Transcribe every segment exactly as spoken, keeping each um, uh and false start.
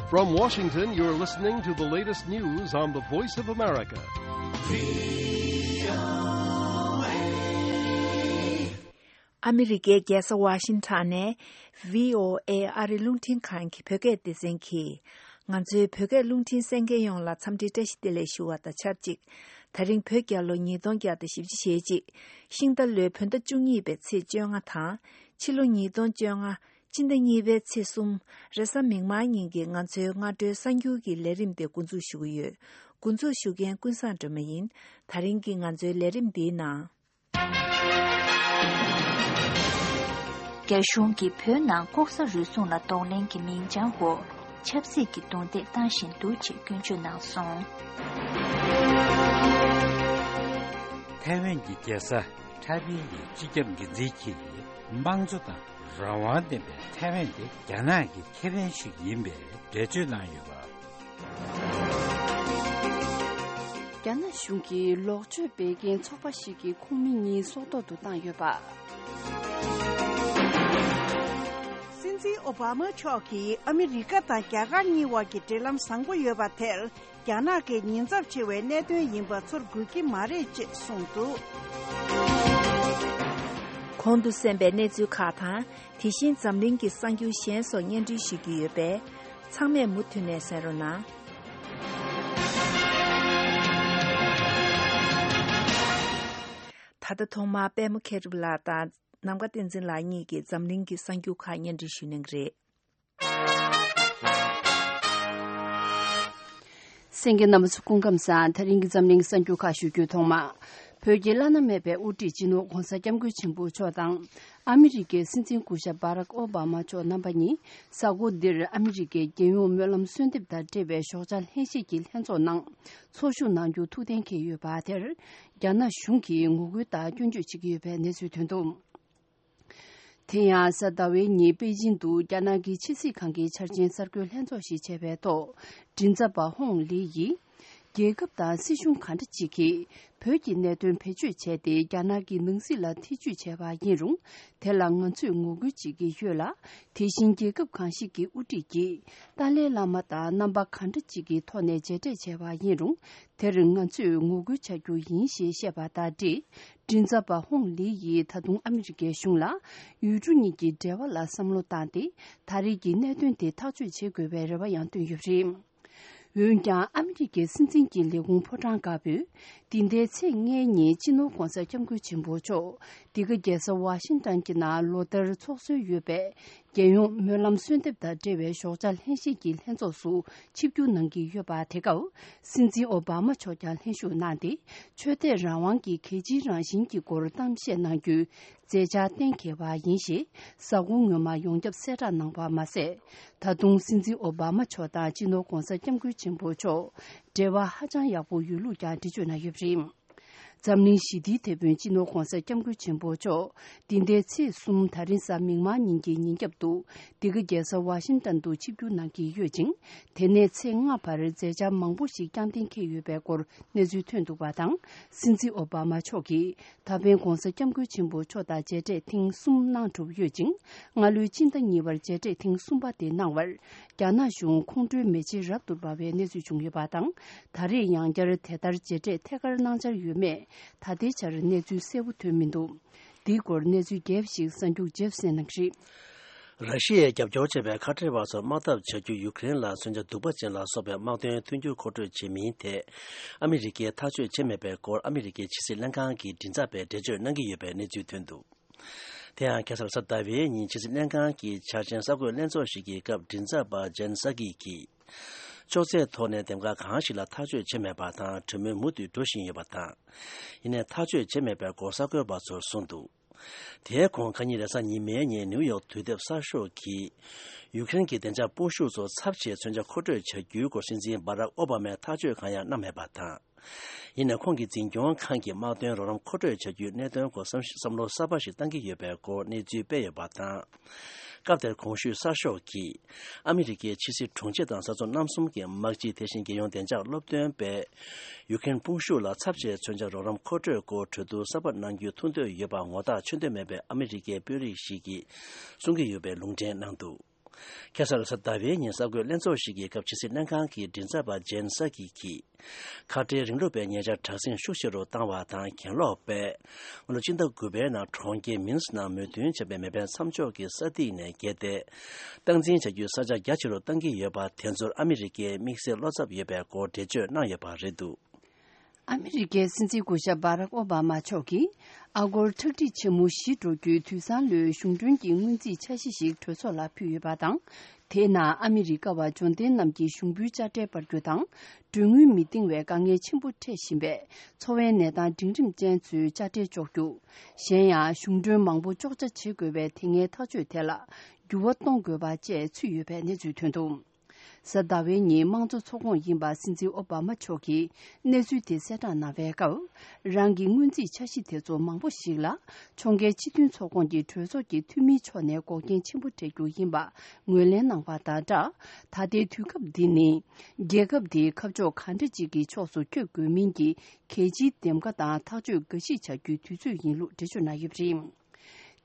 From Washington, you're listening to the latest news on the Voice of America. ཨ་མི་རི་ཀའི་རྒྱལ་ས་ཝ་ཤིང་ཊོན་ནས་བྷི་ཨོ་ཨེ་ཨ་རི་རླུང་འཕྲིན་ཁང་གི་བོད་སྐད་སྡེ་ཚན་གྱིས། ང་ཚོའི་བོད་སྐད་རླུང་འཕྲིན་གསན་མཁན་ཡོངས་ལ་འཚམས་འདྲི་བཀྲ་ཤིས་བདེ་ལེགས་ཞུ་བ་དང་ཆབས་ཅིག་ད་རིང་བོད་རྒྱལ་ལོ་ཉིས་སྟོང་བརྒྱ་དང་བཞི་བཅུ་ཞེ་གཅིག་ཤིང་རྟ་ལོའི་བོད་ཟླ་བཅུ་གཉིས་པའི་ཚེས་བཅོ་ལྔ་དང་། ཕྱི་ལོ་ཉིས་སྟོང་བཅོ་ལྔ། སྤྱི་ཟླ་གཉིས་པའི་ཚེས་གསུམ། རེས་གཟའ་མིག་དམར་ཉིན་གྱི་ང་ཚོའི་སྔ་དྲོའི་གསར་འགྱུར་གྱི་ལས་རིམ་དེ་འགོ་འཛུགས་ཞུ་གི་ཡོད། འགོ་འཛུགས་ཞུ་མཁན་ཀུན་བཟང་སྒྲོལ་མ་ཡིན། ད་རིང་གི་ང་ཚོའི་ལས་རིམ་འདིའི་ནང་། རྒྱ་གཞུང་གིས་བོད་ནང་ལྐོག་ཟ་རུལ་སུངས་ལ་གདོང་ལེན་གྱི་མིང་བྱང་འོག་ཆབ་སྲིད་ཀྱི་རྡུང་རྡེག་བཏང་བཞིན་འདུག་ཅེས་སྐྱོན་བརྗོད་གནང་སོང་། ཐའེ་ཝན་གྱི་རྒྱལ་ས་ཐའེ་པེ་ཡི་སྤྱི་ཁྱབ་འགན་འཛིན་གྱིས། དམངས་གཙོ་དང་རང་དབང་ལྡན་པའི་ཐའེ་ཝན་དེ་རྒྱ་ནག་གི་ཁེ་ཕན་ཞིག་ཡིན་པའི་འགྲེལ་བརྗོད་གནང་ཡོད་པ། རྒྱ་ནག་གཞུང་གིས་ལོག་སྤྱོད་སྤེལ་མཁན་ཚོགས་པ་ཞིག་གི་ཁོངས་མི་གཉིས་སྲོག་ཐོག་ཏུ་བཏང་ཡོད་པ། སྲིད་འཛིན་ཨོ་བྷ་མ་མཆོག་གིས་ཨ་མི་རི་ཀ་དང་རྒྱ་གར་གཉིས་དབར་གྱི་འབྲེལ་ལམ་བཟང་པོ་ཡོད་པ་དེར། རྒྱ་ནག་གི་ཉེན་ཚབས་ཆེ་བའི་གནད་དོན་ཡིན་པ་ཚོར་དགོས་ཀྱི་མ་རེད་ཅེས་གསུངས་འདུག། གོང་དུ་གསན་པའི་གནས་ཚུལ་ཁག་དང་། དེ་བཞིན་འཛམ་གླིང་གི་གསར་འགྱུར་གཞན་སོགས་སྙན་སྒྲོན་ཞུ་རྒྱུ་ཡོད་པས། ཚང་མས་མུ་མཐུད་ནས་གསན་རོགས་གནང་། ད་ལྟ་ཐོག་མར་པད་མ་མཁས་གྲུབ་ལགས་དང་། ནམ་མཁའ་བསྟན་འཛིན་ལགས་གཉིས་ཀྱིས་འཛམ་གླིང་གི་གསར་འགྱུར་ཁག་སྙན་སྒྲོན་ཞུ་གནང་གི་རེད། གསན་མཁན་རྣམ་པ་ཚོ་སྐུ་ཁམས་བཟང་། ད་རིང་གི་འཛམ་གླིང་གསར་འགྱུར་ཁག་ཞུ་རྒྱུའི་ཐོག་མ། བོད་ཀྱི་བླ་ན་མེད་པའི་དབུ་ཁྲིད་སྤྱི་ནོར་༧གོང་ས་༧སྐྱབས་མགོན་ཆེན་པོ་མཆོག་དང་། ཨ་མི་རི་ཀའི་སྲིད་འཛིན་སྐུ་ཞབས་བྷ་རག་ཨོ་བྷ་མ་མཆོག་རྣམ་པ་གཉིས་གཟའ་འཁོར་འདིར་ཨ་མི་རི་ཀའི་རྒྱལ་ཡོངས་སྨོན་ལམ་གསོལ་འདེབས་དང་འབྲེལ་བའི་ཞོགས་ཇ་ལྷན་བཞེས་ཀྱི་ལྷན་ཚོགས་ནང་ཚོགས་ཞུགས་གནང་རྒྱུ་ཐུགས་གཏན་འཁེལ་ཡོད་པ་དེར། རྒྱ་ནག་གཞུང་གིས་ངོ་རྒོལ་དང་སྐྱོན་བརྗོད་བྱེད་ཀྱི་ཡོད་པའི་གནས་ཚུལ་ཐོན་འདུག། དེ་ཡང་གཟའ་ཟླ་བའི་ཉིན་པེ་ཅིང་དུ་རྒྱ་ནག་གི་ཕྱི་སྲིད་ཁང་གི་འཆར་ཅན་གསར་འགོད་ལྷན་ཚོགས་ཤིག་བྱས་པའི་ཐོག་མགྲིན་ཚབ་པ་ཧོང་ལི་ཡིས། རྒྱལ་ཁབ་དང་སྲིད་གཞུང་གང་འདྲ་ཅིག་གིས་བོད་ཀྱི་གནད་དོན་བེད་སྤྱོད་བྱས་ཏེ་རྒྱ་ནག་གི་ནང་སྲིད་ལ་ཐེ་ཇུས་བྱས་པ་ཡིན་རུང་། དེ་ལ་ང་ཚོས་ངོ་རྒོལ་བྱེད་ཀྱི་ཡོད་ལ། དེ་བཞིན་རྒྱལ་ཁབ་གང་ཞིག་གི་དབུ་ཁྲིད་ཀྱིས་ཏཱ་ལའི་བླ་མ་དང་རྣམ་པ་གང་འདྲ་ཅིག་གི་ཐོག་ནས་མཇལ་འཕྲད་བྱས་པ་ཡིན་རུང་། དེར་ང་ཚོས་ངོ་རྒོལ་བྱ་རྒྱུ་ཡིན་ཞེས་བཤད་པ་དང་འབྲེལ། མགྲིན་ཚབ་པ་ཧོང་ལི་ཡིས་ད་དུང་ཨ་མི་རི་ཀའི་གཞུང་ལ། ཡུལ་གྲུ་གཉིས་ཀྱི་འབྲེལ་བ་ལ་བསམ་བློ་བཏང་སྟེ། ད་རེས་ཀྱི་གནད་དོན་དེ་ཐག་གཅོད་བྱེད་དགོས་པའི་རེ་བ་ཡང་བཏོན་ཡོད་པ་རེད། འོན་ཀྱང་ཨ་མི་རི་ཀའི་སྲིད་འཛིན་གྱི་ལས་ཁུངས་ཕོ་བྲང་དཀར་པོས། འདི་ཟླའི་ཚེས་ལྔའི་ཉིན་སྤྱི་ནོར་༧གོང་ས་༧སྐྱབས་མགོན་ཆེན་པོ་མཆོག་འདི་ག་རྒྱལ་ས་ཝ་ཤིང་ཊོན་གྱི་ནང་ལོ་ལྟར་ཚོགས་སྲོལ་ཡོད་པའི། རྒྱལ་ཡོངས་སྨོན་ལམ་གསོལ་འདེབས་དང་འབྲེལ་བའི་ཞོགས་ཇ་ལྷན་བཞེས་ཀྱི་ལྷན་ཚོགས་སུ་ཆིབས་བསྒྱུར་གནང་གི་ཡོད་པ། དེ་སྐབས་སྲིད་འཛིན་ཨོ་བྷ་མ་མཆོག་ཀྱང་ལྷན་ཞུགས་གནང་སྟེ། ཆོས་དད་རང་དབང་གི་གལ་ཆེའི་རང་བཞིན་གྱི་སྐོར་གཏམ་བཤད་གནང་རྒྱུའི་མཛད་འཆར་གཏན་འཁེལ་བ་ཡིན་ཞེས་གཟའ་འཁོར་སྔོན་མ་ཡོངས་ཁྱབ་གསལ་བསྒྲགས་གནང་བ་མ་ཟད། ད་དུང་སྲིད་འཛིན་ཨོ་བྷ་མ་མཆོག་དང་སྤྱི་ནོར་༧གོང་ས་༧སྐྱབས་མགོན་ཆེན་པོ་མཆོག་འབྲེལ་བ་ཧ་ཅང་ཡག་པོ་ཡོད་ལུགས་ཀྱང་འགྲེལ་བརྗོད་གནང་ཡོད་པ་རེད། འཛམ་གླིང་ཞི་བདེའི་དེད་དཔོན་སྤྱི་ནོར་༧གོང་ས་༧སྐྱབས་མགོན་ཆེན་པོ་མཆོག་འདི་ཟླའི་ཚེས་གསུམ་ད་རིང་གཟའ་མིག་དམར་ཉིན་གྱི་ཉིན་རྒྱབ་ཏུ་འདི་ག་རྒྱལ་ས་ཝ་ཤིང་ཏན་དུ་ཆིབས་བསྒྱུར་གནང་གི་ཡོད་ཅིང་། དེ་ནས་ཚེས་ལྔ་བར་མཛད་འཆར་མང་པོ་ཞིག་བསྐྱངས་གཏན་འཁེལ་ཡོད་པའི་སྐོར་གནས་ཚུལ་ཐོན་འདུག་པ་དང་། སྲིད་འཛིན་ཨོ་བྷ་མ་མཆོག་གིས་ད་ཕན་༧གོང་ས་༧སྐྱབས་མགོན་ཆེན་པོ་མཆོག་དང་མཇལ་འཕྲད་ཐེངས་གསུམ་གནང་གྲུབ་ཡོད་ཅིང་། སྔ་ལོའི་སྤྱི་ཟླ་གཉིས་པར་མཇལ་འཕྲད་ཐེངས་གསུམ་པ་དེ་གནང་བར། རྒྱ་ནག་གཞུང་ཁོང་ཁྲོའི་མེ་ལྕེ་རབ་ཏུ་འབར་བའི་གནས་ཚུལ་བྱུང་ཡོད་པ་དང་། ད་རེས་ཡང་བསྐྱར་དེ་ལྟར་མཇལ་འཕྲད་ཐད་ཀར་གནང་འཆར་ཡོད་མེད་ད་ལྟའི་ཆར་གནས་ཚུལ་གསལ་པོ་ཐོན་མི་འདུག། འདིའི་སྐོར་གནས་ཚུལ་རྒྱས་པ་ཞིག་གསར་འགྱུར་རྗེས་གསན་གནང་གི་རེད། ར་ཤི་ཡས་རྒྱབ་སྐྱོར་བྱས་པའི་ཁ་བྲལ་བ་ཚོར་དམག་འཐབ་བྱ་རྒྱུ་ཡུ་ཀེ་རེན་ལ་མཚོན་ཆ་གདུག་པ་ཅན་ལ་སོགས་པའི་དམག་དོན་མཐུན་འགྱུར་མཁོ་སྤྲོད་བྱེད་མིན་ཐད། ཨ་མི་རི་ཀས་ཐག་གཅོད་བྱས་མེད་པའི་སྐོར་ཨ་མི་རི་ཀའི་ཕྱི་སྲིད་ལྷན་ཁང་གི་མགྲིན་ཚབ་པས་འགྲེལ་བརྗོད་གནང་གི་ཡོད་པའི་གནས་ཚུལ་ཐོན་འདུག། དེ་ཡང་ཁ་སང་གཟའ་ཟླ་བའི་ཉིན་ཕྱི་སྲིད་ལྷན་ཁང་གི་འཆར་ཅན་གསར་འགོད་ལྷན་ཚོགས་ཤིག་གི་སྐབས་མགྲིན་ཚབ་པ་ཇན་ས་ཀི་གིས། ཅོག་ཙེའི་ཐོག་ནས་འདེམས་ཁག་གང་ཞིག་ལ་ཐག་གཅོད་བྱས་མེད་པ་དང་གྲོས་མོལ་མུ་མཐུད་འགྲོ་བཞིན་ཡོད་པ་དང་། ཡིན་ནའི་ཐག་གཅོད་བྱས་མེད་པའི་སྐོར་གསར་འགོད་པ་ཚོར་གསུངས་འདུག། དེའི་གོང་ཁ་ཉིན་རེས་གཟའ་ཉི་མའི་ཉིན་ནིའུ་ཡོག་དུས་དེབ་གསར་ཤོག་གིས། ཡུ་ཀེ་རེན་གྱི་བདེ་འཇགས་སྤོབས་ཤུགས་ཚོ་ཚབས་ཆེའི་མཚོན་ཆ་མཁོ་སྤྲོད་བྱ་རྒྱུའི་སྐོར་སྲིད་འཛིན་སྦ་རག་ཨོ་བྷ་མས་ཐག་གཅོད་གང་ཡང་གནང་མེད་པ་དང་། ཡིན་ནའི་ཁོང་གི་འཛིན་སྐྱོང་ཁང་གིས་དམག་དོན་རོགས་རམ་མཁོ་སྤྲོད་བྱ་རྒྱུའི་གནད་དོན་སྐོར་བསམ་བསམ་བློ་གསར་པ་ཞིག་བཏང་གི་ཡོད་པའི་སྐོར་གནས་ཚུལ་སྤེལ་ཡོད་པ་དང་། སྐབས་དེར་གོང་ཞུས་གསར་ཤོག་གིས། ཨ་མི་རི་ཀའི་ཕྱི་སྲིད་དྲུང་ཆེ་དང་ས་མཚོ་གནམ་གསུམ་གྱི་དམག་སྤྱི་དེ་བཞིན་རྒྱལ་ཡོངས་བདེ་འཇགས་སློབ་སྟོན་པས། ཡུ་ཀེ་རེན་དཔུང་ཤུགས་ལ་ཚབས་ཆེའི་མཚོན་ཆ་རོགས་རམ་མཁོ་སྤྲོད་སྐོར་གྲོས་བསྡུར་གསར་པ་གནང་རྒྱུའི་ཐུགས་འདོད་ཡོད་པ་ངོ་རྟགས་ཆོད་འདོད་མེད་པའི་ཨ་མི་རི་ཀའི་དཔོན་རིགས་ཤིག་གིས་གསུང་གི་ཡོད་པའི་ལུང་འདྲེན་གནང་འདུག། ཁ་སང་རེས་གཟའ་ཟླ་བའི་ཉིན་གསར་འགོད་ལྷན་ཚོགས་ཤིག་གི་སྐབས་ཕྱི་སྲིད་ལྷན་ཁང་གི་མགྲིན་ཚབ་པ་ཇེན་སཱ་ཀི་གིས། ཁ་བྲལ་རིང་ལུགས་པའི་ཉེ་ཆར་དྲག་ཟིང་ཤུགས་ཆེ་རུ་བཏང་བ་དང་། གྱེན་ལོག་པས་སྔ་ལོ་སྤྱི་ཟླ་དགུ་པའི་ནང་གྲོང་ཁྱེར་མིན་སི་ནང་མོས་མཐུན་བྱས་པའི་མེ་འཕེན་མཚམས་འཇོག་གི་ས་ཐིག་ནས་བརྒལ་ཏེ། སྟངས་འཛིན་བྱ་རྒྱུའི་ས་ཆ་རྒྱ་ཆེ་རུ་གཏང་གི་ཡོད་པ་དེ་ཚོར་ཨ་མི་རི་ཀས་དམིགས་བསལ་བློ་འཚབ་ཡོད་པའི་སྐོར་འགྲེལ་བརྗོད་གནང་ཡོད་པ་རེད་འདུག། ཨ་མི་རི་ཀའི་སྲིད་འཛིན་སྐུ་ཞབས་སྦ་རག་ཨོ་བྷ་མ་མཆོག་གིས། ཨ་སྒོར་ཁྲག་ཁྲིག་ཆེན་མོ་བཞི་འགྲོ་རྒྱུའི་དུས་སང་ལོའི་གཞུང་གྲོན་གྱི་སྔོན་རྩིས་འཆར་གཞི་ཞིག་གྲོས་ཚོགས་ལ་ཕུལ་ཡོད་པ་དང་། དེའི་ནང་ཨ་མི་རི་ཀ་བ་འབྱོར་ལྡན་རྣམས་ཀྱི་གཞུང་འབུལ་དཔྱ་ཁྲལ་སྤར་རྒྱུ་དང་། གྲོན་དངུལ་མི་འདིང་བའི་དཀའ་ངལ་ཆེན་པོ་འཕྲད་བཞིན་པའི་འཚོ་བའི་གནས་སྟངས་འབྲིང་རིམ་ཅན་ཚོའི་དཔྱ་ཁྲལ་གཅོག་རྒྱུ། གཞན་ཡང་གཞུང་གྲོན་མང་པོ་གཅོག་ཆ་བྱེད་དགོས་པའི་དེ་སྔའི་ཐག་གཅོད་དེ་ལ་འགྱུར་བ་གཏོང་དགོས་པ་བཅས་ཚུད་ཡོད་པའི་གནས་ཚུལ་ཐོན་འདུག། གཟའ་ཟླ་བའི་ཉིན་དམངས་གཙོ་ཚོགས་ཁོངས་ཡིན་པ་སྲིད་འཛིན་ཨོ་བྷ་མ་མཆོག་གིས་གནས་ཚུལ་དེ་གསལ་བསྒྲགས་གནང་བའི་སྐབས། རང་གི་སྔོན་རྩིས་འཆར་གཞི་དེ་ཚོ་མང་པོ་ཞིག་ལ་ཕྱོགས་འགལ་སྤྱི་མཐུན་ཚོགས་ཁོངས་ཀྱི་གྲོས་ཚོགས་ཀྱི་འཐུས་མིའི་ཕྱོགས་ནས་འགོག་རྐྱེན་ཆེན་པོ་འཕྲད་རྒྱུ་ཡིན་པ་ངོས་ལེན་གནང་བ་དང་སྦྲགས། ད་ལྟའི་དུས་སྐབས་འདི་ནི་རྒྱལ་ཁབ་འདིའི་ཁ་ཕྱོགས་གང་འདྲ་ཅིག་གི་ཕྱོགས་སུ་འཁྱོལ་དགོས་མིན་གྱི་གལ་ཆེའི་འདེམས་ཀ་དང་ཐག་གཅོད་འགའ་ཞིག་བྱ་རྒྱུའི་དུས་ཚོད་ཡིན་ལུགས་འགྲེལ་བརྗོད་གནང་ཡོད་པ་རེད།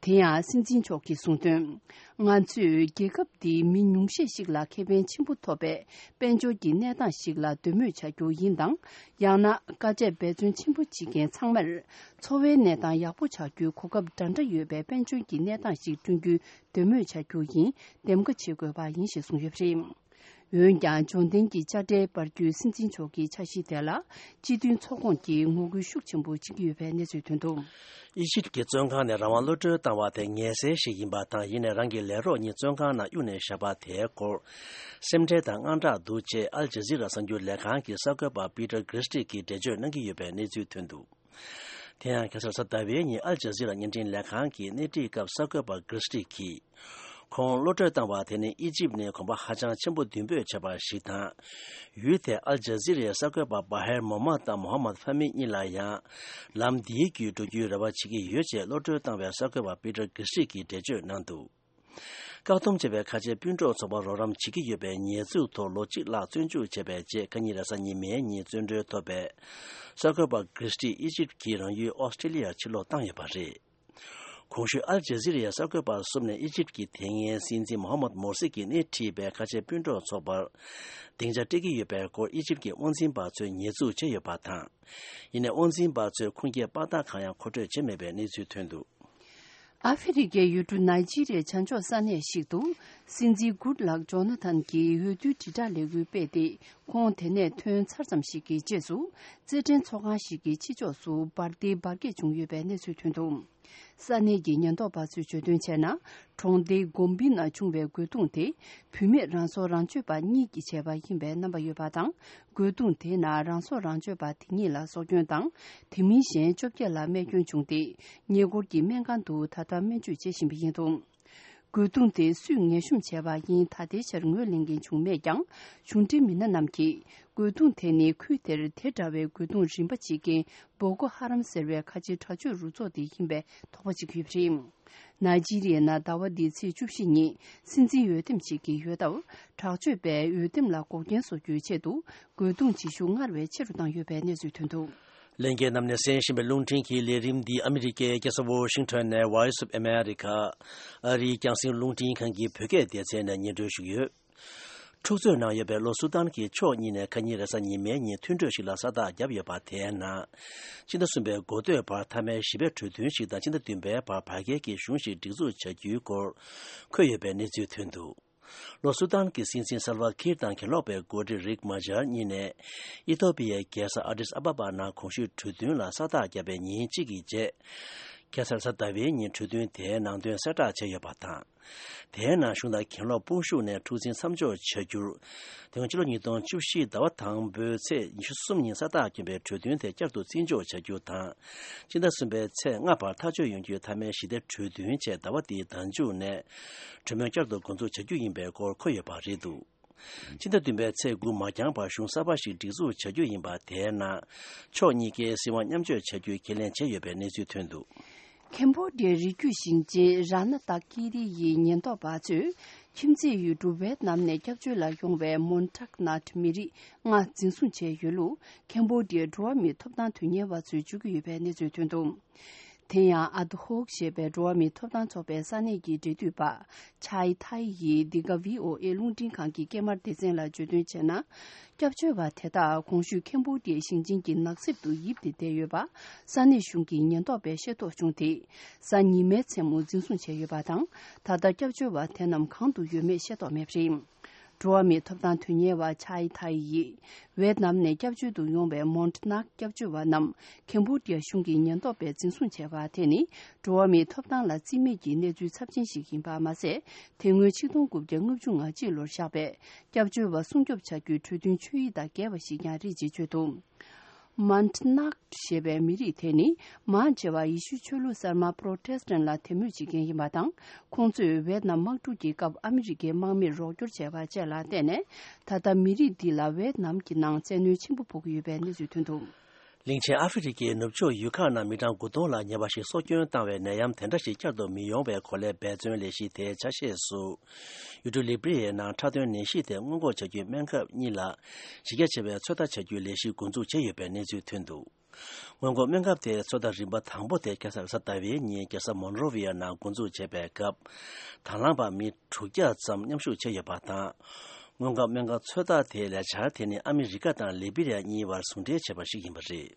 དེ་ཡང་སྲིད་འཛིན་མཆོག་གིས་གསུངས་དོན། ང་ཚོས་རྒྱལ་ཁབ་འདིའི་མི་ཉུང་ཤས་ཤིག་ལ་ཁེ་ཕན་ཆེན་པོ་ཐོབ་པའི་དཔལ་འབྱོར་གྱི་གནས་སྟངས་ཤིག་ལ་འདོད་མོས་བྱ་རྒྱུ་ཡིན་དང་། ཡང་ན་དཀའ་སྤྱད་འབད་བརྩོན་ཆེན་པོ་བྱེད་མཁན་ཚང་མར་འཚོ་བའི་གནས་སྟངས་ཡག་པོ་ཆགས་རྒྱུའི་གོ་སྐབས་འདྲ་འདྲ་ཡོད་པའི་དཔལ་འབྱོར་གྱི་གནས་སྟངས་ཤིག་བསྐྲུན་རྒྱུའི་འདོད་མོས་བྱ་རྒྱུ་ཡིན། འདེམས་ཀ་བྱེད་དགོས་པ་ཡིན་ཞེས་གསུངས་ཡོད་པ་རེད། འོན་ཀྱང་འབྱོར་ལྡན་གྱི་དཔྱ་ཁྲལ་སྤར་རྒྱུའི་སྲིད་འཛིན་མཆོག་གི་འཆར་གཞི་དེ་ལ་སྤྱི་མཐུན་ཚོགས་ཁོངས་ཀྱིས་ངོ་རྒོལ་ཤུགས་ཆེན་པོ་བྱེད་ཀྱི་ཡོད་པའི་གནས་ཚུལ་ཐོན་འདུག། ཨི་ཇིབ་ཀྱི་བཙོན་ཁང་ནས་རང་དབང་གློད་གྲོལ་བཏང་བ་དེ་ངལ་སེལ་ཞིག་ཡིན་པ་དང་། ཡིན་ནའི་རང་གི་ལས་རོགས་གཉིས་བཙོན་ཁང་ནང་གཡུགས་ནས་བཞག་པ་དེའི་སྐོར་སེམས་ཁྲལ་དང་དངངས་སྐྲག་འདུག་ཅེས་ཨལ་ཇ་ཟི་ར་གསར་འགྱུར་ལས་ཁང་གི་གསར་འགོད་པ་པི་ཏར་གྷི་རི་སི་ཊི་གིས་འགྲེལ་བརྗོད་གནང་གི་ཡོད་པའི་གནས་ཚུལ་ཐོན་འདུག། དེ་ཡང་ཁ་སང་གཟའ་ཟླ་བའི་ཉིན་ཨལ་ཇ་ཟི་ར་བརྙན་འཕྲིན་ལས་ཁང་གི་སྣེ་ཁྲིད་སྐབས་གསར་འགོད་པ་གྷི་རི་སི་ཊི་གིས། ཁོང་གློད་གྲོལ་བཏང་བ་དེ་ནི་ཨི་ཇིབ་ནས་གོམ་པ་ཧ་ཅང་ཆེན་པོ་མདུན་སྤོས་བྱས་པ་ཞིག་དང་། ཡུལ་དེའི་ཨལ་ཇ་ཟི་རའི་གསར་འགོད་པ་བྷ་ཧེར་མོ་མ་དང་མོ་ཧ་མད་ཕ་མི་གཉིས་ལ་ཡང་ལམ་འདིའི་བརྒྱུད་འགྲོ་རྒྱུའི་རེ་བ་བྱེད་ཀྱི་ཡོད་ཅེས་གློད་གྲོལ་བཏང་བའི་གསར་འགོད་པ་པི་ཏར་གྷི་རི་སི་ཊི་གིས་འགྲེལ་བརྗོད་གནང་འདུག། བཀག་སྡོམ་བྱས་པའི་ཁ་ཆེ་སྤུན་གྲོགས་ཚོགས་པ་རོགས་རམ་བྱེད་ཀྱི་ཡོད་པའི་ཉེས་འཛུགས་ཐོག་ལོ་གཅིག་ལྷག་བཙོན་འཇུག་བྱས་པའི་རྗེས། ཁ་ཉིན་རེས་གཟའ་ཉི་མའི་ཉིན་བཙོན་གྲོལ་ཐོབ་པའི་གསར་འགོད་པ་གྷི་རི་སི་ཊི་ཨི་ཇིབ་ཀྱི་རང་ཡུལ་ཨོ་སི་ཀྲི་ལི་ཡར་ཕྱིར་ལོག་བཏང་ཡོད་པ་རེད། གོང་ཞུས་ཨལ་ཇ་ཟི་རའི་གསར་འགོད་པ་གསུམ་ནས་ཨི་ཇིབ་ཀྱི་དེ་སྔའི་སྲིད་འཛིན་མོ་ཧ་མད་མོར་སི་གིས་སྣེ་ཁྲིད་པའི་ཁ་ཆེ་སྤུན་གྲོགས་ཚོགས་པར་སྡིངས་ཆ་སྤྲད་ཀྱི་ཡོད་པའི་སྐོར་ཨི་ཇིབ་ཀྱི་དབང་འཛིན་པ་ཚོས་ཉེས་འཛུགས་བྱས་ཡོད་པ་དང་། ཡིན་ནའི་དབང་འཛིན་པ་ཚོས་ཁུངས་སྐྱེལ་དཔང་རྟགས་གང་ཡང་མཁོ་སྤྲོད་བྱས་མེད་པའི་གནས་ཚུལ་ཐོན་འདུག། ཨ་ཧྥེ་རི་ཁའི་ཡུལ་གྲུ་ནཱི་ཇི་རི་ཡའི་བྱང་ཕྱོགས་ས་གནས་ཤིག་ཏུ་སྲིད་འཛིན་གུཌ་ལག་ཇོ་ན་ཐན་གྱིས་འོས་བསྡུའི་དྲིལ་བསྒྲགས་ལས་འགུལ་སྤེལ་ཏེ། ཁོང་དེ་ནས་ཐོན་ཚར་ཙམ་ཞིག་གི་རྗེས་སུ། རྩེད་འགྲན་ཚོགས་ཁང་ཞིག་གི་ཕྱི་ཕྱོགས་སུ་འབར་མདེལ་འབར་གས་བྱུང་ཡོད་པའི་གནས་ཚུལ་ཐོན་འདུག། ས་གནས་ཀྱི་ཉེན་རྟོག་པ་ཚོས་བརྗོད་དོན་བྱས་ན། གྲོང་སྡེ་གོམ་བི་ནང་བྱུང་བའི་རྒོལ་རྡུང་དེ། བུད་མེད་རང་སྲོག་རང་གཅོད་པ་གཉིས་ཀྱིས་བྱས་པ་ཡིན་པའི་རྣམ་པ་ཡོད་པ་དང་། རྒོལ་རྡུང་དེའི་ནང་རང་སྲོག་རང་གཅོད་པ་དེ་གཉིས་ལ་སྲོག་སྐྱོན་དང་། དེ་མིན་གཞན་བཅོ་བརྒྱད་ལ་རྨས་སྐྱོན་བྱུང་སྟེ། ཉེ་འཁོར་གྱི་སྨན་ཁང་དུ་ད་ལྟ་སྨན་བཅོས་བྱེད་བཞིན་པ་ཡིན་འདུག། རྒོལ་རྡུང་དེ་སུས་ངན་ཤོམ་བྱས་པ་ཡིན་ད་ལྟའི་ཆར་ངོས་ལེན་མཁན་བྱུང་མེད་ཀྱང་། གཞུང་འབྲེལ་མི་སྣ་རྣམས་ཀྱིས། རྒོལ་རྡུང་དེ་ནི་ཁུལ་དེར་དེ་འདྲ་བའི་རྒོལ་རྡུང་རིམ་པ་བྱེད་མཁན་བོ་ཀོ་ཧ་རམ་ཟེར་བའི་ཁ་ཆེའི་དྲག་སྤྱོད་རུ་ཚོགས་དེ་ཡིན་པའི་དོགས་པ་བྱེད་ཀྱི་ཡོད་པ་རེད། ནཱི་ཇི་རི་ཡའི་ནང་ཟླ་བ་འདིའི་ཚེས་བཅུ་བཞི་ཉིན་སྲིད་འཛིན་འོས་འདེམས་བྱེད་ཀྱི་ཡོད་སྟབས། དྲག་སྤྱོད་པས་འོས་འདེམས་ལ་འགོག་རྐྱེན་བཟོ་རྒྱུའི་ཆེད་དུ། རྒོལ་རྡུང་བྱེད་ཤུགས་སྔར་བས་ཆེ་རུ་བཏང་ཡོད་པའི་གནས་ཚུལ་ཐོན་འདུག། ལྷན་རྒྱས་རྣམས་ནས་གསན་བཞིན་པའི་རླུང་འཕྲིན་གྱི་ལས་རིམ་འདི་ཨ་མི་རི་ཀའི་རྒྱལ་ས་ཝོ་ཤིང་ཊོན་ནས་Voice of America ཨ་རིའི་རྒྱང་སྲིང་རླུང་འཕྲིན་ཁང་གི་བོད་སྐད་སྡེ་ཚན་ནས་སྙན་སྒྲོན་ཞུ་གི་ཡོད། འཁྲུག་རྩོད་ནང་ཡོད་པའི་ལྷོ་སུ་དཱན་གྱི་ཕྱོགས་གཉིས་ནས་ཁ་ཉིན་རེས་གཟའ་ཉི་མའི་ཉིན་མཐུན་གྲོས་ཤིག་ལ་ས་རྟགས་བརྒྱབ་ཡོད་པ། དེའི་ནང་སྤྱི་ཟླ་གསུམ་པའི་འགོ་སྟོད་བར་མཐའ་མའི་བཞི་པའི་གྲོས་མཐུན་ཞིག་དང་། སྤྱི་ཟླ་བདུན་པའི་བར་བར་བརྒལ་གྱི་གཞུང་ཞིག་སྒྲིག་འཛུགས་བྱ་རྒྱུའི་སྐོར་འཁོད་ཡོད་པའི་གནས་ཚུལ་ཐོན་འདུག། ལྷོ་སུ་དཱན་གྱི་སྲིད་འཛིན་སལ་ཝ་ཁིར་དང་གྱེན་ལོག་པའི་འགོ་ཁྲིད་རིག་མ་ཇར་གཉིས་ནས་ཨི་ཐོ་པི་ཡའི་རྒྱལ་ས་ཨ་ཏིས་ཨ་བ་བ་ནང་གོང་ཞུས་གྲོས་མཐུན་ལ་ས་རྟགས་བརྒྱབ་པའི་ཉིན་གཅིག་གི་རྗེས། ཁ་སང་རེས་གཟའ་ཟླ་བའི་ཉིན་གྲོས་མཐུན་དེའི་ནང་དོན་གསལ་བསྒྲགས་བྱས་ཡོད་པ་དང་། དེའི་ནང་གཞུང་དང་གྱེན་ལོག་དཔུང་ཤུགས་ནས་འཁྲུག་འཛིང་མཚམས་འཇོག་བྱ་རྒྱུར། དེ་སྔོན་ཕྱི་ལོ་ཉིས་སྟོང་བཅུ་བཞི་ཟླ་བ་དང་པོའི་ཚེས་ཉི་ཤུ་གསུམ་ཉིན་ས་རྟགས་བསྐྱོན་པའི་གྲོས་མཐུན་དེ་བསྐྱར་དུ་བརྩི་འཇོག་བྱ་རྒྱུ་དང་། སྤྱི་ཟླ་གསུམ་པའི་ཚེས་ལྔ་བར་ཐག་གཅོད་ཡོང་རྒྱུའི་མཐའ་མའི་ཞི་བདེ་གྲོས་མཐུན་བཅས་ཟླ་བ་འདིའི་ཟླ་མཇུག་ནས་གྲོས་མོལ་བསྐྱར་དུ་འགོ་འཛུགས་བྱ་རྒྱུ་ཡིན་པའི་སྐོར་འཁོད་ཡོད་པ་རེད་འདུག། ཕྱི་ཟླ་བདུན་པའི་ཚེས་དགུ་མ་འགྱངས་བར་གཞུང་གསར་པ་ཞིག་སྒྲིག་འཛུགས་བྱ་རྒྱུ་ཡིན་པ། དེའི་ནང་ཕྱོགས་གཉིས་ཀའི་སྲིད་དབང་མཉམ་སྤྱོད་བྱ་རྒྱུའི་ཁས་ལེན་བྱས་ཡོད་པའི་གནས་ཚུལ་ཐོན་འདུག། ཁེམ་བྷོ་ཌི་ཡའི་རི་རྒྱུད་ཞིང་ཆེན་ར་ན་ཏཱ་ཀི་རི་ཡི་ཉེན་རྟོག་པ་ཚོས་ཁྱིམ་མཚེས་ཡུལ་གྲུ་ཝེད་ནམ་ནས་སྐྱབས་བཅོལ་ལ་ཡོང་བའི་མོན་ཊག་ནཱ་ཊི་མི་རིགས་ལྔ་འཛིན་བཟུང་བྱས་ཡོད་ལུགས། ཁེམ་བྷོ་ཌི་ཡའི་འགྲོ་བ་མིའི་ཐོབ་ཐང་དོན་གཉེར་བ་ཚོས་བརྗོད་ཀྱི་ཡོད་པའི་གནས་ཚུལ་ཐོན་འདུག། དེ་ཡང་ཨ་དྷོག་ཞེས་པའི་འགྲོ་བ་མིའི་ཐོབ་ཐང་ཚོགས་པའི་ས་གནས་ཀྱི་འབྲེལ་མཐུད་པ་ཆའེ་ཐའེ་ཡིས་འདི་ག་ཝི་ཨོ་ཨེ་རླུང་འཕྲིན་ཁང་གི་སྐྱེས་མར་སྡེ་ཚན་ལ་བརྗོད་དོན་བྱས་ན། སྐྱབས་བཅོལ་བ་དེ་དག་གོང་ཞུས་ཁེམ་བྷོ་ཌི་ཡའི་ཞིང་ཆེན་གྱི་ནགས་གསེབ་ཏུ་ཡིབ་སྟེ་བསྡད་ཡོད་པ་ས་གནས་གཞུང་གི་ཉེན་རྟོག་པས་ཤེས་རྟོགས་བྱུང་སྟེ། གཟའ་ཉི་མའི་མཚན་མོ་འཛིན་བཟུང་བྱས་ཡོད་པ་དང་། ད་ལྟ་སྐྱབས་བཅོལ་བ་དེ་རྣམས་གང་དུ་ཡོད་མེད་ཤེས་རྟོགས་མེད་པ་རེད། འགྲོ་བ་མིའི་ཐོབ་ཐང་དོན་གཉེར་བ་ཆའེ་ཐའེ་ཡིས། ཝེད་ནམ་ནས་སྐྱབས་བཅོལ་དུ་ཡོང་བའི་མོན་ནག་སྐྱབས་བཅོལ་བ་རྣམས་ཁེམ་བྷོ་ཌི་ཡ་གཞུང་གི་ཉེན་རྟོག་པས་འཛིན་བཟུང་བྱས་པ་དེ་ནི། འགྲོ་བ་མིའི་ཐོབ་ཐང་ལ་རྩིས་མེད་ཀྱི་གནས་ཚུལ་ཚབས་ཆེན་ཞིག་ཡིན་པ་མ་ཟད། དེ་སྔོན་ཆིག་སྟོང་དགུ་བརྒྱ་ལྔ་བཅུ་ང་གཅིག་ལོར་བཞག་པའི་སྐྱབས་བཅོལ་བ་སྲུང་སྐྱོབ་བྱ་རྒྱུའི་གྲོས་མཐུན་ཆོད་ཡིག་དང་འགལ་བ་ཞིག་ཀྱང་རེད་ཅེས་བརྗོད་འདུག་མན་ནག་ཞེས་པའི་མི་རིགས་དེ་ནི་མང་ཆེ་བ་ཡེ་ཤུ་ཆོས་ལུགས་གསར་མ་པྲོ་ཏེ་སི་ཏན་ལ་དད་མོས་བྱེད་མཁན་ཡིན་པ་དང་། ཁོང་ཚོས་ཝེད་ནམ་དམག་འཁྲུག་གི་སྐབས་ཨ་མི་རི་ཀའི་དམག་མིར་རོགས་སྐྱོར་བྱས་པ་བཅས་ལ་བརྟེན་ནས། ད་ལྟ་མི་རིགས་འདི་ལ་ཝེད་ནམ་གྱི་ནང་བཙན་གནོན་ཆེན་པོ་ཕོག་གི་ཡོད་པའི་གནས་ཚུལ་ཐོན་འདུག་གླིང་ཆེན་ཨ་ཧྥེ་རི་ཁའི་ནུབ་ཕྱོགས་ཡུལ་ཁག་ནང་མི་གྲངས་དགུ་སྟོང་ལ་ཉེ་བ་ཞིག་སྲོག་སྐྱོན་བཏང་བའི་ནད་ཡམས་དེ་འདྲ་ཞིག་བསྐྱར་དུ་མི་ཡོང་བའི་སྒོ་ལས་འབད་བརྩོན་ལས་གཞི་དེའི་ཆ་ཤས་སུ། ཡུལ་གྲུ་ལི་བྷི་རི་ཡའི་ནང་འཁྲབ་སྟོན་ནད་གཞི་དེ་སྔོན་འགོག་བྱ་རྒྱུའི་སྨན་ཁབ་གཉིས་ལ་གཞི་རྒྱ་ཆེ་བའི་ཚོད་ལྟ་བྱ་རྒྱུའི་ལས་གཞི་འགོ་འཛུགས་བྱས་ཡོད་པའི་གནས་ཚུལ་ཐོན་འདུག་སྔོན་འགོག་སྨན་ཁབ་དེའི་ཚོད་ལྟ་རིམ་པ་དང་པོ་དེ་ཁ་སང་རེས་གཟའ་ཟླ་བའི་ཉིན་རྒྱལ་ས་མོན་རོ་ཝི་ཡའི་ནང་འགོ་འཛུགས་བྱས་པའི་སྐབས། དང་བླངས་པ་མི་དྲུག་བརྒྱ་ཙམ་མཉམ་ཞུགས་བྱས་ཡོད་པ་དང་། སྔོན་འགོག་སྨན་ཁབ་ཚོད་ལྟ་དེའི་ལས་འཆར་དེ་ནི་ཨ་མི་རི་ཀ་དང་ལི་བྷི་རི་ཡ་གཉིས་བར་ཟུང་འབྲེལ་བྱས་པ་ཞིག་ཡིན་པ་རེད།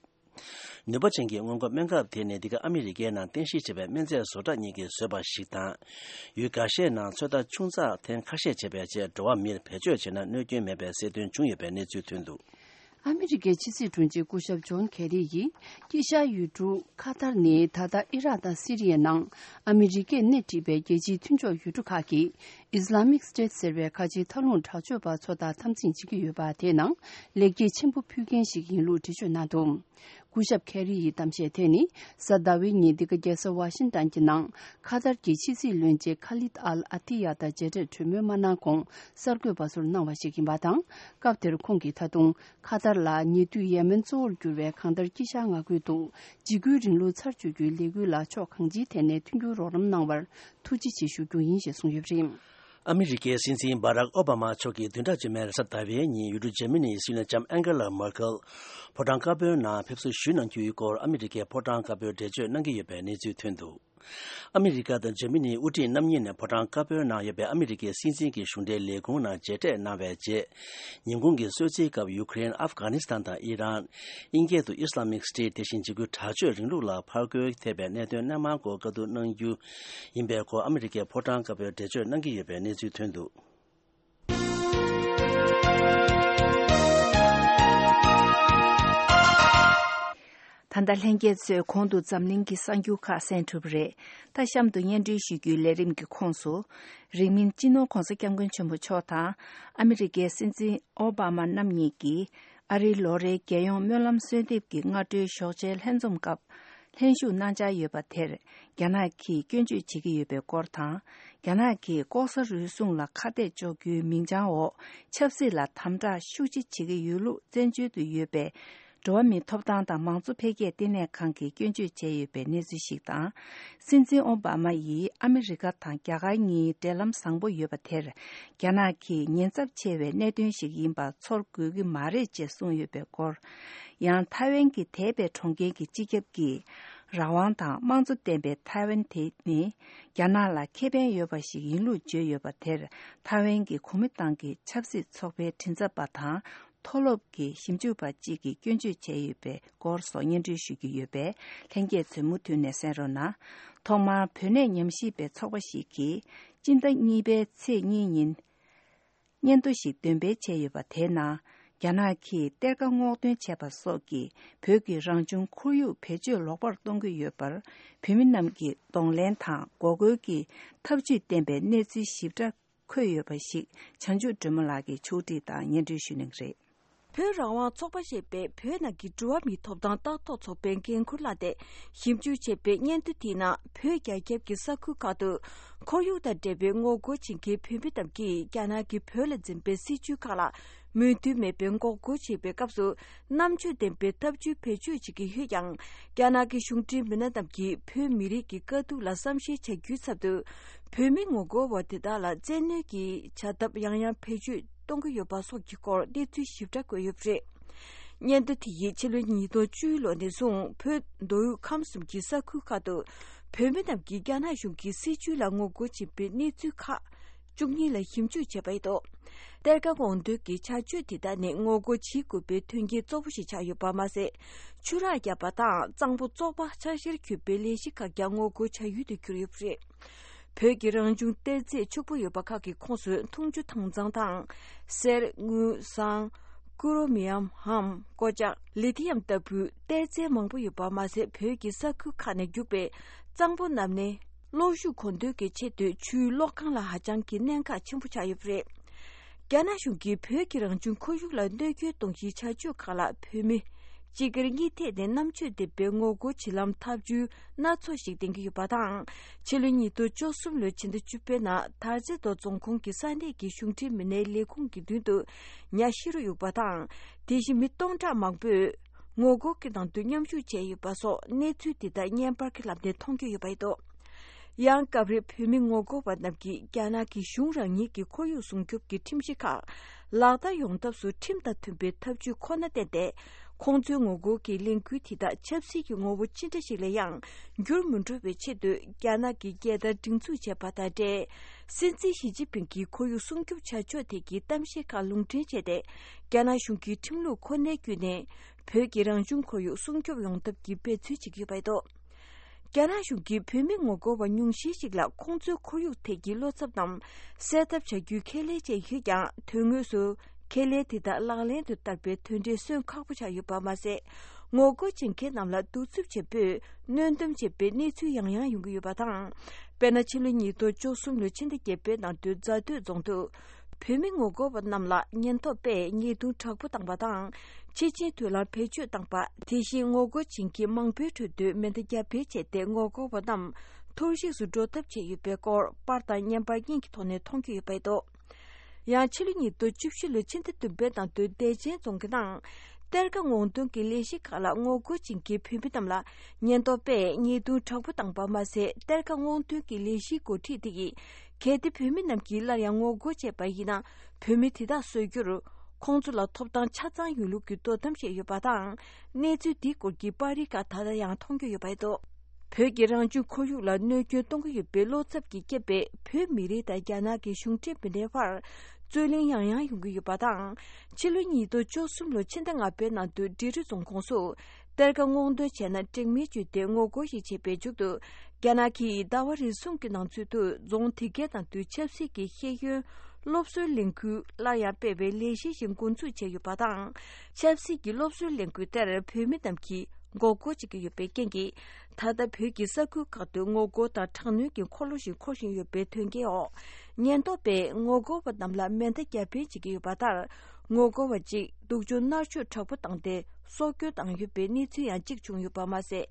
ནུས་པ་ཅན་གྱི་སྔོན་འགོག་སྨན་ཁབ་དེ་ནི་འདི་ག་ཨ་མི་རི་ཀའི་ནང་རྟེན་གཞི་བྱས་པའི་སྨན་རྫས་བཟོ་གྲྭ་གཉིས་ཀྱིས་བཟོས་པ་ཞིག་དང་། ཡུལ་འགའ་ཤས་ནང་ཚོད་ལྟ་ཆུང་ཙག་ཐེངས་ཁ་ཤས་བྱས་པའི་རྗེས་འགྲོ་བ་མིར་བེད་སྤྱོད་བྱས་ན་གནོད་སྐྱོན་མེད་པའི་གསལ་སྟོན་བྱུང་ཡོད་པའི་གནས་ཚུལ་ཐོན་འདུག་ཨ་མི་རི་ཀའི་ཕྱི་སྲིད་དྲུང་ཆེ་སྐུ་ཞབས་ཇོན་ཁེ་རི་ཡིས། དཀྱིལ་ཤར་ཡུལ་གྲུ་ཁ་ཐར་ནི་ད་ལྟ་ཨི་རག་དང་སི་རི་ཡའི་ནང་ཨ་མི་རི་ཀས་སྣེ་ཁྲིད་པའི་རྒྱལ་སྤྱིའི་མཐུན་ཕྱོགས་ཡུལ་གྲུ་ཁག་གིས་ཨིས་ལ་མིག་སི་ཊེ་ཊི་ཟེར་བའི་ཁ་ཆེའི་མཐའ་ལྷུང་དྲག་སྤྱོད་པ་ཚོ་དང་འཐབ་འཛིང་བྱེད་ཀྱི་ཡོད་པ་དེའི་ནང་ལེགས་སྐྱེས་ཆེན་པོ་ཕུལ་མཁན་ཞིག་ཡིན་ལུགས་འགྲེལ་བརྗོད་གནང་འདུག་སྐུ་ཞབས་ཁེ་རི་ཡི་གཏམ་བཤད་དེ་ནི་གཟའ་ཟླ་བའི་ཉིན་འདི་ག་རྒྱལ་ས་ཝ་ཤིང་ཏན་གྱི་ནང་ཁ་ཐར་གྱི་ཕྱི་སྲིད་བློན་ཆེན་ཁ་ལིད་ཨལ་ཨ་ཏི་ཡ་དང་མཇལ་འཕྲད་གྲོས་མོལ་མ་གནང་གོང་གསར་འགོད་པ་ཚོར་གནང་བ་ཞིག་ཡིན་པ་དང་། སྐབས་དེར་ཁོང་གིས་ད་དུང་ཁ་ཐར་ལ་ཉེ་དུས་ཡེ་མེན་གཙོ་བོར་གྱུར་བའི་གང་ལྟར་དཀྱིལ་ཤར་མངའ་ཁུལ་དུ་འཇིགས་སྐུལ་རིང་ལུགས་ཚར་གཅོད་རྒྱུའི་ལས་འགུལ་ལ་ཕྱོགས་གང་ཅིའི་ཐད་ནས་མཐུན་འགྱུར་རོགས་རམ་གནང་བར་ཐུགས་རྗེ་ཆེ་ཞུ་རྒྱུ་ཡིན་ཞེས་གསུངས་ཡོད་པ་རེད། ཨ་མི་རི་ཀའི་སྲིད་འཛིན་བྷ་རག་ཨོ་བྷ་མ་མཆོག་གིས་བདུན་ཕྲག་རྗེས་མའི་རེས་གཟའ་ཟླ་བའི་ཉིན་ཡུལ་གྲུ་འཇར་མ་ནིའི་སྲིད་བློན་ལྕམ་ཨན་ཀེ་ལ་མར་ཀེལ་ཕོ་བྲང་དཀར་པོའི་ནང་ཕེབས་བསུ་ཞུས་གནང་རྒྱུའི་སྐོར་ཨ་མི་རི་ཀའི་ཕོ་བྲང་དཀར་པོས་འགྲེལ་བརྗོད་གནང་གི་ཡོད་པའི་གནས་ཚུལ་ཐོན་འདུག་ཨ་མི་རི་ཀ་དང་འཇར་མ་ནིའི་དབུ་ཁྲིད་རྣམ་གཉིས་ནས་ཕོ་བྲང་དཀར་པོའི་ནང་ཡོད་པའི་ཨ་མི་རི་ཀའི་སྲིད་འཛིན་གྱི་གཞུང་འབྲེལ་ལས་ཁུངས་ནང་མཇལ་འཕྲད་གནང་བའི་རྗེས། ཉིན་གུང་གི་གསོལ་ཚིགས་སྐབས་ཡུ་ཀེ་རེན། ཨབ་གྷ་ནི་སི་ཐན་དང་ཨི་རན། དབྱིན་སྐད་དུ་Islamic State། དེ་བཞིན་འཇིགས་སྐུལ་དྲག་སྤྱོད་རིང་ལུགས་ལ་ཕར་རྒོལ་ཐེབས་པའི་གནད་དོན་སྣེ་མང་སྐོར་བཀའ་བསྡུར་གནང་རྒྱུ་ཡིན་པའི་སྐོར་ཨ་མི་རི་ཀའི་ཕོ་བྲང་དཀར་པོས་འགྲེལ་བརྗོད་གནང་གི་ཡོད་པའི་གནས་ཚུལ་ཐོན་འདུག་ད་ལྟ་ལྷན་རྒྱས་ཚོས་གོང་དུ་འཛམ་གླིང་གི་གསར་འགྱུར་ཁག་གསན་གྲུབ་པ་རེད། ད་གཤམ་དུ་སྙན་སྒྲོན་ཞུ་རྒྱུའི་ལས་རིམ་གྱི་ཁོངས་སུ། རིང་མིན་སྤྱི་ནོར་༧གོང་ས་༧སྐྱབས་མགོན་ཆེན་པོ་མཆོག་དང་ཨ་མི་རི་ཀའི་སྲིད་འཛིན་ཨོ་བྷ་མ་རྣམ་གཉིས་ཀྱིས་ཨ་རིའི་ལོ་རེའི་རྒྱལ་ཡོངས་སྨོན་ལམ་གསོལ་འདེབས་ཀྱི་སྔ་དྲོའི་ཞོགས་ཇའི་ལྷན་འཛོམས་སྐབས་ལྷན་ཞུགས་གནང་འཆར་ཡོད་པ་དེར་རྒྱ་ནག་གིས་སྐྱོན་བརྗོད་བྱེད་ཀྱི་ཡོད་པའི་སྐོར་དང་། རྒྱ་ནག་གིས་ལྐོག་ཟ་རུལ་སུངས་ལ་ཁ་གཏད་གཅོག་རྒྱུའི་མིང་བྱང་འོག་ཆབ་སྲིད་ལ་དམ་དྲག་ཤུགས་ཆེ་བྱེད་ཀྱི་ཡོད་ལུགས་བཙན་བྱོལ་དུ་ཡོད་པའི་འགྲོ་བ་མིའི་ཐོབ་ཐང་དང་མང་གཙོ་འཕེལ་རྒྱས་ལྟེ་གནས་ཁང་གིས་སྐྱོན་བརྗོད་བྱས་ཡོད་པའི་གནས་ཚུལ་ཞིག་དང་། སྲིད་འཛིན་ཨོ་བྷ་མ་ཡིས་ཨ་མི་རི་ཀ་དང་རྒྱ་གར་གཉིས་འབྲེལ་ལམ་བཟང་པོ་ཡོད་པ་དེར་རྒྱ་ནག་གིས་ཉེན་ཚབས་ཆེ་བའི་གནད་དོན་ཞིག་ཡིན་པ་ཚོར་དགོས་ཀྱི་མ་རེད་ཅེས་གསུངས་ཡོད་པའི་སྐོར། ཡང་ཐའེ་ཝན་གྱི་དེ་པའི་གྲོང་ཁྱེར་གྱི་སྤྱི་ཁྱབ་ཀྱིས་རང་དབང་དང་དམངས་གཙོ་ལྡན་པའི་ཐའེ་ཝན་དེ་ནི་རྒྱ་ནག་ལ་ཁེ་ཕན་ཡོད་པ་ཞིག་ཡིན་ལུགས་བརྗོད་ཡོད་པ་དེར་ཐའེ་ཝན་གྱི་གོ་མིན་ཏང་གི་ཆབ་སྲིད་ཚོགས་པའི་མགྲིན་ཚབ་པ་དང་། མཐོ་སློབ་ཀྱི་ཞིབ་འཇུག་པ་གཅིག་གིས་སྐྱོན་བརྗོད་བྱས་ཡོད་པའི་སྐོར་སོགས་སྙན་སྒྲོན་ཞུ་རྒྱུ་ཡོད་པས་ལྷན་རྒྱས་ཚོས་མུ་མཐུད་ནས་གསན་རོགས་གནང་། ཐོག་མར་བོད་གནས་ཉམས་ཞིབ་པའི་ཚོགས་པ་ཞིག་གིས་སྤྱི་ཟླ་གཉིས་པའི་ཚེས་གཉིས་ཉིན་སྙན་ཐོ་ཞིག་འདོན་སྤེལ་བྱས་ཡོད་པ་དེའི་ནང་རྒྱ་ནག་གིས་གཏེར་ཁ་སྔོག་འདོན་བྱས་པ་སོགས་ཀྱིས་བོད་ཀྱི་རང་བྱུང་ཁོར་ཡུག་བེད་སྤྱོད་ལོག་པར་གཏོང་གི་ཡོད་པར་བོད་མི་རྣམས་ཀྱིས་གདོང་ལེན་དང་འགོག་རྒོལ་གྱི་ཐབས་ཇུས་བསྟན་པའི་གནས་ཚུལ་ཞིབ་ཕྲ་འཁོད་ཡོད་པ་ཞིག་བྱང་ཆུབ་སྒྲོལ་མ་ལགས་ཀྱིས་ཕྱོགས་སྒྲིག་དང་སྙན་སྒྲོན་ཞུ་གནང་གི་རེད། བོད་རང་དབང་ཚོགས་པ་ཞེས་པས་བོད་ནང་གི་འགྲོ་བ་མིའི་ཐོབ་ཐང་ལྟ་རྟོག་ཚོགས་པའི་འགན་ཁུར་བླངས་ཏེ་ཞིབ་འཇུག་བྱས་པའི་སྙན་ཐོ་དེའི་ནང་བོད་རྒྱ་ཁྱབ་ཀྱི་ས་ཁུལ་ཁག་ཏུ་ཁོར་ཡུག་དང་འབྲེལ་བའི་ངོ་རྒོལ་བྱེད་མཁན་བོད་མི་རྣམས་ཀྱིས་རྒྱ་ནག་གིས་བོད་ལ་འཛིན་པའི་སྲིད་བྱུས་ཁག་ལ་མོས་མཐུན་མེད་པའི་འགོག་རྒོལ་བྱེད་པའི་སྐབས་སུ་རྣམ་དཔྱོད་ལྡན་པའི་ཐབས་ཇུས་བེད་སྤྱོད་བྱེད་ཀྱི་ཡོད་ཀྱང་། རྒྱ་ནག་གི་གཞུང་འབྲེལ་མི་སྣ་རྣམས་ཀྱིས་བོད་མི་རིགས་ཀྱི་དཀའ་སྡུག་ལ་བསམ་ཤེས་བྱ་རྒྱུའི་ཚབ་ཏུ། བོད་མི་ངོ་རྒོལ་བ་དེ་དག་ལ་བཙན་གནོན་གྱི་བྱ་ཐབས་ཡང་ཡང་བེད་སྤྱོད་གཏོང་གི་ཡོད་པ་སོགས་ཀྱི་སྐོར་གནས་ཚུལ་ཞིབ་ཕྲ་བཀོད་ཡོད་པ་རེད། སྙན་ཐོ་དེ་ཡིས་ཕྱི་ལོ་ཉིས་སྟོང་བཅུ་ལོ་ནས་བཟུང་བོད་མདོ་དབུས་ཁམས་གསུམ་གྱི་ས་ཁུལ་ཁག་ཏུ་བོད་མི་རྣམས་ཀྱིས་རྒྱ་ནག་གཞུང་གི་སྲིད་བྱུས་ལ་ངོ་རྒོལ་བྱེད་པའི་གནས་ཚུལ་ཁག་བཅུ་གཉིས་ལ་ཞིབ་འཇུག་བྱས་པ་ཡིན་འདུག་གཏེར་ཁ་སྔོག་འདོན་གྱི་བྱ་སྤྱོད་དེ་དག་ནི་ངོ་རྒོལ་བྱེད་དགོས་པའི་དོན་རྐྱེན་གཙོ་བོ་ཞིག་ཆགས་ཡོད་པ་མ་ཟད། ཆུ་རགས་བརྒྱབ་པ་དང་གཙང་པོ་བཙོག་པ་འཆར་གཞིར་གྱུར་པའི་ལས་གཞི་ཁག་ཀྱང་ངོ་རྒོལ་བྱ་ཡུལ་དུ་གྱུར་ཡོད་པ་རེད། བོད་ཀྱི་རང་བྱུང་གཏེར་རྫས་ཕྱུག་པོ་ཡོད་པ་ཁག་གི་ཁོངས་སུ་འཐུང་ཆུ་དྭངས་གཙང་དང་། གསེར། དངུལ། ཟངས། ཀུ་རོ་མི་ཡམ་འམ་ཀོ་ལྕགས། ལི་ཐི་ཡམ་ལྟ་བུའི་གཏེར་རྫས་མང་པོ་ཡོད་པ་མ་ཟད། བོད་ཀྱི་ས་ཁུལ་ཁག་ནས་རྒྱུག་པའི་གཙང་པོ་རྣམས་ནི་གློག་ཤུགས་མཁོ་འདོན་གྱི་ཆེད་དུ་ཆུའི་གློག་ཁང་ལ་ཧ་ཅང་གི་གནད་འགག་ཆེན་པོ་ཆགས་ཡོད་པ་རེད། རྒྱ་ནག་གཞུང་གིས་བོད་ཀྱི་རང་བྱུང་ཁོར་ཡུག་ལ་གནོད་སྐྱོན་གཏོང་གཞིའི་བྱ་སྤྱོད་ཁག་ལ་བོད་མི་སྤྱི་སྒེར་གཉིས་ཐད་ནས་རྣམ་དཔྱོད་ལྡན་པའི་ངོ་རྒོལ་བྱེད་ལམ་ཐབས་ཇུས་སྣ་ཚོགས་ཤིག་འདེང་གི་ཡོད་པ་དང་། ཕྱི་ལོ་ཉིས་སྟོང་བཅུ་གསུམ་ལོའི་ཕྱི་ཟླ་བཅུ་པའི་ནང་དར་རྩེ་མདོ་རྫོང་ཁོངས་ཀྱི་ས་གནས་ཀྱི་གཞུང་འབྲེལ་མི་སྣའི་ལས་ཁུངས་ཀྱི་མདུན་དུ་ཉ་ཤི་རུ་གཡུགས་པ་དང་། དེ་བཞིན་མི་སྟོང་ཕྲག་མང་པོས་ངོ་རྒོལ་གྱི་ནང་དུ་མཉམ་ཞུགས་བྱས་ཡོད་པ་སོགས་གནས་ཚུལ་དེ་དག་བརྙན་པར་གྱི་ལམ་ནས་མཐོང་རྒྱུ་ཡོད་པ་ཡིན་འདུག་ཡང་སྐབས་རེ་བོད་མི་ངོ་རྒོལ་བ་རྣམས་ཀྱིས་རྒྱ་ནག་གི་གཞུང་རང་ཉིད་ཀྱི་ཁོར་ཡུག་སྲུང་སྐྱོབ་ཀྱི་ཁྲིམས་གཞི་ཁག་ལག་བསྟར་ཡོང་ཐབས་སུ་ཁྲིམས་དང་མཐུན་པའི་ཐབས་ཇུས་ཁོ་ན་བསྟེན་ཏེ། ཁོང་ཚོའི་ངོ་རྒོལ་གྱི་ལས་འགུལ་དེ་དག་ཆབ་སྲིད་ཀྱི་ངོ་བོ་ཅི་འདྲ་ཞིག་ལ་ཡང་འགྱུར་མི་འགྲོ་བའི་ཆེད་དུ། རྒྱ་ནག་གི་རྒྱལ་དར་སྒྲེང་འཛུགས་བྱས་པ་དང་འབྲེལ། སྲིད་འཛིན་ཞི་ཅིན་ཕིང་གིས་ཁོར་ཡུག་སྲུང་སྐྱོབ་བྱ་ཕྱོགས་ཐད་ཀྱི་གཏམ་བཤད་ཁག་ལུང་འདྲེན་བྱས་ཏེ། རྒྱ་ནག་གཞུང་གིས་ཁྲིམས་ལུགས་ཁོ་ནའི་བརྒྱུད་ནས་བོད་ཀྱི་རང་བྱུང་ཁོར་ཡུག་སྲུང་སྐྱོབ་ཡོང་ཐབས་ཀྱི་འབད་བརྩོན་བྱེད་ཀྱི་ཡོད་པ་རེད་འདུག་རྒྱ་ནག་གཞུང་གིས་བོད་མི་ངོ་རྒོལ་བ་ཉུང་ཤས་ཤིག་ལ་ཁོང་ཚོའི་ཁོར་ཡུག་ཐད་ཀྱི་བློ་འཚབ་རྣམས་སེལ་ཐབས་བྱ་རྒྱུའི་ཁས་ལེན་བྱས་ཡོད་ཀྱང་། དོན་དངོས་སུ་ཁས་ལེན་དེ་དག་ལག་ལེན་དུ་བསྟར་བའི་དོན་འབྲས་སོན་ཁག་པོ་ཆགས་ཡོད་པ་མ་ཟད། ངོ་རྒོལ་བྱེད་མཁན་རྣམས་ལ་གདུག་རྩུབ་ཆེན་པོས་གནོན་སྡོམ་བྱས་པའི་གནས་ཚུལ་ཡང་ཡང་ཡོང་གི་ཡོད་པ་དང་། དཔེར་ན། ཕྱི་ལོ་ཉིས་སྟོང་བཅུ་གསུམ་ལོའི་ཕྱི་ཟླ་བརྒྱད་པའི་ནང་དུ་རྫ་སྟོད་རྫོང་དུ། བོད་མི་ངོ་རྒོལ་བ་རྣམས་ལ་ཉེན་རྟོག་པས་ཉེས་རྡུང་དྲག་པོ་བཏང་བ་དང་། ཆེ་ཆེན་དུད་ལ་བེད་སྤྱོད་བཏང་པ། དེ་བཞིན་ངོ་རྒོལ་བྱེད་མཁན་མང་པོའི་ཁྲོད་དུ་མེ་མདའ་རྒྱ་འཕེན་བྱས་ཏེ། ངོ་རྒོལ་བ་རྣམས་ཐོར་ཞིག་ཏུ་འགྲོ་ཐབས་བྱས་ཡོད་པའི་སྐོར། པར་དང་བརྙན་པར་གཉིས་ཀྱི་ཐོག་ནས་མཐོང་རྒྱུ་ཡོད་པ་རེད་འདུག་ཡང་ཕྱི་ལོ་ཉིས་སྟོང་བཅུ་བཞི་ལོའི་ཕྱི་ཟླ་བདུན་པའི་ནང་དུ་བདེ་ཆེན་རྫོང་གི་ནང་གཏེར་ཁ་སྔོག་འདོན་གྱི་ལས་གཞི་ཁག་ལ་ངོ་རྒོལ་བྱེད་མཁན་བོད་མི་རྣམས་ལ་ཉེན་རྟོག་པས་ཉེས་རྡུང་དྲག་པོ་བཏང་པ་མ་ཟད། གཏེར་ཁ་སྔོག་འདོན་གྱི་ལས་གཞིའི་འགོ་ཁྲིད་དེ་ཡིས། གལ་ཏེ་བོད་མི་རྣམས་ཀྱིས་སླར་ཡང་ངོ་རྒོལ་བྱས་པ་ཡིན་ན། བོད་མི་དེ་དག་གསོད་རྒྱུར་ཁོང་ཚོ་ལ་ཐོབ་ཐང་ཆ་ཚང་ཡོད་ལུགས་ཀྱི་དོ་དམ་བྱས་ཡོད་པ་དང་། གནས་ཚུལ་འདིའི་སྐོར་གྱི་པར་རིས་ཁག་ད་ལྟ་ཡང་མཐོང་རྒྱུ་ཡོད་པ་རེད་འདུག་བོད་ཀྱི་རང་བྱུང་ཁོར་ཡུག་ལ་གནོད་སྐྱོན་གཏོང་གི་ཡོད་པའི་བློ་འཚབ་ཀྱིས་བསྐྱེད་པའི་བོད་མི་རིགས་དང་རྒྱ་ནག་གི་གཞུང་འབྲེལ་མི་སྣའི་བར་རྩོད་གླེང་ཡང་ཡང་ཡོང་གི་ཡོད་པ་དང་། ཕྱི་ལོ་ཉིས་སྟོང་བཅུ་གསུམ་ལོའི་ཕྱི་ཟླ་ལྔ་པའི་ནང་དུ་འབྲི་རུ་རྫོང་ཁོངས་སུ་གཏེར་ཁ་སྔོག་འདོན་བྱས་ན་འགྲིག་མིན་བརྗོད་དེ་ངོ་རྒོལ་ཞིག་བྱས་པའི་མཇུག་ཏུ། རྒྱ་ནག་གིས་ཟླ་བ་རེ་ཟུང་གི་ནང་ཚུད་དུ་རྫོང་དེ་གའི་ནང་དུ་ཆབ་སྲིད་ཀྱི་ཤེས་ཡོན་སློབ་གསོའི་ལས་འགུལ་སླར་ཡང་སྤེལ་བའི་ལས་གཞི་ཞིག་འགོ་འཛུགས་བྱས་ཡོད་པ་དང་། ཆབ་སྲིད་ཀྱི་སློབ་གསོའི་ལས་འགུལ་དེར་བོད་མི་རྣམས་ཀྱིས་མགོ་སྐོར་བྱེད་ཀྱི་ཡོད་པའི་རྐྱེན་གྱིས། ད་ལྟ་བོད་ཀྱི་ས་ཁུལ་ཁག་ཏུ་ངོ་རྒོལ་དང་དྲག་གནོན་གྱི་འཁོར་ལོ་ཞིག་འཁོར་བཞིན་ཡོད་པའི་དོན་རྐྱེན་འོག་ཉེན་རྟོག་པས་ངོ་རྒོལ་བ་རྣམས་ལ་མེ་མདའ་རྒྱ་འཕེན་བྱེད་ཀྱི་ཡོད་པ་ལྟར། ངོ་རྒོལ་བ་གཅིག་སྡུག་སྦྱོང་མནར་གཅོད་དྲག་པོ་བཏང་སྟེ་སྲོག་སྐྱོན་བཏང་ཡོད་པའི་གནས་ཚུལ་ཡང་གཅིག་བྱུང་ཡོད་པ་མ་ཟད།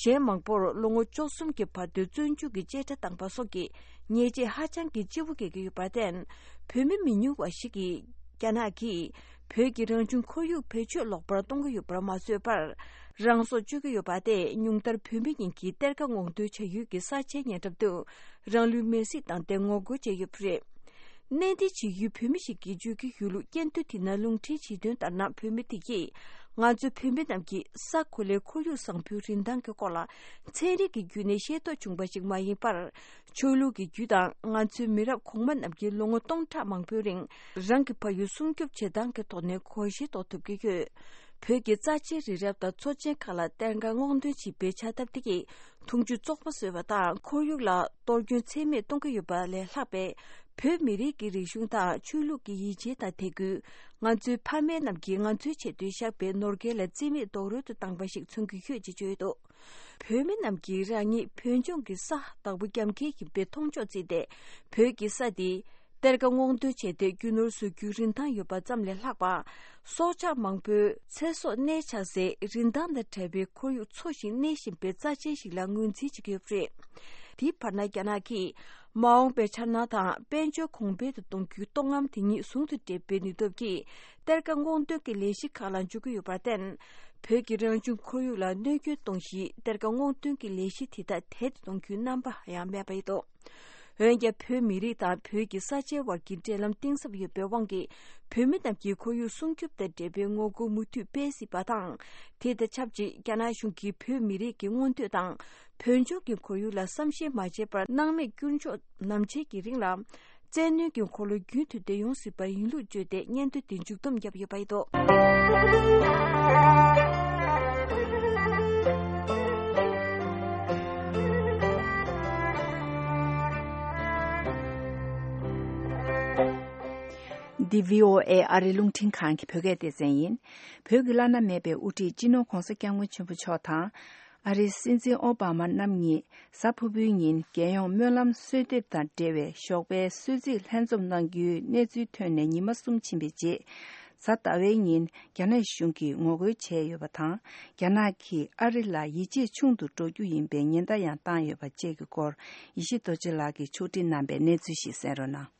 གཞན་མང་པོར་ལོ་ངོ་བཅུ་གསུམ་གྱི་བར་དུ་བཙོན་འཇུག་གི་བཅད་ཁྲ་བཏང་པ་སོགས་ཀྱི་ཉེས་ཆད་ཧ་ཅང་གི་ལྕི་བོ་འགེལ་གྱི་ཡོད་པར་བརྟེན། བོད་མི་མི་ཉུང་བ་ཞིག་གིས་རྒྱ་ནག་གིས་བོད་ཀྱི་རང་བྱུང་ཁོར་ཡུག་བེད་སྤྱོད་ལོག་པར་གཏོང་གི་ཡོད་པར་མ་བཟོད་པར། རང་སྲོག་གཅོད་ཀྱི་ཡོད་པ་སྟེ། ཉུང་མཐར་བོད་མི་ཉིད་ཀྱིས་གཏེར་ཁ་སྔོག་འདོན་བྱ་ཡུལ་གྱི་ས་ཆའི་ཉེ་འགྲམ་དུ་རང་ལུས་མེར་སྲེག་བཏང་སྟེ་ངོ་རྒོལ་བྱས་ཡོད་པ་རེད། གནས་འདི་བྱེས་ཡུལ་བོད་མི་ཞིག་གིས་བརྗོད་ཀྱི་ཡོད་ལུགས། སྙན་ཐོ་དེ་ནང་ལུང་འདྲེན་བྱེད་དོན་ལྟར་ན། བོད་མི་དེ་གིས་ང་ཚོ་བོད་མི་རྣམས་ཀྱིས་ས་གོ་ལའི་ཁོར་ཡུག་བཟང་པོའི་རིན་ཐང་གི་སྐོར་ལ་ཚན་རིག་གི་བརྒྱུད་ནས་ཤེས་རྟོགས་བྱུང་བ་ཞིག་མ་ཡིན་པར། ཆོས་ལུགས་ཀྱི་བརྒྱུད་དང་ང་ཚོའི་མི་རབས་གོང་མ་རྣམས་ཀྱིས་ལོ་ངོ་སྟོང་ཕྲག་མང་པོའི་རིང་རང་གི་ཕ་ཡུལ་སྲུང་སྐྱོབ་བྱེད་སྟངས་ཀྱི་ཐོག་ནས་གོ་ཤེས་རྟོགས་ཐུབ་ཀྱི་ཡོད། བོད་ཀྱི་རྩ་ཆེའི་རི་རབ་དང་མཚོ་ཆེན་ཁག་ལ་གཏེར་ཁ་སྔོག་འདོན་བྱེད་པའི་བྱ་ཐབས་དེ་གིས་འཐུང་ཆུ་བཙོག་པ་བཟོས་པ་དང་། ཁོར་ཡུག་ལ་གཏོར་སྐྱོན་ཚད་མེད་གཏོང་གི་ཡོད་པ་ལས་ལྷག་པའི། བོད་མི་རིགས་ཀྱི་རིག་གཞུང་དང་ཆོས་ལུགས་ཀྱི་ཡིད་ཆེས་དང་དད་གུས། ང་ཚོའི་ཕ་མེས་རྣམས་ཀྱིས་ང་ཚོའི་ཆེད་དུ་བཞག་པའི་ནོར་སྐལ་ལ་རྩིས་མེད་རྡོག་རོལ་དུ་བཏང་པ་ཞིག་མཚོན་གྱི་ཡོད་ཅེས་བརྗོད་འདུག་བོད་མི་རྣམས་ཀྱིས་རང་ཉིད་བོད་ལྗོངས་ཀྱི་ས་བདག་པོ་རྒྱབ་འགལ་ཡིན་པའི་མཐོང་ཕྱོགས་བརྩིས་ཏེ། བོད་ཀྱི་ས་དེ་གཏེར་ཁ་སྔོག་འདོན་བྱས་ཏེ་རྒྱུ་ནོར་བཟོ་རྒྱུའི་རིན་ཐང་ཡོད་པ་ཙམ་ལས་ལྷག་པ། སྲོག་ཆགས་མང་པོའི་ཚེ་སྲོག་གནས་འཆའ་སའི་རིན་ཐང་དང་བྲལ་བའི་ཁོར་ཡུག་འཚོ་ཞིང་གནས་བཞིན་པའི་རྩ་ཆེན་ཞིག་ལ་ངོས་འཛིན་བྱེད་ཀྱི་ཡོད་པ་རེད། དེའི་བར་ན་རྒྱ་ནག་གིས་མ་འོངས་པའི་འཆར་སྣང་དང་དཔལ་འབྱོར་གོང་འཕེལ་དུ་གཏོང་རྒྱུའི་སྟོང་རྔམ་དེ་ཉིད་ཟུང་དུ་འབྲེལ་བའི་ནུས་སྟོབས་ཀྱིས། གཏེར་ཁ་སྔོག་འདོན་གྱི་ལས་གཞི་ཁག་ལ་འཇུག་གི་ཡོད་པར་བརྟེན། བོད་ཀྱི་རང་བྱུང་ཁོར་ཡུག་ལ་གནོད་སྐྱོན་གཏོང་གཞིའི་གཏེར་ཁ་སྔོག་འདོན་གྱི་ལས་གཞི་དེ་དག་དལ་དུ་གཏོང་རྒྱུའི་རྣམ་པ་ཡང་མེད་པ་ཡིན་འདུག་འོན་ཀྱང་བོད་མི་རིགས་དང་བོད་ཀྱི་ས་ཆའི་བར་གྱི་འབྲེལ་ལམ་གཏིང་ཟབ་ཡོད་པའི་དབང་གིས། བོད་མི་རྣམས་ཀྱིས་ཁོར་ཡུག་སྲུང་སྐྱོབ་དང་འབྲེལ་བའི་ངོ་རྒོལ་མུ་མཐུད་སྤེལ་སྲིད་པ་དང་། དེ་དང་ཆབས་ཅིག་རྒྱ་ནག་གཞུང་གིས་བོད་མི་རིགས་ཀྱི་མངོན་འདོད་དང་། བོད་ལྗོངས་ཀྱི་ཁོར་ཡུག་ལ་བསམ་ཤེས་མ་བྱས་པར་སྣང་མེད་བསྐྱུར་འཇོག་ནམ་འཆར་གྱི་རིང་ལ། བཙན་གནོན་གྱི་འཁོར་ལོ་རྒྱུན་མཐུད་དེ་ཡོང་སྲིད་པར་ཡིན་ལུགས་བརྗོད་དེ་སྙན་ཐོ་དེ་མཇུག་བསྡོམས་བརྒྱབ་ཡོད་པ་རེད། འདི་བྷི་ཨོ་ཨེ་ཨ་རིའི་རླུང་འཕྲིན་ཁང་གི་བོད་སྐད་སྡེ་ཚན་ཡིན། བོད་ཀྱི་བླ་ན་མེད་པའི་དབུ་ཁྲིད་སྤྱི་ནོར་༧གོང་ས་༧སྐྱབས་མགོན་ཆེན་པོ་མཆོག་དང་། ཨ་རིའི་སྲིད་འཛིན་ཨོ་བྷ་མ་རྣམ་གཉིས་གཟའ་ཕུར་བུའི་ཉིན་རྒྱལ་ཡོངས་སྨོན་ལམ་གསོལ་འདེབས་དང་འབྲེལ་བའི་ཞོགས་པའི་གསོལ་ཚིགས་ལྷན་འཛོམས་གནང་རྒྱུའི་གནས་ཚུལ་ཐོན་ནས་ཉི་མ་གསུམ་ཕྱིན་པའི་རྗེས། གཟའ་ཟླ་བའི་ཉིན་རྒྱ་ནག་གཞུང་གིས་ངོ་རྒོལ་བྱས་ཡོད་པ་དང་། རྒྱ་ནག་གིས་ཨ་རི་ལ་ཡིད་ཆེས་ཆུང་དུ་འགྲོ་རྒྱུ་ཡིན་པའི་ཉེན་བརྡ་ཡང་བཏང་ཡོད་པ་བཅས་ཀྱི་སྐོར། ཡེ་ཤེས་རྡོ་རྗེ་ལགས་ཀྱིས་ཕྱོགས་སྒྲིག་གནང་པའི་གནས་ཚུལ་ཞིག་གསན་རོགས་གནང་།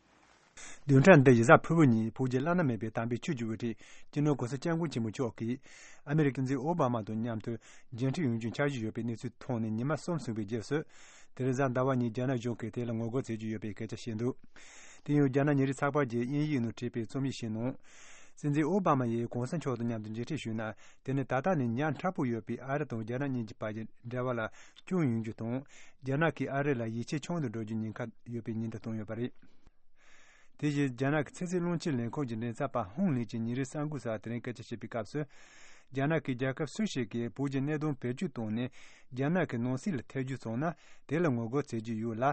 བདུན་ཕྲག་འདི་ཡི་གཟའ་ཕུར་བུ་ཉིན་བོད་ཀྱི་བླ་ན་མེད་པའི་དམ་པའི་ཆོས་ཀྱི་དབུ་ཁྲིད་སྤྱི་ནོར་༧གོང་ས་༧སྐྱབས་མགོན་ཆེན་པོ་མཆོག་གིས་ཨ་མི་རི་ཀའི་སྲིད་འཛིན་ཨོ་བྷ་མ་དང་མཉམ་དུ་མཇལ་འཕྲད་ཡོང་རྒྱུའི་འཆར་གཞི་ཡོད་པའི་གནས་ཚུལ་མཐོང་ནས་ཉི་མ་གསུམ་སོང་བའི་རྗེས་སུ། དེ་རིང་གཟའ་ཟླ་བ་ཉིན་རྒྱ་ནག་གཞུང་གིས་དེ་ལ་ངོ་རྒོལ་བྱེད་ཀྱི་ཡོད་པའི་སྐད་ཆ་བཤད་འདུག་དེ་ཡང་རྒྱ་ནག་ཉིན་རེའི་ཚགས་པར་གྱིས་དབྱིན་ཡིག་ནང་བྲིས་པའི་རྩོམ་ཡིག་ཞིག་ནང་། སྲིད་འཛིན་ཨོ་བྷ་མ་ཡིས་གོང་ས་མཆོག་དང་མཉམ་དུ་མཇལ་འཕྲད་ཞུས་ན། དེ་ནི་ད་ལྟ་ནས་ཉག་ཕྲ་པོ་ཡོད་པའི་ཨ་རི་དང་རྒྱ་ནག་གཉིས་ཀྱི་བར་གྱི་འབྲེལ་བ་ལ་སྐྱོན་ཡོང་རྒྱུ་དང་། རྒྱ་ནག་གིས་ཨ་རི་ལ་ཡིད་ཆེས་ཆུང་དུ་འགྲོ་རྒྱུའི་ཉེན་ཁ་ཡོད་པའི་ཉེན་བརྡ་བཏང་ཡོད་པ་རེད། དེ་བཞིན་རྒྱ་ནག་གི་ཚན་རྩལ་རླུང་འཕྲིན་ལས་ཁང་གི་མགྲིན་ཚབ་པ་ཧུང་ལིན་གྱིས་ཉིན་རེའི་གསར་འགོད་གསར་དེ་རིང་སྐད་ཆ་བཤད་པའི་སྐབས་སུ། རྒྱ་ནག་གིས་རྒྱལ་ཁབ་སུ་ཞིག་གིས་བོད་ཀྱི་གནད་དོན་བེད་སྤྱོད་བཏང་ནས་རྒྱ་ནག་གི་ནང་སྲིད་ལ་ཐེ་ཇུས་བྱུང་ན། དེ་ལ་ངོ་རྒོལ་བྱེད་ཀྱི་ཡོད་ལ།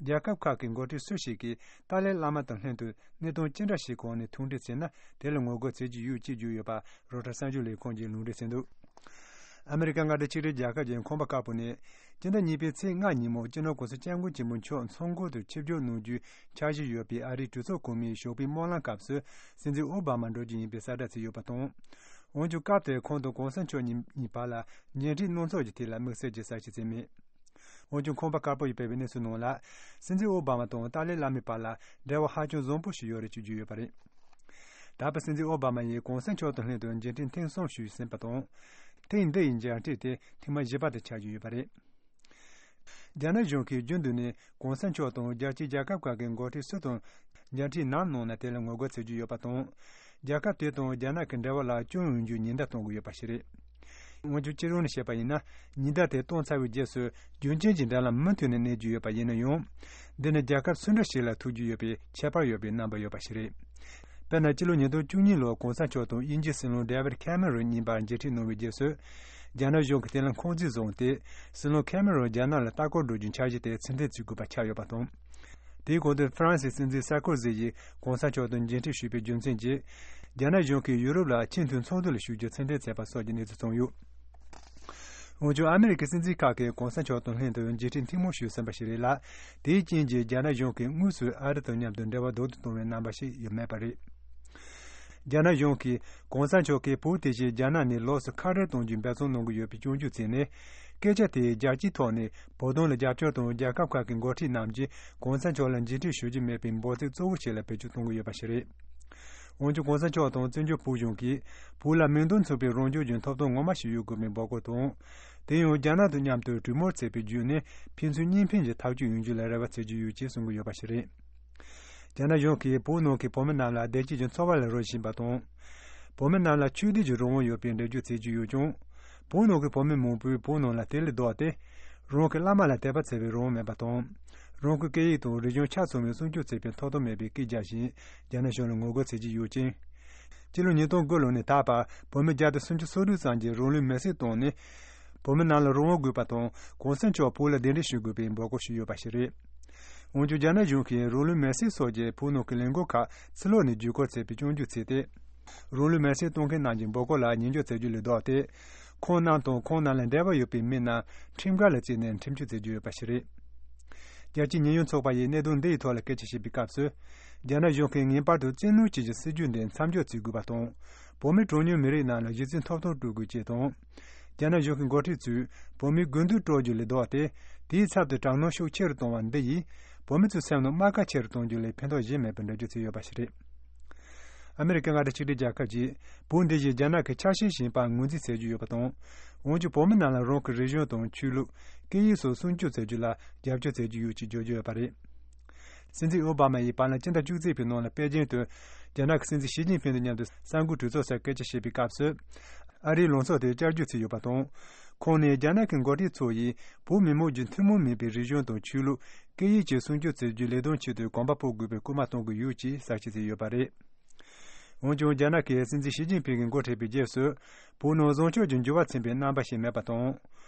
རྒྱལ་ཁབ་ཁག་གི་འགོ་ཁྲིད་སུ་ཞིག་གིས་ཏཱ་ལའི་བླ་མ་དང་ལྷན་དུ་གནད་དོན་ཅི་འདྲ་ཞིག་གི་ཐོག་ནས་ཐུག་འཕྲད་བྱས་ན། དེ་ལ་ངོ་རྒོལ་བྱེད་ཀྱི་ཡོད་ཅེས་བརྗོད་ཡོད་པ་རོའི་ཊར་གསར་འགྱུར་ལས་ཁང་གིས་ལུང་འདྲེན་བྱས་འདུག་ཨ་མི་རི་ཀ་མངའ་སྡེ་ཆིག་སྒྲིལ་རྒྱལ་ཁབ་ཀྱི་ཁང་པ་དཀར་པོ་ནས། སྤྱི་ཟླ་གཉིས་པའི་ཚེས་ལྔ་ཉིན་མོ་སྤྱི་ནོར་༧གོང་ས་༧སྐྱབས་མགོན་ཆེན་པོ་མཆོག་མཚོ་སྒོར་དུ་ཆིབས་བསྒྱུར་གནང་རྒྱུའི་འཆར་གཞི་ཡོད་པའི་ཨ་རིའི་གྲོས་ཚོགས་གོང་མའི་ཞོགས་པའི་སྨོན་ལམ་སྐབས་སུ། སྲིད་འཛིན་ཨོ་བྷ་མ་འགྲོ་རྒྱུ་ཡིན་པའི་གསལ་བསྒྲགས་བྱས་ཡོད་པ་དང་། འོན་ཀྱང་སྐབས་དེར་ཁོང་དང་གོང་ས་མཆོག་གཉིས་གཉིས་བར་ལ་མཇལ་འཕྲད་གནང་ཕྱོགས་ཀྱི་ཐད་ལ་དམིགས་བསལ་གྱི་གསལ་བཤད་བྱས་མེད། འོན་ཀྱང་ཁང་པ་དཀར་པོ་ཡིས་སྤེལ་བའི་གནས་ཚུལ་ནང་ལ། སྲིད་འཛིན་ཨོ་བྷ་མ་དང་ཏཱ་ལའི་བླ་མའི་བར་ལ་འབྲེལ་བ་ཧ་ཅང་བཟང་པོ་ཞིག་ཡོད་རེད་ཅེས་བརྗོད་ཡོད་པ་རེད། ད་བར་སྲིད་འཛིན་ཨོ་བྷ་མ་ཡིས་གོང་ས་མཆོག་དང་ལྷན་དུ་མཇལ་འཕྲད་ཐེངས་གསུམ་ཞུས་ཟིན་པ་དང་། ཐེངས་འདི་ཡི་མཇལ་འཕྲད་དེ་ཐེངས་མ་བཞི་པ་དེ་ཆགས་ཀྱི་ཡོད་པ་རེད། རྒྱ་ནག་གཞུང་གིས་རྒྱུན་དུ་ནས་གོང་ས་མཆོག་དང་རྒྱལ་སྤྱིའི་རྒྱལ་ཁབ་ཁག་གི་འགོ་ཁྲིད་སུ་དང་མཇལ་འཕྲད་ནམ་གནང་ན་དེ་ལ་ངོ་རྒོལ་བྱེད་ཀྱི་ཡོད་པ་དང་། རྒྱལ་ཁབ་དེ་དང་རྒྱ་ནག་གི་འབྲེལ་བ་ལ་སྐྱོན་ཡོང་རྒྱུའི་ཉེན་བརྡ་གཏོང་གི་ཡོད་པ་ཞིག་རེད། འོན་ཀྱང་སྤྱི་ཡོངས་ནས་བཤད་པ་ཡིན་ན། ཉེན་བརྡ་དེ་བཏང་ཚར་བའི་རྗེས་སུ་རྒྱུན་རྐྱེན་གྱི་འབྲེལ་ལམ་མུ་མཐུད་ནས་གནས་ཀྱི་ཡོད་པ་ཡིན་ན་ཡང་། འདི་ནི་རྒྱལ་ཁབ་སུ་འདྲ་ཞིག་ལ་ཐུག་རྒྱུ་ཡོད་པའི་ཁྱད་པར་ཡོད་པའི་རྣམ་པ་ཡོད་པ་ཞིག་རེད། དཔེར་ན་སྤྱི་ལོ་ཉིས་སྟོང་བཅུ་གཉིས་ལོར་གོང་ས་མཆོག་དང་དབྱིན་ཇིའི་སྲིད་བློན་ཌེ་ཝིད་ཁེ་མེ་རོན་གཉིས་བར་མཇལ་འཕྲད་གནང་བའི་རྗེས་སུ། རྒྱ་ནག་གཞུང་གིས་དེ་ལ་འཁོན་འཛིན་བཟུང་སྟེ། སྲིད་བློན་ཁེ་མེ་རོན་རྒྱ་ནག་ལ་ལྟ་སྐོར་འགྲོ་རྒྱུའི་འཆར་གཞི་དེ་ཚུར་འཐེན་བྱེད་དགོས་པ་ཆགས་ཡོད་པ་དང་། དེའི་གོང་དུ་ཧྥ་རན་སིའི་སྲིད་འཛིན་སར་ཀོ་ཟི་ཡིས་གོང་ས་མཆོག་དང་མཇལ་འཕྲད་ཞུས་པའི་རྒྱུ་མཚན་གྱིས། རྒྱ་ནག་གཞུང་གིས་ཡུ་རོབ་ལ་ཆེས་མཐོའི་ཚོགས་འདུ་ལ་ཞུགས་རྒྱུ་ཚུར་འཐེན་བྱས་པ་སོགས་ཀྱི་གནས་ཚུལ་བྱུང་ཡོད། འོན་ཀྱང་ཨ་མི་རི་ཀའི་སྲིད་འཛིན་ཁག་གིས་གོང་ས་མཆོག་དང་ལྷན་དུ་མཇལ་འཕྲད་ཐེངས་མང་ཞུས་ཟིན་པ་ཞིག་རེད་ལ། དེའི་རྐྱེན་གྱིས་རྒྱ་ནག་གཞུང་གིས་དངོས་སུ་ཨ་རི་དང་མཉམ་དུ་འབྲེལ་བ་རྡོག་ཏུ་གཏོང་བའི་རྣམ་པ་ཞིག་ཡོད་མེད་པ་རེད། རྒྱ་ནག་གཞུང་གིས་གོང་ས་མཆོག་གིས་བོད་དེ་བཞིན་རྒྱ་ནག་ནས་ལོགས་སུ་ཁ་བྲལ་གཏོང་རྒྱུའི་འབད་བརྩོན་གནང་གི་ཡོད་པའི་སྐྱོན་བརྗོད་བྱས་ནས། སྐད་ཆ་དེས་རྒྱལ་སྤྱིའི་ཐོག་ནས་བོད་དོན་ལ་རྒྱབ་སྐྱོར་དང་རྒྱལ་ཁབ་ཁག་གི་འགོ་ཁྲིད་རྣམས་ཀྱིས་གོང་ས་མཆོག་ལ་མཇལ་འཕྲད་ཞུ་རྒྱུ་མེད་པའི་འབོད་ཚིག་གཙོ་བོ་ཞིག་ལ་བེད་སྤྱོད་གཏོང་གི་ཡོད་པ་ཞིག་རེད། འོན་ཀྱང་གོང་ས་མཆོག་དང་བཙན་བྱོལ་བོད་གཞུང་གིས་བོད་ལ་མིང་དོན་མཚུངས་པའི་རང་སྐྱོང་གི་ཐོབ་ཐང་ངོ་མ་ཞིག་ཡོད་དགོས་པའི་འབོད་སྐུལ་དང་། དེ་ཡང་རྒྱ་ནག་དང་མཉམ་དུ་གྲོས་མོལ་བྱས་པའི་བརྒྱུད་ནས་ཕན་ཚུན་གཉིས་ཕན་གྱི་ཐག་གཅོད་ཡོང་རྒྱུ་ལ་རེ་བ་བྱེད་ཀྱི་ཡོད་ཅེས་གསུང་གི་ཡོད་པ་ཞིག་རེད། རྒྱ་ནག་གཞུང་གིས་བོད་ནང་གི་བོད་མི་རྣམས་ལ་བདེ་སྐྱིད་ཀྱི་འཚོ་བ་ལ་རོལ་བཞིན་པ་དང་། བོད་མི་རྣམས་ལ་ཆོས་དད་ཀྱི་རང་དབང་ཡོད་པའི་འགྲེལ་བརྗོད་བྱེད་ཀྱི་ཡོད་ཀྱང་། བོད་ནང་གི་བོད་མི་མང་པོས་བོད་ནང་ལ་དེ་ལས་ལྡོག་སྟེ། རང་གི་བླ་མ་ལ་དད་པ་བྱེད་པའི་རང་དབང་མེད་པ་དང་། རང་གི་སྐད་ཡིག་དང་རིག་གཞུང་ཆ་ཚང་བའི་སྲུང་སྐྱོབ་བྱེད་པའི་ཐོབ་ཐང་མེད་པའི་སྐད་རྒྱག་བཞིན་རྒྱ་ནག་གཞུང་ལ་ངོ་རྒོལ་བྱེད་ཀྱི་ཡོད་ཅིང་། སྤྱི་ལོ་ཉིས་སྟོང་དགུ་ལོ་ནས་ད་བར་བོད་མི་བརྒྱ་དང་སུམ་ཅུ་སོ་དྲུག་ཙམ་གྱིས་རང་ལུས་མེར་སྲེག་བཏང་ནས། བོད་མི་རྣམས་ལ་རང་དབང་དགོས་པ་དང་གོང་ས་མཆོག་བོད་ལ་གདན་འདྲེན་ཞུ་དགོས་པའི་འབོད་སྐུལ་ཞུས་ཡོད་པ་ཞིག་རེད། འོན་ཀྱང་རྒྱ་ནག་གཞུང་གིས་རང་ལུས་མེར་སྲེག་སོགས་ཀྱི་བོད་ནང་གི་ལས་འགུལ་ཁག་ཕྱི་ལོགས་ནས་བརྒྱུད་སྐུར་བྱས་པའི་སྐྱོན་བརྗོད་བྱས་ཏེ། རང་ལུས་མེར་སྲེག་གཏོང་མཁན་རྣམས་ཀྱི་འབོད་སྐུལ་ལ་ཉན་འཇོག་བྱ་རྒྱུ་ལས་ལྡོག་སྟེ། ཁོང་རྣམས་དང་ཁོང་རྣམས་ལ་འབྲེལ་བ་ཡོད་པའི་མི་རྣམས་ཁྲིམས་འགལ་ལ་བརྩིས་ནས་ཁྲིམས་གཅོད་བྱེད་རྒྱུ་ཡོད་པ་ཞིག་རེད། རྒྱལ་སྤྱིའི་ཉེན་གཡོལ་ཚོགས་པ་ཡིས་གནད་དོན་འདི་ཡི་ཐོག་ལ་སྐད་ཆ་བཤད་པའི་སྐབས་སུ། རྒྱ་ནག་གཞུང་གིས་ངེས་པར་དུ་བཙན་གནོན་བྱེད་ཀྱི་སྲིད་ཇུས་འདི་མཚམས་འཇོག་བྱེད་དགོས་པ་དང་། བོད་མིའི་གྲངས་ཉུང་མི་རིགས་རྣམས་ལ་གཞི་རྩའི་ཐོབ་ཐང་སྤྲོད་དགོས་ཅེས་དང་། རྒྱ་ནག་གཞུང་གི་འགོ་ཁྲིད་ཚོས་བོད་མིའི་དགོས་འདུན་སྤྲོད་རྒྱུ་ལས་ལྡོག་སྟེ། དེའི་ཚབ་ཏུ་དྲག་གནོན་ཤུགས་ཆེ་རུ་གཏོང་བ་འདི་ཡིས། བོད་མི་ཚོའི་སེམས་ནང་རྨ་ཁ་ཆེ་རུ་གཏོང་རྒྱུ་ལས་ཕན་ཐོགས་གཞན་མེད་པའི་འགྲེལ་བརྗོད་བྱས་ཡོད་པ་ཞིག་རེད། ཨ་མི་རི་ཀའི་མངའ་སྡེ་ཆིག་སྒྲིལ་རྒྱལ་ཁབ་ཀྱིས་བོད་འདི་བཞིན་རྒྱ་ནག་གི་ཆ་ཤས་ཤིག་ཡིན་པར་ངོས་འཛིན་བྱེད་ཀྱི་ཡོད་པ་དང་། འོན་ཀྱང་བོད་མི་རྣམས་ལ་རང་གི་རིག་གཞུང་དང་ཆོས་ལུགས། སྐད་ཡིག་སོགས་སྲུང་སྐྱོབ་བྱ་རྒྱུ་ལ་རྒྱབ་སྐྱོར་བྱེད་ཀྱི་ཡོད་ཅེས་བརྗོད་ཀྱི་ཡོད་པ་རེད། སྲིད་འཛིན་ཨོ་བྷ་མ་ཡིས་བར་ལམ་སྤྱི་ཟླ་བཅུ་གཅིག་པའི་ནང་ལ་པེ་ཅིང་དུ་རྒྱ་ནག་གི་སྲིད་འཛིན་ཞི་ཅིན་ཕིང་དང་མཉམ་དུ་གསར་འགོད་གྲོས་ཚོགས་སར་སྐད་ཆ་བཤད་པའི་སྐབས་སུ། ཨ་རིའི་ལངས་ཕྱོགས་དེ་བསྐྱར་བཅོས་བྱས་ཡོད་པ་དང་། ཁོང་ནས་རྒྱ་ནག་གི་འགོ་ཁྲིད་ཚོ་ཡིས་བོད་མི་མང་གི་ཐུན་མོང་མིན་པའི་རིག་གཞུང་དང་ཆོས་ལུགས། སྐད་ཡིག་བཅས་སྲུང་སྐྱོབ་བྱེད་རྒྱུའི་ལས་དོན་ཆེད་དུ་གོམ་པ་སྤོ་དགོས་པའི་སྐུལ་མ་གཏོང་གི་ཡོད་ཅེས་གསལ་བཤད་བྱས་ཡོད་པ་རེད། འོན་ཀྱང་རྒྱ་ནག་གི་སྲིད་འཛིན་ཞི་ཅིན་ཕིང་གིས་འགོ་ཁྲིད་པའི་རྗེས་སུ། བོད་ནང་བཟང་ཕྱོགས་ཀྱི་འགྱུར་བ་ཕྱིན་པའི་རྣམ་པ་ཞིག་མེད་པ་དང་།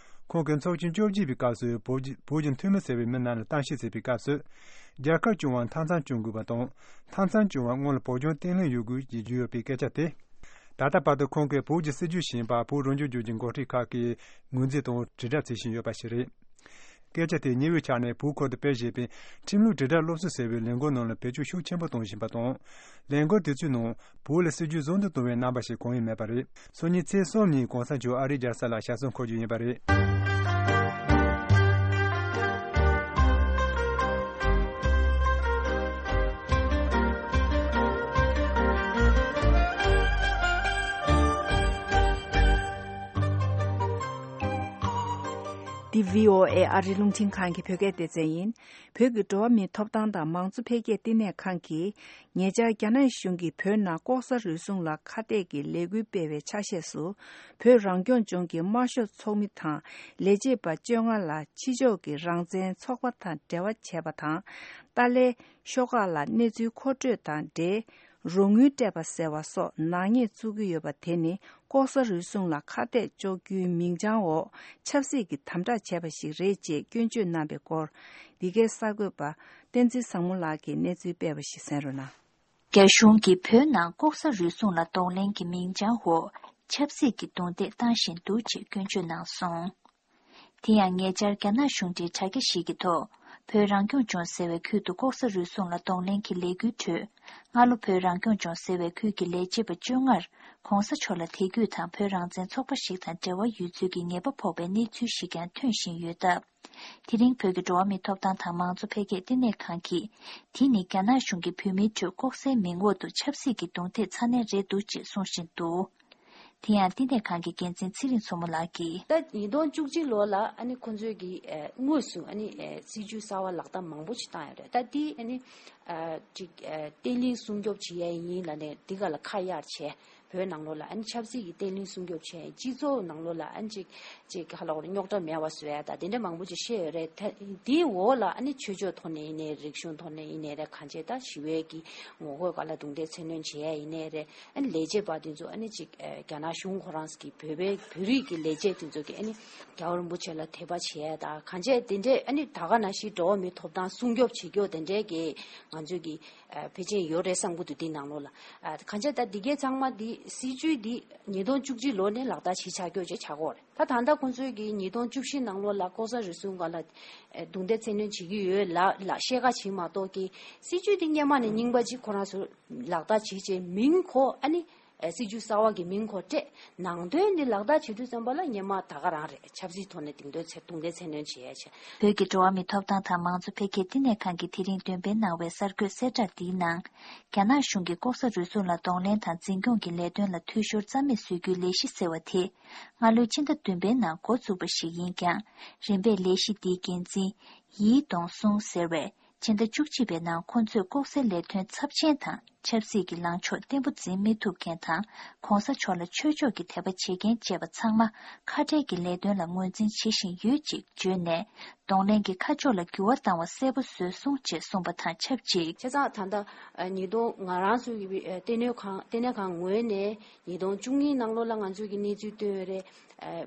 ཁོང་གིས་ཚོགས་ཆེན་བཅོ་བརྒྱད་པའི་སྐབས་སུ་བོད་ཀྱི་བོད་ཀྱི་འཐུས་མི་ཟེར་བའི་མི་རྣམས་ལ་གཏམ་བཤད་བྱེད་པའི་སྐབས་སུ། རྒྱལ་ཁབ་སྐྱོང་བར་མཐའ་མཚམས་སྐྱོང་དགོས་པ་དང་། མཐའ་མཚམས་སྐྱོང་བར་སྔོན་ལ་བོད་ལྗོངས་བརྟན་ལྷིང་ཡོད་དགོས་ཀྱི་བརྗོད་ཡོད་པའི་སྐད་ཆ་དེ། ད་ལྟ་བར་དུ་ཁོང་གིས་བོད་ཀྱི་སྲིད་བྱུས་ཤིག་ཡིན་པ་བོད་རང་སྐྱོང་ལྗོངས་ཀྱི་འགོ་ཁྲིད་ཁག་གིས་ངོས་འཛིན་དང་དྲིལ་བསྒྲགས་བྱེད་བཞིན་ཡོད་པ་ཞིག་རེད། སྐད་ཆ་དེ་ཉེ་བའི་ཆར་ནས་བོད་ཁུལ་དུ་སྤེལ་བཞིན་པའི་ཁྲིམས་ལུགས་དྲིལ་བསྒྲགས་སློབ་གསོ་ཟེར་བའི་ལས་འགུལ་ནང་ལ་བེད་སྤྱོད་ཤུགས་ཆེན་པོ་གཏོང་བཞིན་པ་དང་། ལས་འགུལ་དེ་ཚོའི་ནང་བོད་ལ་སྲིད་བྱུས་བཟང་དུ་གཏོང་བའི་རྣམ་པ་ཞིག་གང་ཡང་མེད་པ་རེད། སང་ཉིན་ཚེས་གསུམ་ཉིན་གོང་ས་མཆོག་ཨ་རིའི་རྒྱལ་ས་ལ་ཞབས་སོར་འཁོད་རྒྱུ་ཡིན་པ་རེད། འདི་བྷི་ཨོ་ཨེ་ཨ་རིའི་རླུང་འཕྲིན་ཁང་གི་བོད་སྐད་སྡེ་ཚན་ཡིན། བོད་ཀྱི་འགྲོ་བ་མིའི་ཐོབ་ཐང་དང་མང་གཙོ་འཕེལ་རྒྱས་བསྟི་གནས་ཁང་གིས། ཉེ་ཆར་རྒྱ་ནག་གཞུང་གིས་བོད་ནང་ལྐོག་ཟ་རུལ་སུངས་ལ་ཁ་གཏད་ཀྱི་ལས་འགུལ་སྤེལ་བའི་ཆ་ཤས་སུ། བོད་རང་སྐྱོང་ལྗོངས་ཀྱི་དམར་ཤོག་ཚོགས་མི་དང་ལས་བྱེད་པ་བཅོ་ལྔ་ལ་ཕྱི་ཕྱོགས་ཀྱི་རང་བཙན་ཚོགས་པ་དང་འབྲེལ་བ་བྱས་པ་དང་། ཏཱ་ལའི་ཤོག་ཁག་ལ་གནས་ཚུལ་མཁོ་སྤྲོད་དང་འབྲེལ། རོགས་དངུལ་སྤྲད་པ་ཟེར་བ་སོགས་ནག་ཉེས་བཙུགས་ཀྱི་ཡོད་པ་དེ་ནི། ལྐོག་ཟ་རུལ་སུངས་ལ་ཁ་གཏད་གཅོག་རྒྱུའི་མིང་བྱང་འོག་ཆབ་སྲིད་ཀྱི་དམ་དྲག་བྱས་པ་ཞིག་རེད་ཅེས་སྐྱོན་བརྗོད་གནང་བའི་སྐོར། འདི་གའི་གསར་འགོད་པ་བསྟན་འཛིན་བཟང་མོ་ལགས་ཀྱིས་གནས་ཚུལ་སྤེལ་བ་ཞིག་གསན་རོགས་གནང་། རྒྱ་གཞུང་གིས་བོད་ནང་ལྐོག་ཟ་རུལ་སུངས་ལ་གདོང་ལེན་གྱི་མིང་བྱང་འོག་ཆབ་སྲིད་ཀྱི་རྡུང་རྡེག་བཏང་བཞིན་འདུག་ཅེས་སྐྱོན་བརྗོད་གནང་སོང་། དེ་ཡང་ཉེ་ཆར་རྒྱ་ནག་གཞུང་འབྲེལ་དྲ་རྒྱ་ཞིག་གི་ཐོག་བོད་རང་སྐྱོང་ལྗོངས་ཟེར་བའི་ཁུལ་དུ་ལྐོག་ཟ་རུལ་སུངས་ལ་གདོང་ལེན་གྱི་ལས་འགུལ་ཁྲོད། སྔ་ལོ་བོད་རང་སྐྱོང་ལྗོངས་ཟེར་བའི་ཁུལ་གྱི་ལས་བྱེད་པ་བཅོ་ལྔར་གོང་ས་མཆོག་ལ་དད་གུས་དང་བོད་རང་བཙན་ཚོགས་པ་ཞིག་དང་འབྲེལ་བ་ཡོད་ཚུལ་གྱི་ཉེས་པ་ཕོག་པའི་གནས་ཚུལ་ཞིག་ཀྱང་ཐོན་བཞིན་ཡོད་སྟབས། དེ་རིང་བོད་ཀྱི་འགྲོ་བ་མིའི་ཐོབ་ཐང་དང་མང་གཙོ་འཕེལ་རྒྱས་བསྟི་གནས་ཁང་གིས། དེ་ནི་རྒྱ་ནག་གཞུང་གིས་བོད་མིའི་ཁྲོད་ལྐོག་ཟའི་མིང་འོག་ཏུ་ཆབ་སྲིད་ཀྱི་རྡུང་རྡེག་ཚ་ནན་རེད་འདུག་ཅེས་གསུང་བཞིན་འདུག་དེ་ཡང་བསྟི་གནས་ཁང་གི་འགན་འཛིན་ཚེ་རིང་མཚོ་མོ་ལགས་ཀྱིས། ད་ཉིས་སྟོང་བཅུ་གཅིག་ལོ་ལ་ཨ་ནི་ཁོང་ཚོས་ཀྱི་ཨ་དངོས་སུ་ཨ་ནི་ཨ་སྲིད་ཇུས་གསར་བ་ལག་བསྟར་མང་པོ་ཞིག་བཏང་ཡོད་རེད། ད་དེ་ཨ་ནི་ཨ་ཅིག་ཨ་བརྟན་ལྷིང་སྲུང་སྐྱོབ་བྱེད་ཡ་ཡིན་ལབ་ནས་དེ་ག་ལ་ཁ་གཡར་བྱས། བོད་ནང་ལོགས་ལ་ཨ་ནི་ཆབ་སྲིད་ཀྱི་བརྟན་ལྷིང་སྲུང་སྐྱོབ་བྱས། སྤྱི་ཚོགས་ནང་ལོགས་ལ་ཨ་ནི་ཅིག་ཅིག་ཧ་ལོག་རྙོག་དྲ་མེད་པ་བཟོ་ཡ་ད་དེ་འདྲ་མང་པོ་ཅིག་བཤད་ཡོད་རེད། ད་དེའི་འོག་ལ་ཨ་ནི་ཆོས་ཕྱོགས་ཐོག་ནས་ཡིན་ནའི་རིག་གཞུང་ཐོག་ནས་ཡིན་ནའི་རེད། གང་བྱས་ད་ཞི་བའི་གི་ངོ་རྒོལ་སྒང་ལ་རྡུང་རྡེག་མཚོན་སྣོན་བྱེད་ཡ་ཡིན་ནའི་རེད། ཨ་ནི་ལས་བྱེད་པ་དེ་ཚོ་ཨ་ནི་ཅིག་ཨ་རྒྱ་ནག་གཞུང་ཁོ་རང་གི་བོད་པའི་བོད་རིགས་ཀྱི་ལས་བྱེད་དེ་ཚོ་གི་ཨ་ནི་རྒྱལ་བ་རིན་པོ་ཆེ་ལ་དད་པ་བྱེད་ཡ་ད་གང་བྱས་དེ་འདྲས་ཨ་ནི་ད་ག་ནང་བཞིན་འགྲོ་བ་མིའི་ཐོབ་ཐང་སྲུང་སྐྱོབ་བྱེད་རྒྱུ་དེ་འདྲས་ཀྱི་ང་ཚོས་ཀྱི་ཨ་ཕལ་ཆེར་ཡོད་རེད་བསམ་གྱི་འདུག་དེ་ནང་ལོགས་ལ་ཨ་གང་བྱས་ད་འདི་གའི་ཚང་མ་འདི་སྲིད་ཇུས་འདི་ཉིས་སྟོང་བཅུ་གཅིག་ལོ་ནས་ལག་བསྟར་བྱེད་ཆགས་རྒྱུ་ཅིག་ཆགས་ཀྱི་ཡོད་རེད། ད་ད་ལྟ་ཁོང་ཚོས་ཀྱི་ཉིས་སྟོང་བཅུ་བཞི་ནང་ལོགས་ལ་ལྐོག་ཟ་རུལ་སུངས་སྒང་ལ་ཨེ་རྡུང་རྡེག་མཚན་སྣོན་བྱེད་ཀྱི་ཡོད་ལ་ལ་བཤད་ཁ་བྱེད་མ་གཏོགས་ཀྱི་སྲིད་ཇུས་འདི་སྔོན་མ་ནས་རྙིང་པ་ཅིག་ཁོ་རང་ཚོ་ལག་བསྟར་བྱེད་ཅེས་མིང་ཁོ་ཨ་ནི་ཨེ་སྲིད་ཇུས་གསར་བ་གི་མིང་ཁོ་སྤྲད། ནང་དོན་འདི་ལག་བསྟར་བྱེད་དུས་ཙམ་པ་ལ་སྔོན་མ་ད་ག་རང་རེད། ཆབ་སྲིད་ཐོག་ནས་རྡུང་རྡེག་མཚན་རྡུང་རྡེག་མཚན་སྣོན་བྱེད་ཡ་བྱས། བོད་ཀྱི་འགྲོ་བ་མིའི་ཐོབ་ཐང་དང་མང་གཙོ་འཕེལ་རྒྱས་བསྟི་གནས་ཁང་གིས་དེ་རིང་འདོན་སྤེལ་གནང་བའི་གསར་འགོད་གསལ་བསྒྲགས་འདིའི་ནང་། རྒྱ་ནག་གཞུང་གིས་ལྐོག་ཟ་རུལ་སུངས་ལ་གདོང་ལེན་དང་འཛིན་སྐྱོང་གི་ལས་དོན་ལ་འཐུས་ཤོར་རྩ་མེད་བཟོ་རྒྱུའི་ལས་གཞི་ཟེར་བ་དེ། སྔ་ལོའི་ཕྱི་ཟླ་བདུན་པའི་ནང་འགོ་བཙུགས་པ་ཞིག་ཡིན་ཀྱང་། རིམ་པས་ལས་གཞི་འདིའི་འགན་འཛིན། ཡི་ཏོང་སུང་ཟེར་བས། ཕྱི་ཟླ་བཅུ་གཅིག་པའི་ནང་ཁོ་ཚོས་ལྐོག་ཟའི་ལས་དོན་ཚབས་ཆེན་དང་། ཆབ་སྲིད་ཀྱི་ལངས་ཕྱོགས་བརྟན་པོ་འཛིན་མི་ཐུབ་མཁན་དང་། གོང་ས་མཆོག་ལ་ཆོས་ཕྱོགས་ཀྱི་དད་པ་བྱེད་མཁན་བཅས་པ་ཚང་མ་ཁ་བྲལ་གྱི་ལས་དོན་ལ་ངོས་འཛིན་བྱེད་བཞིན་ཡོད་ཅེས་བརྗོད་ནས། གདོང་ལེན་གྱི་ཁ་ཕྱོགས་ལ་འགྱུར་བ་བཏང་བ་གསལ་པོ་བཟོས་སོང་ཅེས་གསུངས་པ་དང་ཆབས་ཅིག་བྱས་ཙང་ད་ལྟ་ཉིས་སྟོང་ང་རང་ཚོའི་ཨ་བསྟི་གནས་ཁང་བསྟི་གནས་ཁང་ངོས་ནས་ཉིས་སྟོང་བཅུ་གཉིས་ནང་ལོགས་ལ་ང་ཚོས་ཀྱི་གནས་ཚུལ་བཏོན་ཡོད་རེད། ཨ་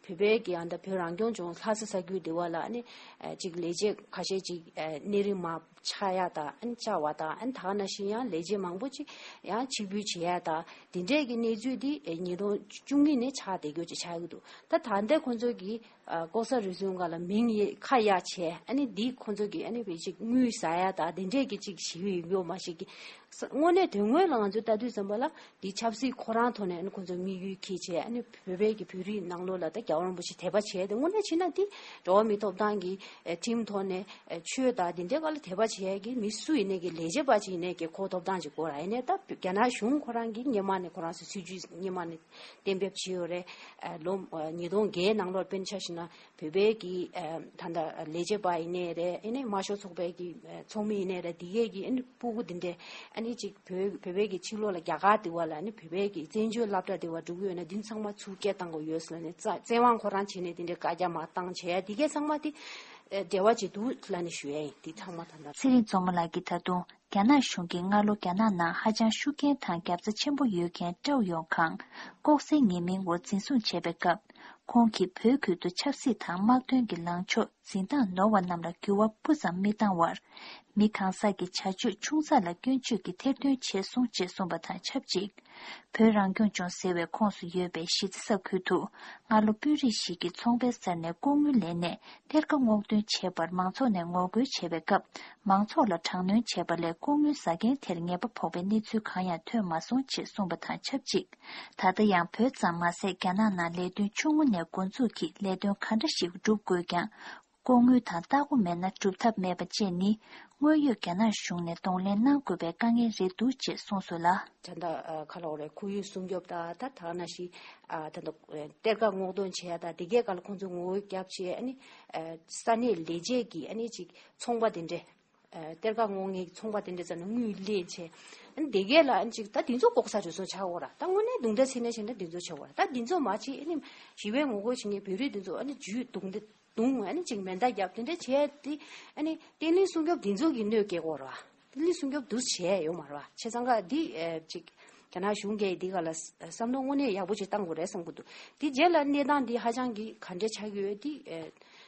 བོད་པའི་གི་ཨ་ད་བོད་རང་སྐྱོང་ལྗོངས་ལྷ་ས་ས་ཁུལ་དེ་བ་ལ་ཨ་ནི་ཨ་ཅིག་ལས་བྱེད་ཁ་ཤས་ཅིག་ཨ་གནས་རིམ་མ་ཆགས་ཡ་ད་ཨ་ནི་བཅར་བ་ད་ཨ་ནི་ད་ག་ནང་བཞིན་ཡང་ལས་བྱེད་མང་པོ་ཅིག་ཡང་ཕྱིར་འབུད་བྱེད་ཡ་ད་དེ་འདྲས་ཀྱི་གནས་ཚུལ་དེ་ཨ་ཉིས་སྟོང་བཅུ་གཉིས་ནས་ཆགས་བསྡད་རྒྱུ་ཅིག་ཆགས་ཀྱི་འདུག་ད་ད་ལྟ་ཁོང་ཚོ་གི་ཨ་ལྐོག་ཟ་རུལ་སུངས་སྒང་ལ་མིང་ཡེ་ཁ་གཡར་བྱས་ཨ་ནི་འདི་ཁོང་ཚོ་གི་ཨ་ནི་བེད་ཅིག་དངུལ་ཟ་ཡ་ད་དེ་འདྲས་ཀྱི་ཅིག་ཞིག་ཡོད་མ་ཞིག་གི་ས་དངོས་གནས་དོན་དངོས་ལ་ང་ཚོས་ལྟ་དུས་ཙམ་པ་ལ་འདི་ཆབ་སྲིད་ཁོ་རང་ཐོག་ནས་ཨ་ནི་ཁོང་ཚོ་དམིགས་ཡུལ་འཁྱེར་བྱས་ཨ་ནི་བོད་པའི་གི་བོད་རིགས་ནང་ལོགས་ལ་ད་རྒྱལ་བ་རིན་པོ་ཆེ་དད་པ་བྱས་ཏེ་དངོས་གནས་བྱས་ན་འདི་འགྲོ་བ་མིའི་ཐོབ་ཐང་གི་ཨ་ཁྲིམས་ཐོག་ནས་ཨ་ཆོས་དང་དེ་འདྲའི་སྒང་ལ་དད་པ་བྱེད་ཡ་གི་མི་སུ་ཡིན་ནའི་གི་ལས་བྱེད་པ་ཅིག་ཡིན་ནའི་གི་ཁོ་ཐོབ་ཐང་ཅིག་དགོས་ར། ཡིན་ནའི་ད་རྒྱ་ནག་གཞུང་ཁོ་རང་གིས་སྔོན་མ་ནས་ཁོ་རང་ཚོའི་སྲིད་ཇུས་སྔོན་མ་ནས་གཏན་འབེབས་བྱས་ཡོད་རེད། ཨ་ལོ་ཨ་ཉིས་སྟོང་བརྒྱད་ནང་ལོགས་དཔེར་ན་ཆ་བཞག་ན། ན་བོད་པའི་གི་ཨ་ད་ལྟ་ལས་བྱེད་པ་ཡིན་ནའི་རེད། ཨ་ནི་དམར་ཤོག་ཚོགས་པའི་གི་ཨ་ཚོགས་མི་ཡིན་ནའི་རེད། དེ་གས་ཀྱི་ཨ་ནི་སྤུ་གུ་དེ་འདྲས་ཨ་ནི་ཅིག་བོད་བོད་པའི་གི་ཕྱི་ལོགས་ལ་རྒྱ་གར་དེ་བ་ལ་ཨ་ནི་བོད་པའི་གི་བཙན་བྱོལ་སློབ་གྲྭ་དེ་བ་འགྲོ་གི་ཡོད་ན་འདི་ཚང་མ་ཚུར་སྐད་བཏང་དགོས་ཡོད་ཟེར་ནས་བཙན་དབང་ཁོ་རང་བྱས་ནས་དེ་འདྲས་བཀའ་རྒྱ་མར་བཏང་བྱས་དེ་གས་ཚང་མ་དེ་འབྲེལ་བ་བྱེད་འདུག་ལབ་ནས་ཞུ་ཡ་ཡིན། དེ་ཚང་མ་ད་ལྟ། ཚེ་རིང་རྫོང་མ་ལགས་ཀྱིས་ད་དུང་རྒྱ་ནག་གཞུང་གིས་སྔ་ལོ་རྒྱ་ནག་ནང་ཧ་ཅང་ཤུགས་རྐྱེན་དང་རྒྱབ་རྩ་ཆེན་པོ་ཡོད་མཁན་ཀྲའོ་ཡོང་ཁང་ལྐོག་ཟའི་ཉེས་མིང་འོག་འཛིན་བཟུང་བྱས་པའི་སྐབས། ཁོང་གིས་བོད་ཁུལ་དུ་ཆབ་སྲིད་དང་དམག་དོན་གྱི་ལངས་ཕྱོགས་འཛིན་སྟངས་ནོར་བ་རྣམས་ལ་འགྱུར་བ་སྤུ་ཙམ་མི་བཏང་བར། མི་གང་ཟག་གི་བྱ་སྤྱོད་ཆུང་ཙག་ལ་སྐྱོན་བརྗོད་ཀྱིས་ཐེར་འདོན་བྱས་སོང་ཅེས་གསུངས་པ་དང་ཆབས་ཅིག་བོད་རང་སྐྱོང་ལྗོངས་ཟེར་བའི་ཁོངས་སུ་ཡོད་པའི་གཞིས་རྩེ་ས་ཁུལ་དུ་སྔ་ལོ་དཔོན་རིགས་ཤིག་གིས་ཚོང་པའི་སར་ནས་ལྐོག་དངུལ་ལེན་ནས་གཏེར་ཁ་སྔོག་འདོན་བྱས་པར་མང་ཚོགས་ནས་ངོ་རྒོལ་བྱས་པའི་སྐབས། མང་ཚོགས་ལ་དྲག་གནོན་བྱས་པ་ལས་ལྐོག་དངུལ་ཟ་མཁན་དེར་ཉེས་པ་ཕོག་པའི་གནས་ཚུལ་གང་ཡང་ཐོན་མ་སོང་ཅེས་གསུངས་པ་དང་ཆབས་ཅིག་ད་ལྟ་ཡང་བོད་ཙམ་མ་ཟད་རྒྱ་ནག་ནང་ལས་དོན་ཆུང་ངུ་ནས་འགོ་འཛུགས་ཀྱིས་ལས་དོན་ག་འདྲ་ཞིག་སྒྲུབ་དགོས་ཀྱང་། ལྐོག་དངུལ་དང་ལྟ་སྒོ་མེད་ན་སྒྲུབ་ཐབས་མེད་པ་བཅས་ནི་དངོས་ཡོད་རྒྱ་ནག་གཞུང་ནས་གདོང་ལེན་གནང་དགོས་པའི་དཀའ་ངལ་རེད་འདུག་ཅེས་གསུངས་སོང་ལ། ད་ལྟ་ཨ་ག་ལ་འོ་རེད། ཁོར་ཡུག་སྲུང་སྐྱོབ་དང་ད་ཐ་ན་ཞིག་ཨ་ད་ལྟ་གཏེར་ཁ་སྔོག་འདོན་བྱས་དང་དེ་གའི་སྒང་ལ་ཁོང་ཚོས་ངོ་རྒོལ་བརྒྱབ་བྱས། ཨ་ནི་ཨ་ས་གནས་ལས་བྱེད་ཀྱིས་ཨ་ནི་ཅིག་ཚོང་པ་དེ་འདྲས་ཨ་གཏེར་ཁ་སྔོག་མཁན་གྱི་ཚོང་པ་དེ་འདྲས་ཙམ་ལ་དངུལ་ལེན་བྱས། ཨ་ནི་དེ་གའི་ལ་ཨ་ནི་ཅིག་ད་དེ་ཚོ་ལྐོག་ཟ་རུལ་སུངས་ཆགས་འོ་ར། ད་དངོས་གནས་དུང་སྒྲ་ཚིག་ནས་བྱས་ན་དེ་ཚོ་ཆགས་འོ་ར། ད་དེ་ཚོ་མ་བྱེད། ཨ་ནི་ཞི་བའི་ངོ་རྒོལ་བྱེད་མཁན་བོད་རིགས་དེ་ཚོ་ཨ་ནི་ཇུས་བརྡུངས་ཏེ་བརྡུངས། ཨ་ནི་ཅིག་མེ་མདའ་བརྒྱབ་དེ་འདྲ་བྱས་དེ། ཨ་ནི་བརྟན་ལྷིང་སྲུང་སྐྱོབ་དེ་ཚོ་གི་གནོད་སྐྱེལ་གོ་ར། བརྟན་ལྷིང་སྲུང་སྐྱོབ་འདུག་བྱས་ཡོད་མ་རེད་བ། བྱས་ཙང་ཀ་འདི་ཨེ་ཅིག་རྒྱ་ནག་གཞུང་གིས་འདི་ག་ལ་བསམ་བློ་དངོས་གནས་ཡག་པོ་ཅིག་བཏང་དགོས་རེད་བསམ་གི་འདུག་དེ་རྗེས་ལ་གནས་སྟངས་འདི་ཧ་ཅང་གི་ག་འདྲ་ཆགས་ཀྱི་ཡོད་དེ་ཨེ་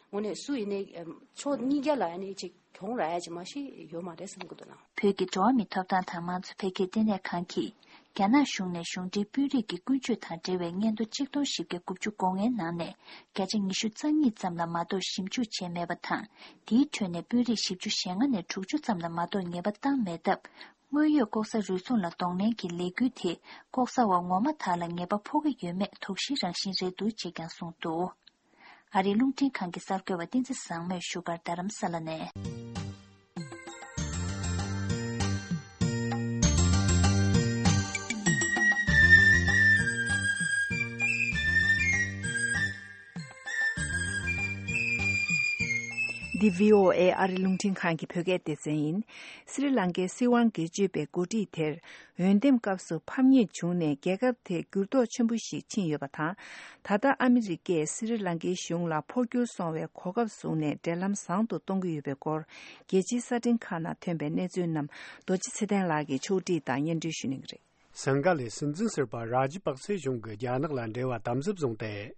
དངོས་གནས་སུ་ཡིན་ནའི་ཨེ་ཕྱོགས་གཉིས་ཀ་ལ་ཨ་ནི་ཅིག་གྱོང་རག་ཡ་ཅིག་མ་གཞི་ཡོད་མ་རེད་བསམ་གི་འདུག་ལགས། བོད་ཀྱི་འགྲོ་བ་མིའི་ཐོབ་ཐང་དང་མང་གཙོ་འཕེལ་རྒྱས་ལྟེ་གནས་ཁང་གིས། རྒྱ་ནག་གཞུང་ནས་གཞུང་འབྲེལ་དཔོན་རིགས་ཀྱི་ཀུན་སྤྱོད་དང་འབྲེལ་བའི་སྙན་ཐོ་ཆིག་སྟོང་བཞི་བརྒྱ་དགུ་བཅུ་གོ་ལྔའི་ནང་ནས་བརྒྱ་ཆ་ཉི་ཤུ་རྩ་གཉིས་ཙམ་ལ་མ་གཏོགས་ཞིབ་འཇུག་བྱས་མེད་པ་དང་། དེའི་ཁྲོད་ནས་དཔོན་རིགས་བཞི་བཅུ་ཞེ་ལྔ་ནས་དྲུག་ཅུ་ཙམ་ལ་མ་གཏོགས་ཉེས་པ་བཏང་མེད་སྟབས། དངོས་ཡོད་ལྐོག་ཟ་རུལ་སུངས་ལ་གདོང་ལེན་གྱི་ལས་འགུལ་དེ་ལྐོག་ཟ་བ་ངོ་མ་དག་ལ་ཉེས་པ་ཕོག་གི་ཡོད་མེད་དོགས་གཞིའི་རང་བཞིན་རེད་འདུག་ཅེས་ཀྱང་གསུངས་འདུག་ཨ་རིའི་རླུང་འཕྲིན་ཁང་གི་གསར་འགོད་པ་བསྟན་འཛིན་བཟང་མོས་བཞུགས་སྒར་རྡ་རམ་ས་ལ་ནས། འདི་བྷི་ཨོ་ཨེ་ཨ་རི་རླུང་འཕྲིན་ཁང་གི་བོད་སྐད་སྡེ་ཚན་ཡིན། སི་རི་ལང་ཀའི་སྲིད་དབང་སྒེར་གཅོད་པས་འགོ་ཁྲིད་དེར། འོས་འདེམས་སྐབས་སུ་ཕམ་ཉེས་བྱུང་ནས་རྒྱལ་ཁབ་དེར་འགྱུར་ལྡོག་ཆེན་པོ་ཞིག་ཕྱིན་ཡོད་པ་དང་། ད་ལྟ་ཨ་མི་རི་ཀས་སི་རི་ལང་ཀའི་གཞུང་ལ་འཕོ་འགྱུར་སོང་བའི་གོ་སྐབས་བཟུང་ནས་འབྲེལ་ལམ་བཟང་དུ་གཏོང་གི་ཡོད་པའི་སྐོར། རྒྱལ་སྤྱིའི་གསར་འཕྲིན་ཁག་ནང་ཐོན་པའི་གནས་ཚུལ་རྣམས་རྡོ་རྗེ་ཚེ་བརྟན་ལགས་ཀྱིས་ཕྱོགས་སྒྲིག་དང་སྙན་སྒྲོན་ཞུ་གནང་གི་རེད། སིང་ག་ལའི་སྲིད་འཛིན་ཟུར་པ་རཱ་ཇི་པག་སེ་གཞུང་གིས་རྒྱ་ནག་ལ་འབྲེལ་བ་དམ་ཟབ་བཟུང་སྟེ།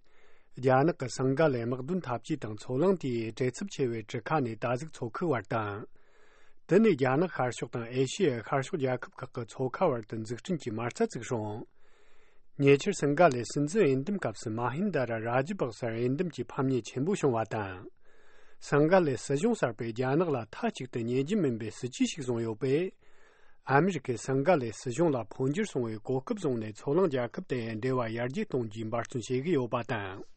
རྒྱ་ནག་གིས་སིང་ག་ལའི་དམག་དོན་འཐབ་ཇུས་དང་ཚོར་གླེང་དེའི་བྲེལ་འཚུབ་ཆེ་བའི་གྲུ་ཁ་ནས་ད་གཟོད་མཚོ་ཁུག་བར་དང་། དེ་ནས་རྒྱ་ནག་ཤར་ཕྱོགས་དང་ཨེ་ཤི་ཡའི་ཤར་ཕྱོགས་རྒྱལ་ཁབ་ཁག་གི་མཚོ་ཁ་བར་དུ་འཛུགས་སྐྲུན་གྱི་མ་རྩ་བཙུགས་སོང་། ཉེ་ཆར་སིང་ག་ལའི་སྲིད་འཛིན་འོས་འདེམས་སྐབས་སུ་མ་ཧིན་ད་ར་རཱ་ཇི་པག་སར་འོས་འདེམས་ཀྱི་ཕམ་ཉེས་ཆེན་པོ་བྱུང་བ་དང་། སིང་ག་ལའི་སྲིད་གཞུང་གསར་པས་རྒྱ་ནག་ལ་མཐའ་གཅིག་ཏུ་ཉེས་ཅན་མིན་པའི་སྲིད་ཇུས་ཤིག་བཟུང་ཡོད་པས། ཨ་མི་རི་ཀས་སིང་ག་ལའི་སྲིད་གཞུང་ལ་འཕོ་འགྱུར་སོང་བའི་གོ་སྐབས་བཟུང་ནས་མཚོ་གླིང་རྒྱལ་ཁབ་དེ་འབྲེལ་བ་ཡར་རྒྱས་གཏོང་རྒྱུའི་འབད་བརྩོན་བྱེད་ཀྱི་ཡོད་པ་དང་།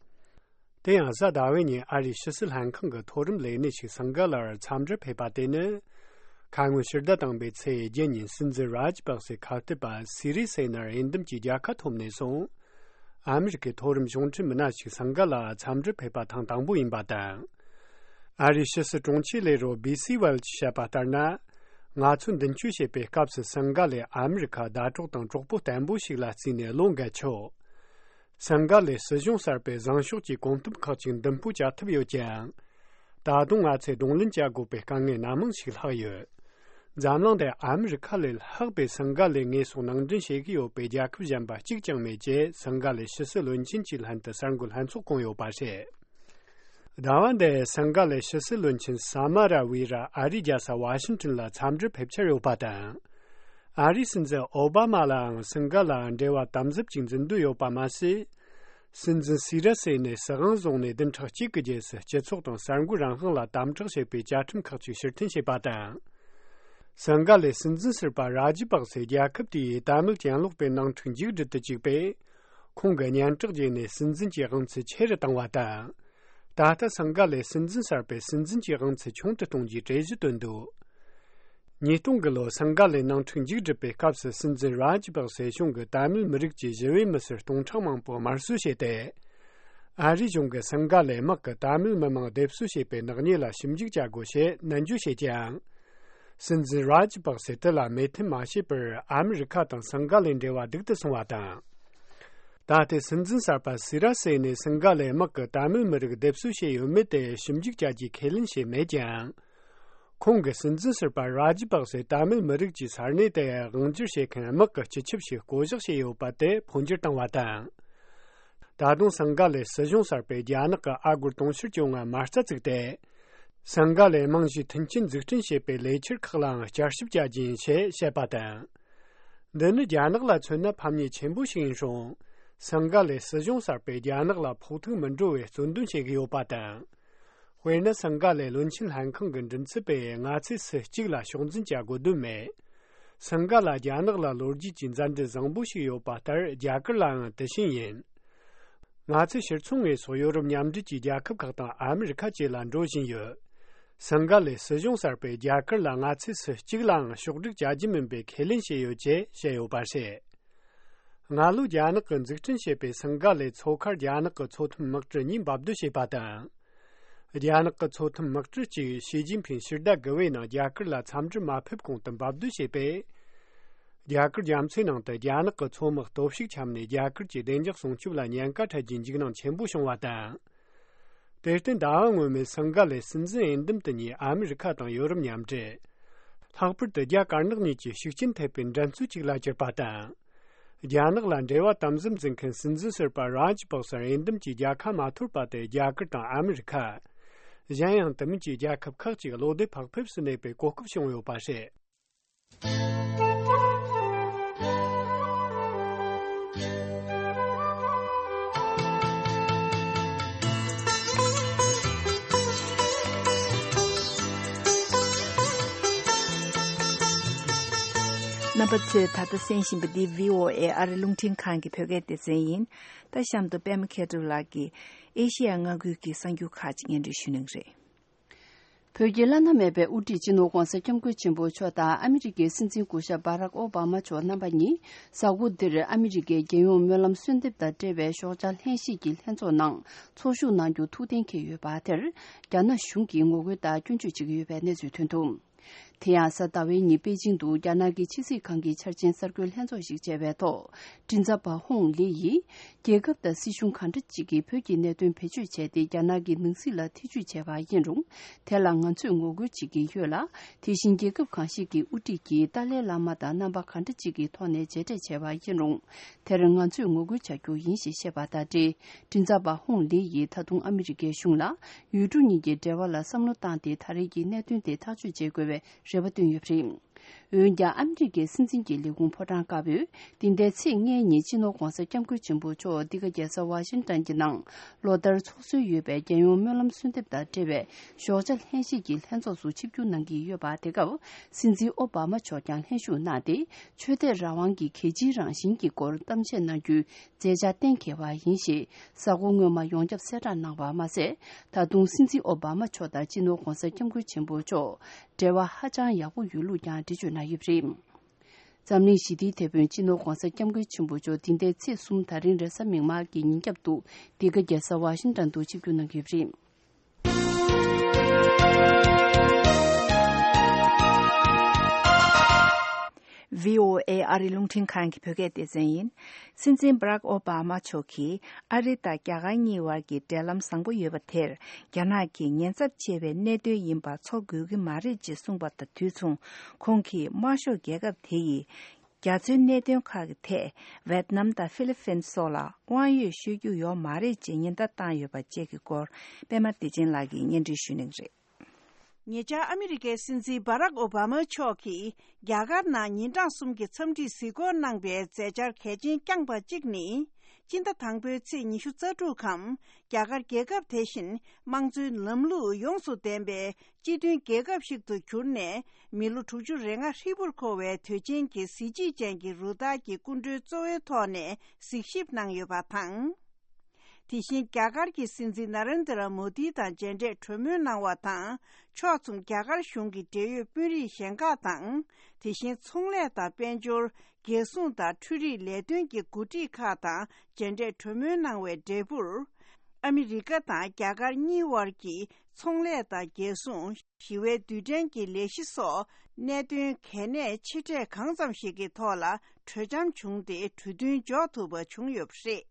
དེ་ཡང་གཟའ་ཟླ་བའི་ཉིན་ཨ་རིའི་ཕྱི་སྲིད་ལྷན་ཁང་གི་མཐོ་རིམ་ལས་སྣེ་ཞིག་སིང་ག་ལར་འཚམས་འདྲིར་ཕེབས་པ་དེ་ནི། ཁ་སྔོན་ཕྱི་ཟླ་དང་པོའི་ཚེས་བརྒྱད་ཉིན་སྲིད་འཛིན་རཱ་ཇི་པག་སེ་ཁ་གཏད་པ་སི་རི་སེ་ནར་འོས་འདེམས་ཀྱི་རྒྱལ་ཁ་ཐོབ་ནས་བཟུང་། ཨ་མི་རི་ཀའི་མཐོ་རིམ་གཞུང་འབྲེལ་མི་སྣ་ཞིག་སིང་ག་ལར་འཚམས་འདྲིར་ཕེབས་པ་ཐེངས་དང་པོ་ཡིན་པ་དང་། ཨ་རིའི་ཕྱི་སྲིད་དྲུང་ཆེ་ལས་རོགས་བི་སི་ཝེལ་གྱིས་བཤད་པ་ལྟར་ན། ང་ཚོས་མདུན་སྐྱོད་བྱེད་པའི་སྐབས་སུ་སིང་ག་ལས་ཨ་མི་རི་ཁ་ཟླ་གྲོགས་དང་གྲོགས་པོ་བརྟན་པོ་ཞིག་ལ་བརྩིས་ནས་བློ་འགེལ་ཆོག་སིང་ག་ལའི་སྲིད་གཞུང་གསར་པས་བཟང་ཕྱོགས་ཀྱི་གོམ་སྟབས་ཁག་ཅིག་མདུན་སྤོས་བྱ་ཐུབ་ཡོད་ཀྱང་། ད་དུང་ང་ཚོས་གདོང་ལེན་བྱ་དགོས་པའི་དཀའ་ངལ་སྣ་མང་ཞིག་ལྷག་ཡོད། འཛམ་གླིང་འདིར་ཨ་མི་རི་ཁ་ལས་ལྷག་པའི་སིང་ག་ལའི་ངོས་སོགས་ནང་འདྲེན་བྱེད་ཀྱི་ཡོད་པའི་རྒྱལ་ཁབ་གཞན་པ་གཅིག་ཀྱང་མེད་ཅེས་སིང་ག་ལའི་ཕྱི་སྲིད་བློན་ཆེན་གྱིས་ལྷན་དུ་གསར་འགོད་ལྷན་ཚོགས་བསྐོངས་ཡོད་པ་རེད། ཟླ་བ་འདིར་སིང་ག་ལའི་ཕྱི་སྲིད་བློན་ཆེན་ས་མ་ར་ཝི་ར་ཨ་རིའི་རྒྱལ་ས་ཝ་ཤིང་ཏོན་ལ་འཚམས་འདྲིར་ཕེབས་འཆར་ཡོད་པ་དང་། ཨ་རིའི་སྲིད་འཛིན་ཨོ་བྷ་མ་ལའང་སིང་ག་ལ་འབྲེལ་བ་དམ་ཟབ་ཅིག་འཛིན་འདོད་ཡོད་པ་མ་ཟད། སྲིད་འཛིན་སི་ར་སེ་ནས་སྲིད་དབང་བཟུང་ནས་བདུན་ཕྲག་གཅིག་གི་རྗེས་སུ་སྤྱི་ཚོགས་དང་གསར་འགོད་རང་དབང་ལ་དམ་དྲག་བྱེད་པའི་བཅའ་ཁྲིམས་ཁག་ཅིག་ཕྱིར་འཐེན་བྱས་པ་དང་། སིང་ག་ལའི་སྲིད་འཛིན་ཟུར་པ་རཱ་ཇི་པག་སེ་རྒྱལ་ཁབ་དེའི་དད་མོས་གྱེན་ལོག་པའི་ནང་འཁྲུག་མཇུག་སྒྲིལ་དུ་བཅུག་པས། ཁོང་གིས་སྙན་གྲགས་རྒྱས་ནས་སྲིད་འཛིན་གྱི་དབང་ཚད་ཆེ་རུ་བཏང་བ་དང་། ད་ལྟ་སིང་ག་ལའི་སྲིད་འཛིན་གསར་པས་སྲིད་འཛིན་གྱི་དབང་ཚད་ཆུང་དུ་གཏོང་རྒྱུའི་གྲོས་གཞི་བཏོན་འདུག་ཉིས་སྟོང་གི་ལོ་སིང་ག་ལའི་ནང་འཁྲུག་མཇུག་སྒྲིལ་བའི་སྐབས་སུ་སྲིད་འཛིན་རཱ་ཇི་པག་སེ་གཞུང་གིས་དད་མོས་མི་རིགས་ཀྱི་ཞི་བའི་མི་སེར་སྟོང་ཕྲག་མང་པོ་དམར་གསོད་བྱས་ཏེ། ཨ་རིའི་གཞུང་གིས་སིང་ག་ལའི་དམག་གིས་ཏཱ་མིལ་མི་མང་སྡེབ་གསོད་བྱས་པའི་ནག་ཉེས་ལ་ཞིབ་འཇུག་བྱ་དགོས་ཞེས་ནན་བརྗོད་བྱེད་ཀྱང་། སྲིད་འཛིན་རཱ་ཇི་པག་སེ་དེ་ལ་མོས་མཐུན་མ་བྱས་པར་ཨ་མི་རི་ཁ་དང་སིང་ག་ལའི་འབྲེལ་བ་སྡུག་ཏུ་སོང་བ་དང་། ད་ལྟའི་སྲིད་འཛིན་གསར་པ་སི་ར་སེ་ནས་སིང་ག་ལའི་དམག་གིས་ཏཱ་མིལ་མི་རིགས་སྡེབ་གསོད་བྱས་ཡོད་མེད་དེ་ཞིབ་འཇུག་བྱ་རྒྱུའི་ཁས་ལེན་བྱས་མེད་ཀྱང་། ཁོང་གིས་སྲིད་འཛིན་ཟུར་པ་རཱ་ཇི་པག་སེ་ཏཱ་མིལ་མི་རིགས་ཀྱི་ས་གནས་དེ་དབང་སྒྱུར་བྱེད་མཁན་དམག་གི་སྤྱི་ཁྱབ་ཞིག་བསྐོ་གཞག་བྱས་ཡོད་པ་དེ་འཕོ་འགྱུར་བཏང་བ་དང་། ད་དུང་སིང་ག་ལའི་སྲིད་གཞུང་གསར་པས་རྒྱ་ནག་གི་ཨ་སྒོར་དུང་ཕྱུར་བཅོ་ལྔ་མ་རྩ་བཙུགས་ཏེ། སིང་ག་ལའི་རྨང་གཞིའི་མཐུན་རྐྱེན་འཛུགས་སྐྲུན་བྱེད་པའི་ལས་འཆར་ཁག་ལའང་བསྐྱར་ཞིབ་བྱ་རྒྱུ་ཡིན་ཞེས་བཤད་པ་དང་། འདི་ནི་རྒྱ་ནག་ལ་མཚོན་ན་ཕམ་ཉེས་ཆེན་པོ་ཞིག་ཡིན་རུང་། སིང་ག་ལའི་སྲིད་གཞུང་གསར་པས་རྒྱ་ནག་ལ་ཕོག་ཐུག་མི་འགྲོ་བའི་རྩོད་འདོན་བྱེད་ཀྱི་ཡོད་པ་དང་། དཔེར་ན། སིང་ག་ལའི་བློན་ཆེན་ལྷན་ཁང་གི་མགྲིན་ཚབ་པས་ང་ཚོས་སུ་གཅིག་ལ་ཕྱོགས་འཛིན་བྱ་དགོས་དོན་མེད། སིང་ག་ལ་རྒྱ་ནག་ལ་ལོ་རྒྱུས་ཀྱི་མཛའ་འབྲེལ་བཟང་པོ་ཞིག་ཡོད་པ་ལྟར་རྒྱ་གར་ལའང་དེ་བཞིན་ཡིན། ང་ཚོས་ཕྱིར་ཚོང་ངོས་སོགས་ཡོ་རོབ་མཉམ་འབྲེལ་གྱི་རྒྱལ་ཁབ་ཁག་དང་ཨ་མི་རི་ཁ་བཅས་ལ་འགྲོ་བཞིན་ཡོད། སིང་ག་ལའི་སྲིད་གཞུང་གསར་པས་རྒྱ་གར་ལ་ང་ཚོས་སུ་གཅིག་ལའང་ཕྱོགས་སྒྲིག་བྱ་རྒྱུ་མིན་པའི་ཁས་ལེན་བྱས་ཡོད་ཅེས་བཤད་ཡོད་པ་རེད། སྔ་ལོ་རྒྱ་ནག་གིས་འཛུགས་སྐྲུན་བྱས་པའི་སིང་ག་ལའི་མཚོ་ཁར་རྒྱ་ནག་གི་མཚོ་ཐོན་དམག་གྲུ་གཉིས་འབབ་སྡོད་བྱས་པ་དང་། རྒྱ་ནག་གི་མཚོ་ཐོན་དམག་གྲུ་གཅིག་ཞི་ཅིན་ཕིང་ཕྱིར་བདའ་དགུ་བའི་ནང་རྒྱ་གར་ལ་འཚམས་འདྲིར་མ་ཕེབས་གོང་དུ་འབབ་སྡོད་བྱས་པས། རྒྱ་གར་རྒྱ་མཚོའི་ནང་དུ་རྒྱ་ནག་གི་མཚོ་དམག་སྟོབས་ཤུགས་ཁྱབ་ནས་རྒྱ་གར་གྱི་བདེ་འཇགས་སྲུང་སྐྱོབ་ལ་ཉེན་ཁ་འཕྲད་རྒྱུའི་འཇིགས་སྣང་ཆེན་པོ་བྱུང་བ་དང་། དེར་བརྟེན་ཟླ་བ་སྔོན་མའི་སིང་ག་ལའི་སྲིད་འཛིན་འོས་འདེམས་དེ་ཉིད་ཨ་མི་རི་ཁ་དང་ཡོ་རོབ་མཉམ་འབྲེལ། ལྷག་པར་དུ་རྒྱ་དཀར་ནག་གཉིས་ཀྱི་ཤུགས་རྐྱེན་ཐེབས་པའི་འགྲན་རྩོད་ཅིག་ལ་གྱུར་པ་དང་། རྒྱ་ནག་ལ་འབྲེལ་བ་དམ་ཟབ་འཛིན་མཁན་སྲིད་འཛིན་ཟུར་པ་རཱ་ཇི་པག་སར་འོས་འདེམས་ཀྱི་རྒྱལ་ཁ་མ་ཐོབ་པ་དེ་རྒྱ་གར་དང་ཨ་མི་རི་ཁ། གཞན་ཡང་དེ་མིན་གྱི་རྒྱལ་ཁབ་ཁག་ཅིག་བློ་བདེ་བག་ཕེབས་སུ་གནས་པའི་གོ་སྐབས་བྱུང་ཡོད་པ་རེད། རྣམ་པ་ཚོས་ད་ལྟ་གསན་བཞིན་པ་འདི་བྷི་ཨོ་ཨེ་ཨ་རི་རླུང་འཕྲིན་ཁང་གི་བོད་སྐད་སྡེ་ཚན་ཡིན། ད་གཤམ་དུ་པད་མ་མཁས་གྲུབ་ལགས་ཀྱིས་ཨེ་ཤེ་ཡ་མངའ་ཁུལ་གྱི་གསར་འགྱུར་ཁག་ཅིག་སྙན་སྒྲོན་ཞུ་གནང་གི་རེད། བོད་ཀྱི་བླ་ན་མེད་པའི་དབུ་ཁྲིད་སྤྱི་ནོར་༧གོང་ས་༧སྐྱབས་མགོན་ཆེན་པོ་མཆོག་དང་ཨ་མི་རི་ཀའི་སྲིད་འཛིན་སྐུ་ཞབས་བྷ་རག་ཨོ་བྷ་མ་མཆོག་རྣམ་པ་གཉིས་གཟའ་འཁོར་འདིར་ཨ་མི་རི་ཀའི་རྒྱལ་ཡོངས་སྨོན་ལམ་གསོལ་འདེབས་དང་འབྲེལ་བའི་ཞོགས་ཇ་ལྷན་བཞེས་ཀྱི་ལྷན་ཚོགས་ནང་ཚོགས་ཞུགས་གནང་རྒྱུ་ཐུགས་གཏན་འཁེལ་ཡོད་པ་དེར་རྒྱ་ནག་གཞུང་གིས་ངོ་རྒོལ་དང་སྐྱོན་བརྗོད་བྱེད་ཀྱི་ཡོད་པའི་གནས་ཚུལ་ཐོན་འདུག། དེ་ཡང་གཟའ་ཟླ་བའི་ཉིན་པེ་ཅིང་དུ་རྒྱ་ནག་གི་ཕྱི་སྲིད་ཁང་གི་འཆར་ཅན་གསར་འགོད་ལྷན་ཚོགས་ཤིག་བྱས་པའི་ཐོག་མགྲིན་ཚབ་པ་ཧོང་ལི་ཡིས། རྒྱལ་ཁབ་དང་སྲིད་གཞུང་གང་འདྲ་ཅིག་གིས་བོད་ཀྱི་གནད་དོན་བེད་སྤྱོད་བྱས་ཏེ་རྒྱ་ནག་གི་ནང་སྲིད་ལ་ཐེ་ཇུས་བྱས་པ་ཡིན་རུང་། དེ་ལ་ང་ཚོས་ངོ་རྒོལ་བྱེད་ཀྱི་ཡོད་ལ། དེ་བཞིན་རྒྱལ་ཁབ་གང་ཞིག་གི་དབུ་ཁྲིད་ཀྱིས་ཏཱ་ལའི་བླ་མ་དང་རྣམ་པ་གང་འདྲ་ཅིག་གི་ཐོག་ནས་མཇལ་འཕྲད་བྱས་པ་ཡིན་རུང་། དེར་ང་ཚོས་ངོ་རྒོལ་བྱ་རྒྱུ་ཡིན་ཞེས་བཤད་པ་དང་འབྲེལ། མགྲིན་ཚབ་པ་ཧོང་ལི་ཡིས་ད་དུང་ཨ་མི་རི་ཀའི་གཞུང་ལ་ཡུལ་གྲུ་གཉིས་ཀྱི་འབྲེལ་བ་ལ་བསམ་བློ་བཏང་སྟེ་ད་རེས་ཀྱི་གནད་དོན་དེ་ཐག་གཅོད་བྱེད་དགོས་པའི་རེ་བ་བཏོན་ཡོད་པ་རེད། འོན་ཀྱང་ཨ་མི་རི་ཀའི་སྲིད་འཛིན་གྱི་ལས་ཁུངས་ཕོ་བྲང་དཀར་པོས་འདི་ཟླའི་ཚེས་ལྔའི་ཉིན་སྤྱི་ནོར་༧གོང་ས་༧སྐྱབས་མགོན་ཆེན་པོ་མཆོག་འདི་ག་རྒྱལ་ས་ཝ་ཤིང་ཏན་གྱི་ནང་ལོ་ལྟར་ཚོགས་སྲོལ་ཡོད་པའི་རྒྱལ་ཡོངས་སྨོན་ལམ་གསོལ་འདེབས་དང་འབྲེལ་བའི་ཞོགས་ཇ་ལྷན་བཞེས་ཀྱི་ལྷན་ཚོགས་སུ་ཆིབས་བསྒྱུར་གནང་གི་ཡོད་པ་དེ་སྐབས་སྲིད་འཛིན་ཨོ་བྷ་མ་མཆོག་ཀྱང་ལྷན་ཞུགས་གནང་སྟེ་ཆོས་དད་རང་དབང་གི་གལ་ཆེའི་རང་བཞིན་གྱི་སྐོར་གཏམ་བཤད་གནང་རྒྱུའི་མཛད་འཆར་གཏན་འཁེལ་བ་ཡིན་ཞེས་གཟའ་འཁོར་སྔོན་མ་ཡོངས་ཁྱབ་གསལ་བསྒྲགས་གནང་བ་མ་ཟད། ད་དུང་སྲིད་འཛིན་ཨོ་བྷ་མ་མཆོག་དང་སྤྱི་ནོར་༧གོང་ས་༧སྐྱབས་མགོན་ཆེན་པོ་མཆོག་འབྲེལ་བ་ཧ་ཅང་ཡག་པོ་ཡོད་ལུགས་ཀྱང་འགྲེལ་བརྗོད་གནང་ཡོད་པ་རེད། འཛམ་གླིང་ཞི་བདེའི་དེད་དཔོན་སྤྱི་ནོར་༧གོང་ས་༧སྐྱབས་མགོན་ཆེན་པོ་མཆོག་འདི་ཟླའི་ཚེས་གསུམ་ད་རིང་རེས་གཟའ་མིག་དམར་གྱི་ཉིན་རྒྱབ་ཏུ་འདི་ག་རྒྱལ་ས་ཝ་ཤིང་ཏན་དུ་ཆིབས་བསྒྱུར་གནང་གི་ཡོད་པ་རེད། བྷི་ཨོ་ཨེ་ཨ་རི་རླུང་འཕྲིན་ཁང་གི་བོད་སྐད་སྡེ་ཚན་ཡིན། སྲིད་འཛིན་བྷ་རག་ཨོ་བྷ་མ་མཆོག་གིས་ཨ་རི་དང་རྒྱ་གར་གཉིས་བར་གྱི་འབྲེལ་ལམ་བཟང་པོ་ཡོད་པ་དེར་རྒྱ་ནག་གིས་ཉེན་ཚབས་ཆེ་བའི་གནད་དོན་ཡིན་པ་ཚོར་དགོས་ཀྱི་མ་རེད་ཅེས་གསུངས་པ་དང་དུས་མཚུངས་ཁོང་གིས་དམར་ཤོག་རྒྱལ་ཁབ་དེ་ཡིས་རྒྱ་མཚོའི་གནད་དོན་ཁག་གི་ཐད་ཝེད་ནམ་དང་ཧྥི་ལི་ཕིན་སོགས་ལ་དབང་ཡོད་ཤོད་རྒྱུ་ཡོད་མ་རེད་ཅེས་ཉེན་བརྡ་བཏང་ཡོད་པ་བཅས་ཀྱི་སྐོར་པད་མ་བདེ་ཆེན་ལགས་ཀྱིས་སྙན་སྒྲོན་ཞུ་གནང་གི་རེད། ཉེ་ཆར་ཨ་མི་རི་ཀའི་སྲིད་འཛིན་བྷ་རག་ཨོ་བྷ་མ་མཆོག་གིས་རྒྱ་གར་ནང་ཉིན་གྲངས་གསུམ་གྱི་འཚམས་འདྲིའི་གཟིགས་སྐོར་གནང་པའི་མཛད་འཆར་གལ་ཆེན་བསྐྱངས་པ་གཅིག་ནི། སྤྱི་ཟླ་དང་པོའི་ཚེས་ཉི་ཤུ་རྩ་དྲུག་གམ། རྒྱ་གར་རྒྱལ་ཁབ་དེ་བཞིན་དམངས་གཙོའི་ལམ་ལུགས་ཡོངས་སུ་ལྡན་པའི་སྤྱི་མཐུན་རྒྱལ་ཁབ་ཞིག་ཏུ་གྱུར་ནས། མི་ལོ་དྲུག་ཅུ་རེ་ལྔ་ཧྲིལ་པོར་འཁོར་བའི་དུས་ཆེན་གྱི་གཟི་བརྗིད་ཅན་གྱི་རུ་སྟར་གྱི་སྐུ་མགྲོན་གཙོ་བོའི་ཐོག་ནས་གཟིགས་ཞིབ་གནང་ཡོད་པ་དང་། དེ་བཞིན་རྒྱ་གར་གྱི་སྲིད་འཛིན་ན་རེན་དྲ་མོ་དི་དང་མཇལ་འཕྲད་གྲོས་མོལ་གནང་བ་དང་། ཕྱོགས་མཚུངས་རྒྱ་གར་གཞུང་གི་འབྲེལ་ཡོད་དཔོན་རིགས་གཞན་ཁག་དང་། དེ་བཞིན་ཚོང་ལས་དང་དཔལ་འབྱོར། རྒྱལ་སྲུང་དང་འཕྲུལ་རིག་ལས་དོན་གྱི་འགོ་ཁྲིད་ཁག་དང་མཇལ་འཕྲད་གྲོས་མོལ་གནང་བའི་འབྲས་བུར། ཨ་མི་རི་ཀ་དང་རྒྱ་གར་གཉིས་དབར་གྱི་ཚོང་ལས་དང་རྒྱལ་སྲུང་། ཞི་བའི་རྡུལ་ཕྲན་གྱི་ལས་གཞི་སོགས་གནད་དོན་གལ་གནད་ཆེ་གྲས་གང་ཙམ་ཞིག་གི་ཐོག་ལ་གྲོས་འཆམ་བྱུང་སྟེ་གྲོས་མཐུན་འཇོག་ཐུབ་པ་བྱུང་ཡོད་པ་རེད།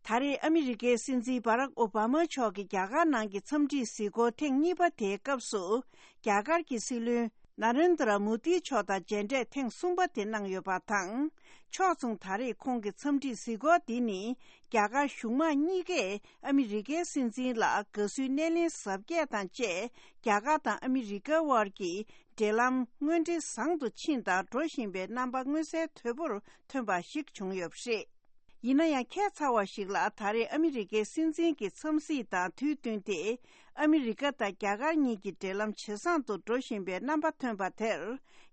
ད་རེས་ཨ་མི་རི་ཀའི་སྲིད་འཛིན་བྷ་རག་ཨོ་བྷ་མ་མཆོག་གིས་རྒྱ་གར་ནང་གི་འཚམས་འདྲིའི་གཟིགས་སྐོར་ཐེངས་གཉིས་པ་དེའི་སྐབས་སུ། རྒྱ་གར་གྱི་སྲིད་བློན་ན་རེན་དྲ་མོ་དི་མཆོག་དང་མཇལ་འཕྲད་ཐེངས་གསུམ་པ་དེ་གནང་ཡོད་པ་དང་། ཕྱོགས་མཚུངས་ད་རེས་ཁོང་གི་འཚམས་འདྲིའི་གཟིགས་སྐོར་འདི་ནི། རྒྱ་གར་གཞུང་མང་གཉིས་ཀས་ཨ་མི་རི་ཀའི་སྲིད་འཛིན་ལ་དགའ་བསུའི་སྣེ་ལེན་གཟབ་རྒྱས་དང་བཅས། རྒྱ་གར་དང་ཨ་མི་རི་ཀའི་དབར་གྱི་འབྲེལ་ལམ་དངོས་འབྲེལ་བཟང་དུ་ཕྱིན་དང་འགྲོ་བཞིན་པའི་རྣམ་པ་མངོན་གསལ་དོད་པོར་ཐོན་པ་ཞིག་བྱུང་ཡོད་པ་རེད། ཡིན་ན་ཡང་། ཁྱད་མཚར་བ་ཞིག་ལ། ད་རེས་ཨ་མི་རི་ཀའི་སྲིད་འཛིན་གྱི་འཚམས་གཟིགས་དང་དུས་བསྟུན་ཏེ། ཨ་མི་རི་ཀ་དང་རྒྱ་གར་གཉིས་ཀྱི་འབྲེལ་ལམ་ཇེ་བཟང་དུ་འགྲོ་བཞིན་པའི་རྣམ་པ་ཐོན་པ་དེར།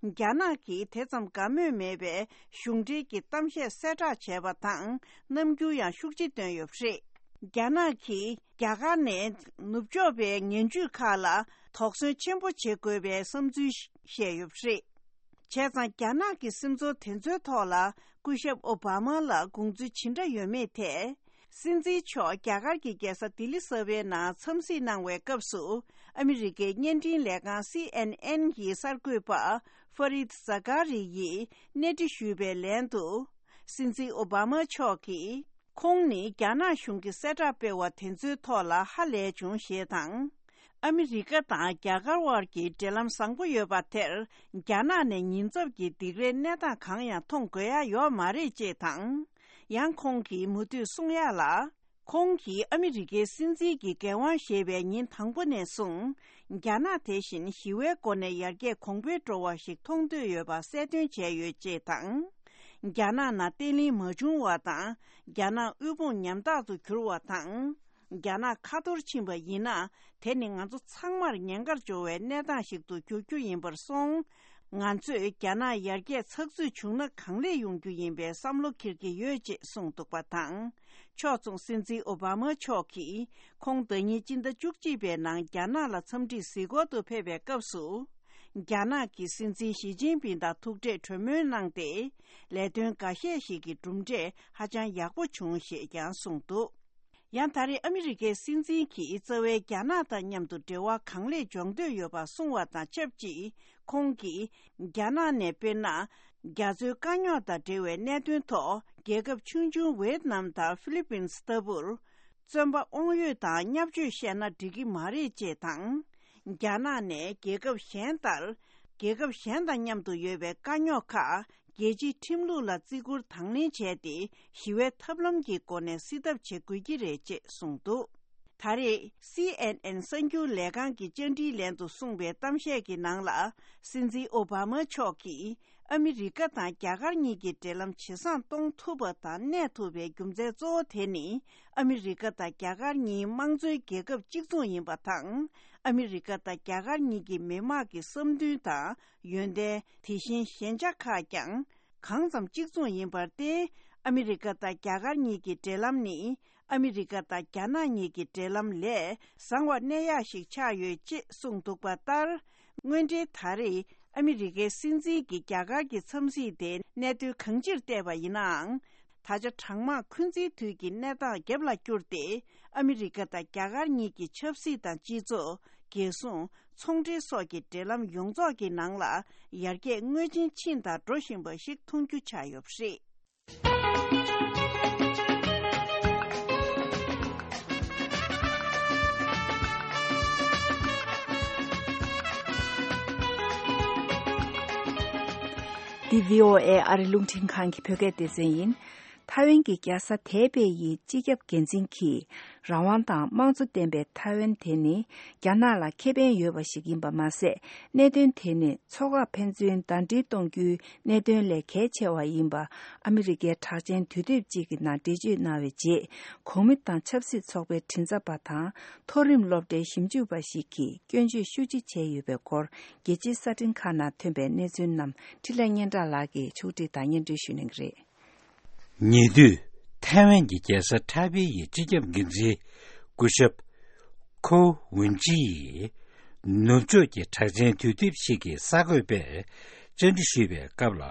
རྒྱ་ནག་གིས་དེ་ཙམ་དགའ་མོས་མེད་པའི་གཞུང་འབྲེལ་གྱི་གཏམ་བཤད་གསལ་བསྒྲགས་བྱས་པ་དང་། རྣམ་འགྱུར་ཡང་ཤུགས་ཆེ་བཏོན་ཡོད་པ་རེད། རྒྱ་ནག་གིས་རྒྱ་གར་ནས་ནུབ་ཕྱོགས་པའི་ངན་ཇུས་ཁག་ལ་དོགས་ཟོན་ཆེན་པོ་བྱེད་དགོས་པའི་བསམ་ཚུལ་བཤད་ཡོད་པ་རེད། བྱས་ཙང་། རྒྱ་ནག་གི་སེམས་ཚོར་དེ་ཚོའི་ཐོག་ལ་སྐུ་ཞབས་ཨོ་བྷ་མ་ལ་དགོངས་ཚུལ་ཇི་འདྲ་ཡོད་མེད་ཐད། སྲིད་འཛིན་མཆོག་རྒྱ་གར་གྱི་རྒྱལ་ས་ལྡི་ལི་གསར་པའི་ནང་འཚམས་གཟིགས་གནང་བའི་སྐབས་སུ། ཨ་མི་རི་ཀའི་བརྙན་འཕྲིན་ལས་ཁང་སི་ཨེན་ཨེན་གྱི་གསར་འགོད་པ་ཧྥ་རིད་ཛ་ཀ་རི་ཡིས་གནས་འདྲི་ཞུས་པའི་ལན་དུ། སྲིད་འཛིན་ཨོ་བྷ་མ་མཆོག་གིས། ཁོང་ནི་རྒྱ་ནག་གཞུང་གིས་གསལ་བསྒྲགས་སྤེལ་བ་དེ་ཚོའི་ཐོག་ལ་ཧ་ལས་བྱུང་ཞེས་དང་། ཨ་མི་རི་ཀ་དང་རྒྱ་གར་དབར་གྱི་འབྲེལ་ལམ་བཟང་པོ་ཡོད་པ་དེར། རྒྱ་ནག་ནས་ཉེན་ཚབས་ཀྱི་སྡིགས་རའི་གནས་སྟངས་གང་ཡང་མཐོང་དགོས་ཡ་ཡོད་མ་རེད་ཅེས་དང་། ཡང་ཁོང་གིས་མུ་མཐུད་གསུང་ཡ་ལ། ཁོང་གིས་ཨ་མི་རི་ཀའི་སྲིད་འཛིན་གྱི་འགན་དབང་བཞེས་པའི་ཉིན་དང་པོ་ནས་བཟུང་། རྒྱ་ནག་དེ་བཞིན་ཞི་བའི་སྒོ་ནས་ཡར་རྒྱས་གོང་འཕེལ་འགྲོ་བ་ཞིག་མཐོང་འདོད་ཡོད་པ་གསལ་སྟོན་བྱས་ཡོད་ཅེས་དང་། རྒྱ་ནག་ནང་བརྟན་ལྷིང་མ་བྱུང་བ་དང་། རྒྱ་ནག་དབུལ་ཕོངས་ཉམ་ཐག་ཏུ་གྱུར་བ་དང་། རྒྱ་ནག་ཁ་འཐོར་ཕྱིན་པ་ཡིན་ན། དེ་ནི་ང་ཚོ་ཚང་མར་ཉེན་ཁར་འཇོག་པའི་གནས་སྟངས་ཤིག་ཏུ་འགྱུར་རྒྱུ་ཡིན་པར་སོང་། ང་ཚོས་རྒྱ་ནག་ཡར་རྒྱས་ཚགས་ཚུད་བྱུང་ན་གང་ལེགས་ཡོང་རྒྱུ་ཡིན་པའི་བསམ་བློ་འཁྱེར་གྱི་ཡོད་ཅེས་གསུངས་འདུག་པ་དང་། ཕྱོགས་མཚུངས་སྲིད་འཛིན་ཨོ་བྷ་མ་མཆོག་གིས། ཁོང་ཟླ་ཉིན་སྤྱི་ཟླ་བཅུ་གཅིག་པའི་ནང་རྒྱ་ནག་ལ་འཚམས་འདྲིའི་གཟིགས་སྐོར་དུ་ཕེབས་པའི་སྐབས་སུ། རྒྱ་ནག་གི་སྲིད་འཛིན་ཞི་ཅིན་ཕིང་དང་ཐུག་འཕྲད་གྲོས་མོལ་གནང་སྟེ། ལས་དོན་འགའ་ཤས་ཤིག་གི་གྲུབ་འབྲས་ཧ་ཅང་ཡག་པོ་བྱུང་ཞེས་ཀྱང་གསུངས་འདུག་ཡང་ད་རེས་ཨ་མི་རི་ཀའི་སྲིད་འཛིན་གྱིས་རྩ་བའི་རྒྱ་ནག་དང་མཉམ་དུ་འབྲེལ་བ་གང་ལེགས་འཇོག་འདོད་ཡོད་པ་གསུངས་བ་དང་ཆབས་ཅིག་ཁོང་གིས་རྒྱ་ནག་ནས་དཔེར་ན། རྒྱ་མཚོའི་དཀའ་རྙོག་དང་འབྲེལ་བའི་གནད་དོན་ཐོག་རྒྱལ་ཁབ་ཆུང་ཆུང་ཝེ་ཏི་ནམ་དང་ཧྥི་ལི་པིན་ལྟ་བུར། བཙོན་པ་དབང་ཡོད་དང་བརྙས་བཅོས་བཤད་ན་འགྲིག་གི་མ་རེད་ཅེས་དང་། རྒྱ་ནག་ནས་རྒྱལ་ཁབ་གཞན་ལྟར། རྒྱལ་ཁབ་གཞན་དང་མཉམ་དུ་ཡོད་པའི་དཀའ་རྙོག་ཁག་རྒྱལ་སྤྱིའི་ཁྲིམས་ལུགས་ལ་བརྩི་བཀུར་དང་ལེན་བྱས་ཏེ། ཞི་བའི་ཐབས་ལམ་གྱི་སྒོ་ནས་སེལ་ཐབས་བྱེད་དགོས་ཀྱི་རེད་ཅེས་གསུངས་འདུག་ད་རེས་སི་ཨེན་ཨེན་གསར་འགྱུར་ལས་ཁང་གི་བཅར་འདྲིའི་ལན་དུ་གསུངས་པའི་གཏམ་བཤད་ཀྱི་ནང་ལ། སྲིད་འཛིན་ཨོ་བྷ་མ་མཆོག་གིས། ཨ་མི་རི་ཀ་དང་རྒྱ་གར་གཉིས་ཀྱི་འབྲེལ་ལམ་ཇེ་བཟང་གཏོང་ཐུབ་པ་དང་གནས་ཐུབ་པའི་རྒྱུ་མཚན་གཙོ་བོ་དེ་ནི། ཨ་མི་རི་ཀ་དང་རྒྱ་གར་གཉིས་དམངས་གཙོའི་རྒྱལ་ཁབ་གཅིག་མཚུངས་ཡིན་པ་དང་། ཨ་མི་རི་ཀ་དང་རྒྱ་གར་གཉིས་ཀྱི་མི་དམངས་ཀྱི་བསམ་འདུན་དང་ཡོན་ཏན། དེ་བཞིན་ཞན་ཆ་ཁག་ཀྱང་གང་ཙམ་གཅིག་མཚུངས་ཡིན་པར་བརྟེན། ཨ་མི་རི་ཀ་དང་རྒྱ་གར་གཉིས་ཀྱི་འབྲེལ་ལམ་ནི། ཨ་མི་རི་ཀ་དང་རྒྱ་ནག་གཉིས་ཀྱི་འབྲེལ་ལམ་ལས་བཟང་བར་གནས་ཡག་ཞིག་ཆགས་ཡོད་ཅེས་གསུངས་འདུག་པ་ལྟར། དངོས་འབྲེལ་ད་རེས་ཨ་མི་རི་ཀའི་སྲིད་འཛིན་གྱིས་རྒྱ་གར་གྱི་འཚམས་གཟིགས་དེ་གནད་དོན་གང་ཅིར་བལྟས་པ་ཡིན་ནའང་། ད་ཆ་གྲང་དམག་འཁོན་འཛིན་དུས་ཀྱི་གནས་སྟངས་རྒྱབ་ལ་བསྐྱུར་ཏེ། ཨ་མི་རི་ཀ་དང་རྒྱ་གར་གཉིས་ཀྱི་ཆབ་སྲིད་དང་སྤྱི་ཚོགས། རྒྱལ་སྲུང་། ཚོང་འབྲེལ་སོགས་ཀྱི་འབྲེལ་ལམ་ཡོངས་རྫོགས་ཀྱི་ནང་ལ་ཡར་རྒྱས་དངོས་ཆེན་ཕྱིན་དང་འགྲོ་བཞིན་པ་ཞིག་མཐོང་རྒྱུ་ཆགས་ཡོད་པ་རེད། འདི་བྷི་ཨོ་ཨེ་ཨ་རི་རླུང་འཕྲིན་ཁང་གི་བོད་སྐད་སྡེ་ཚན་ཡིན། ཐའེ་ཝན་གྱི་རྒྱལ་ས་ཐའེ་པེ་ཡི་སྤྱི་ཁྱབ་འགན་འཛིན་གྱིས། རང་དབང་དང་དམངས་གཙོ་ལྡན་པའི་ཐའེ་ཝན་དེ་ནི་རྒྱ་ནག་ལ་ཁེ་ཕན་ཡོད་པ་ཞིག་ཡིན་པ་མ་ཟད། གནད་དོན་དེ་ནི་མཚོ་འགག་ཕན་ཚུན་ཟླ་སྒྲིལ་གཏོང་རྒྱུའི་གནད་དོན་ལས་གལ་ཆེ་བ་ཡིན་པ། ཨ་མི་རི་ཀའི་གྲགས་ཅན་དུས་དེབ་ཅིག་གི་ནང་འགྲེལ་བརྗོད་གནང་བའི་རྗེས། གོང་མི་དང་ཆབ་སྲིད་ཚོགས་པའི་མགྲིན་ཚབ་པ་དང་། མཐོ་རིམ་སློབ་གྲྭའི་ཞིབ་འཇུག་པ་ཞིག་གིས་སྐྱོན་བརྗོད་ཤུགས་ཆེ་བྱས་ཡོད་པའི་སྐོར། རྒྱལ་སྤྱིའི་གསར་འཕྲིན་ཁག་ནང་ཐོན་པའི་གནས་ཚུལ་རྣམས་འཕྲིན་ལས་སྙན་གྲགས་ལགས་ཀྱིས་ཕྱོགས་བསྒྲིགས་དང་སྙན་སྒྲོན་ཞུ་གནང་གི་རེད། ཉེ་དུས་ཐའེ་ཝན་གྱི་རྒྱལ་ས་ཐའེ་པེ་ཡི་སྤྱི་ཁྱབ་འགན་འཛིན་སྐུ་ཞབས་ཁོ་ཝུན་ཅི་ཡིས་ནུབ་ཕྱོགས་ཀྱི་གྲགས་ཅན་དུས་དེབ་ཞིག་གི་གསར་འགོད་པས་བཅར་འདྲི་ཞུས་པའི་སྐབས་ལ།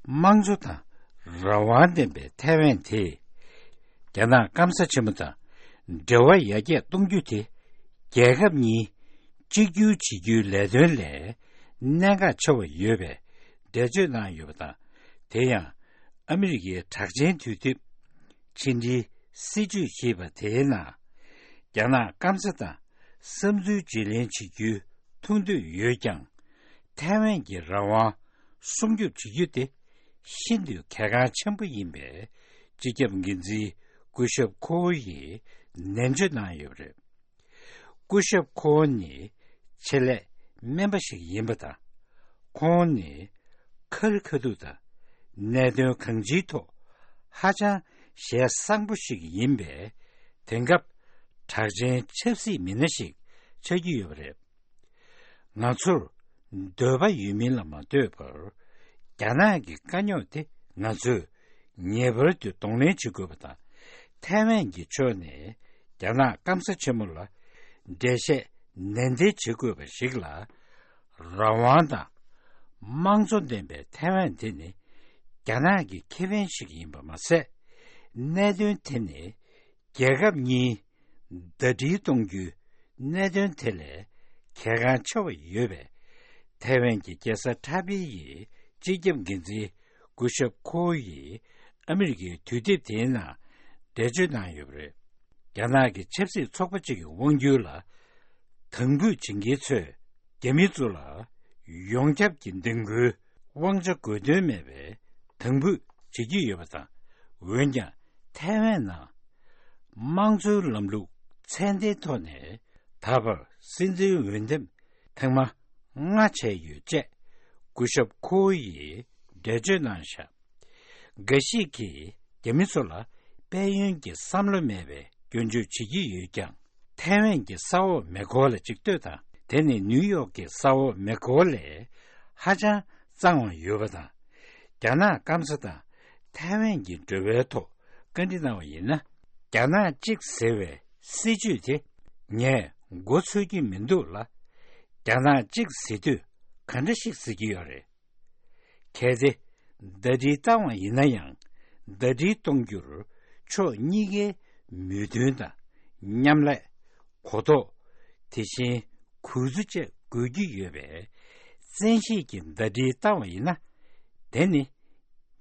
དམངས་གཙོ་དང་རང་དབང་ལྡན་པའི་ཐའེ་ཝན་དེ་རྒྱ་ནག་སྐམ་ས་ཆེན་མོ་དང་ འབྲེལ་བ་ཡར་རྒྱས་གཏོང་རྒྱུ་དེ་རྒྱལ་ཁབ་གཉིས་གཅིག་གྱུར་བྱེད་རྒྱུའི་ལས་དོན་ལས་གནད་འགག་ཆེ་བ་ཡོད་པའི་འགྲེལ་བརྗོད་གནང་ཡོད་པ་དང་། དེ་ཡང་ཨ་མི་རི་ཀའི་གྲགས་ཅན་དུས་དེབ་ཕྱི་འབྲེལ་སྲིད་བྱུས་ཞེས་པ་དེའི་ནང་། རྒྱ་ནག་སྐམ་ས་དང་བསམ་ཚུལ་བརྗེ་ལེན་བྱེད་རྒྱུའི་ཐུགས་འདོད་ཡོད་ཀྱང་། ཐའེ་ཝན་གྱི་རང་དབང་སྲུང་སྐྱོབ་བྱེད་རྒྱུ་དེ་ཤིན་ཏུ་གལ་འགངས་ཆེན་པོ་ཡིན་པའི་སྤྱི་ཁྱབ་འགན་འཛིན་སྐུ་ཞབས་ཁོ་ཝུ་ཡིས་ནན་བརྗོད་གནང་ཡོད་པ་རེད། སྐུ་ཞབས་ཁོ་ཝུ་ནི་ཆེད་ལས་སྨན་པ་ཞིག་ཡིན་པ་དང་། ཁོང་ནི་ཁ་རི་ཁ་ཐུག་དང་གནད་དོན་གང་ཅིའི་ཐོག་ཧ་ཅང་ཞལ་བཟང་པོ་ཞིག་ཡིན་པས། དེང་སྐབས་གྲགས་ཅན་ཆབ་སྲིད་མི་སྣ་ཞིག་ཆགས་ཀྱི་ཡོད་པ་རེད། ང་ཚོར་འདོད་པ་ཡོད་མིན་ལ་མ་ལྟོས་པར། རྒྱ་ནག་གི་དཀའ་རྙོག་དེ་ང་ཚོས་ངེས་པར་དུ་གདོང་ལེན་བྱེད་དགོས་པ་དང་། ཐའེ་ཝན་གྱི་ཕྱོགས་ནས་རྒྱ་ནག་སྐམ་ས་ཆེན་མོ་ལ་འགྲེལ་བཤད་ནན་ཏན་བྱེད་དགོས་པ་ཞིག་ལ། རང་དབང་དང་དམངས་གཙོ་ལྡན་པའི་ཐའེ་ཝན་དེ་ནི་རྒྱ་ནག་གི་ཁེ་ཕན་ཞིག་ཡིན་པ་མ་ཟད། གནད་དོན་དེ་ནི་རྒྱལ་ཁབ་གཉིས་ཟླ་སྒྲིལ་གཏོང་རྒྱུའི་གནད་དོན་དེ་ལས་གལ་འགངས་ཆེ་བ་ཡོད་པས། ཐའེ་ཝན་གྱི་རྒྱལ་ས་ཊ་པེ་ཡི་སྤྱི་ཁྱབ་འགན་འཛིན་སྐུ་ཞབས་ཁོ་ཝུ་ཡིས་ཨ་མི་རི་ཀའི་དུས་དེབ་དེའི་ནང་འགྲེལ་བརྗོད་གནང་ཡོད་པ་རེད། རྒྱ་ནག་གི་ཆབ་སྲིད་ཚོགས་པ་གཅིག་གི་དབང་སྒྱུར་ལ་དམ་འབུད་བྱེད་མཁན་ཚོས་རྒྱ་མི་ཚོ་ལ་ཡོངས་ཁྱབ་ཀྱི་འདེམས་བསྐོའི་དབང་ཆ་དགོས་དོན་མེད་པའི་དམ་འབུད་བྱེད་ཀྱི་ཡོད་པ་དང་། འོན་ཀྱང་ཐའེ་ཝན་ནང་དམངས་གཙོའི་ལམ་ལུགས་ཚད་ལྡན་ཐོག་ནས་ད་བར་སྲིད་འཛིན་འོས་འདེམས་ཐེངས་མ་ལྔ་བྱས་ཡོད་ཅེས་སྐུ་ཞབས་ཁོ་ཝུ་ཡིས་འགྲེལ་བརྗོད་གནང་བཞག་འགའ་ཞིག་གིས་རྒྱ་མི་ཚོ་ལ་དཔལ་ཡོན་གྱི་བསམ་བློ་མེད་པའི་སྐྱོན་བརྗོད་བྱེད་ཀྱི་ཡོད་ཀྱང་། ཐའེ་ཝན་གྱི་ས་འོག་མེ་འཁོར་ལ་གཅིག་ལྟོས་དང་། དེ་ནི་ནིའུ་ཡོག་གི་ས་འོག་མེ་འཁོར་ལས་ཧ་ཅང་གཙང་བ་ཡོད་པ་དང་། རྒྱ་ནག་སྐམ་ས་དང་ཐའེ་ཝན་གྱི་འབྲེལ་བའི་ཐོག་བཀའ་འདྲི་གནང་བ་ཡིན་ན། རྒྱ་ནག་གཅིག་ཟེར་བའི་སྲིད་བྱུས་དེ་ངས་མགོ་ཚོད་ཀྱི་མི་འདུག་ལ། རྒྱ་ནག་གཅིག་ཟེར་དུས་ག་འདྲ་ཞིག་ཟེར་གྱི་ཡོད་རེད། གལ་ཏེ་ཟླ་སྒྲིལ་བཏང་བ་ཡིན་ན་ཡང་། ཟླ་སྒྲིལ་གཏོང་རྒྱུར་ཕྱོགས་གཉིས་ཀའི་མོས་མཐུན་དང་མཉམ་ལས། གོ་རྟོགས། དེ་བཞིན་གུས་བརྩི་བཅས་དགོས་ཀྱི་ཡོད་པས། བཙན་ཤེད་ཀྱིས་ཟླ་སྒྲིལ་བཏང་བ་ཡིན་ན། དེ་ནི་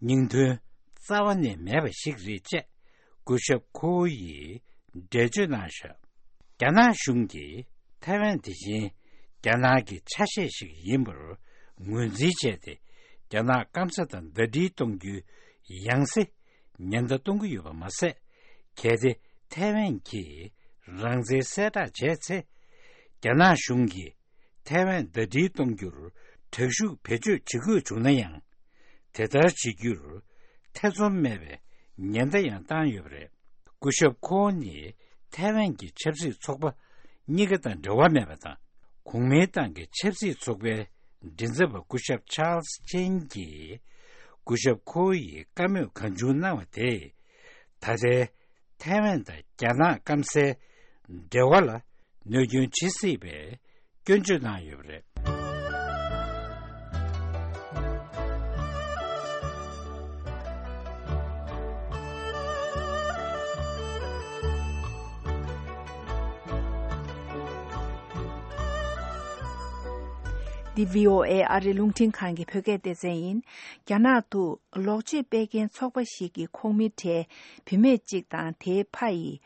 སྙིང་དོན་རྩ་བ་ནས་མེད་པ་ཞིག་རེད་ཅེས་སྐུ་ཞབས་ཁོ་ཝུ་ཡིས་འགྲེལ་བརྗོད་གནང་བཞག་རྒྱ་ནག་གཞུང་གིས་ཐའེ་ཝན་དེ་བཞིན་རྒྱ་ནག་གི་ཆ་ཤས་ཤིག་ཡིན་པར་ངོས་འཛིན་བྱས་ཏེ། རྒྱ་ནག་སྐམ་ས་དང་ཟླ་སྒྲིལ་གཏོང་རྒྱུའི་ཡང་སེ་ཉེན་བརྡ་གཏོང་གི་ཡོད་པ་མ་ཟད། གལ་ཏེ་ཐའེ་ཝན་གྱིས་རང་བཙན་གསལ་བསྒྲགས་བྱས་ཚེ། རྒྱ་ནག་གཞུང་གིས་ཐའེ་ཝན་ཟླ་སྒྲིལ་གཏོང་རྒྱུར་དྲག་ཤུགས་བེད་སྤྱོད་བྱེད་དགོས་བྱུང་ན་ཡང་། དེ་ལྟར་བྱེད་རྒྱུར་ཐེ་ཚོམ་མེད་པའི་ཉེན་བརྡ་ཡང་བཏང་ཡོད་པ་རེད། སྐུ་ཞབས་ཁོ་ཝུ་ནི་ཐའེ་ཝན་གྱི་ཆབ་སྲིད་ཚོགས་པ་གཉིས་ཀ་དང་འབྲེལ་བ་མེད་པ་དང་། གོང་མའི་ཏང་གི་ཆབ་སྲིད་ཚོགས་པའི་མགྲིན་ཚབ་པ་སྐུ་ཞབས་ཆཱལ་སི་ཅེན་གྱིས་སྐུ་ཞབས་ཁོ་ཝུ་ཡི་བཀའ་མོལ་གང་བྱུང་གནང་བ་དེས། ད་ལྟའི་ཐའེ་ཝན་དང་རྒྱ་ནག་སྐམ་སའི་འབྲེལ་བ་ལ་གནོད་སྐྱོན་བྱེད་སྲིད་པའི་སྐྱོན་བརྗོད་གནང་ཡོད་པ་རེད། འདི་བྷི་ཨོ་ཨེ་ཨ་རིའི་རླུང་འཕྲིན་ཁང་གི་བོད་སྐད་སྡེ་ཚན་ཡིན། རྒྱ་ནག་ཏུ་ལོག་སྤྱོད་སྤེལ་མཁན་ཚོགས་པ་ཞིག་གི་ཁོངས་མི་གྲས་བུད་མེད་གཅིག་དང་དེའི་ཕ་ཡིས།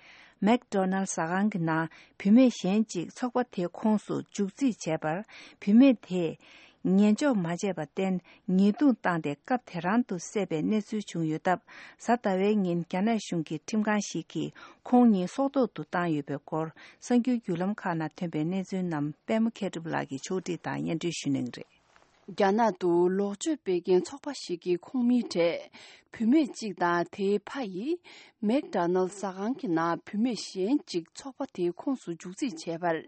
མེག་ཌོ་ནལ་ཟ་ཁང་གི་ནང་བུད་མེད་གཞན་གཅིག་ཚོགས་པ་དེའི་ཁོངས་སུ་འཇུག་རྩིས་བྱས་པར། བུད་མེད་དེས་ཉན་འཇོག་མ་བྱས་པར་བརྟེན། ཉེས་རྡུང་བཏང་སྟེ་སྐབས་དེ་རང་དུ་བསད་པའི་གནས་ཚུལ་བྱུང་ཡོད་སྟབས། གཟའ་ཟླ་བའི་ཉིན་རྒྱ་ནག་གཞུང་གི་ཁྲིམས་ཁང་ཞིག་གིས་ཁོང་གཉིས་སྲོག་ཐོག་ཏུ་བཏང་ཡོད་པའི་སྐོར། གསར་འགྱུར་བརྒྱུད་ལམ་ཁག་ནང་ཐོན་པའི་གནས་ཚུལ་རྣམས་པད་མ་མཁས་གྲུབ་ལགས་ཀྱིས་ཕྱོགས་སྒྲིག་དང་སྙན་སྒྲོན་ཞུ་གནང་གི་རེད། རྒྱ་ནག་ཏུ་ལོག་སྤྱོད་སྤེལ་མཁན་ཚོགས་པ་ཞིག་གི་ཁོངས་མིའི་གྲས་བུད་མེད་གཅིག་དང་དེའི་ཕ་ཡིས་མེག་ཌོ་ནལ་ཟ་ཁང་གི་ནང་བུད་མེད་གཞན་གཅིག་ཚོགས་པ་དེའི་ཁོངས་སུ་འཇུག་རྩིས་བྱས་པར།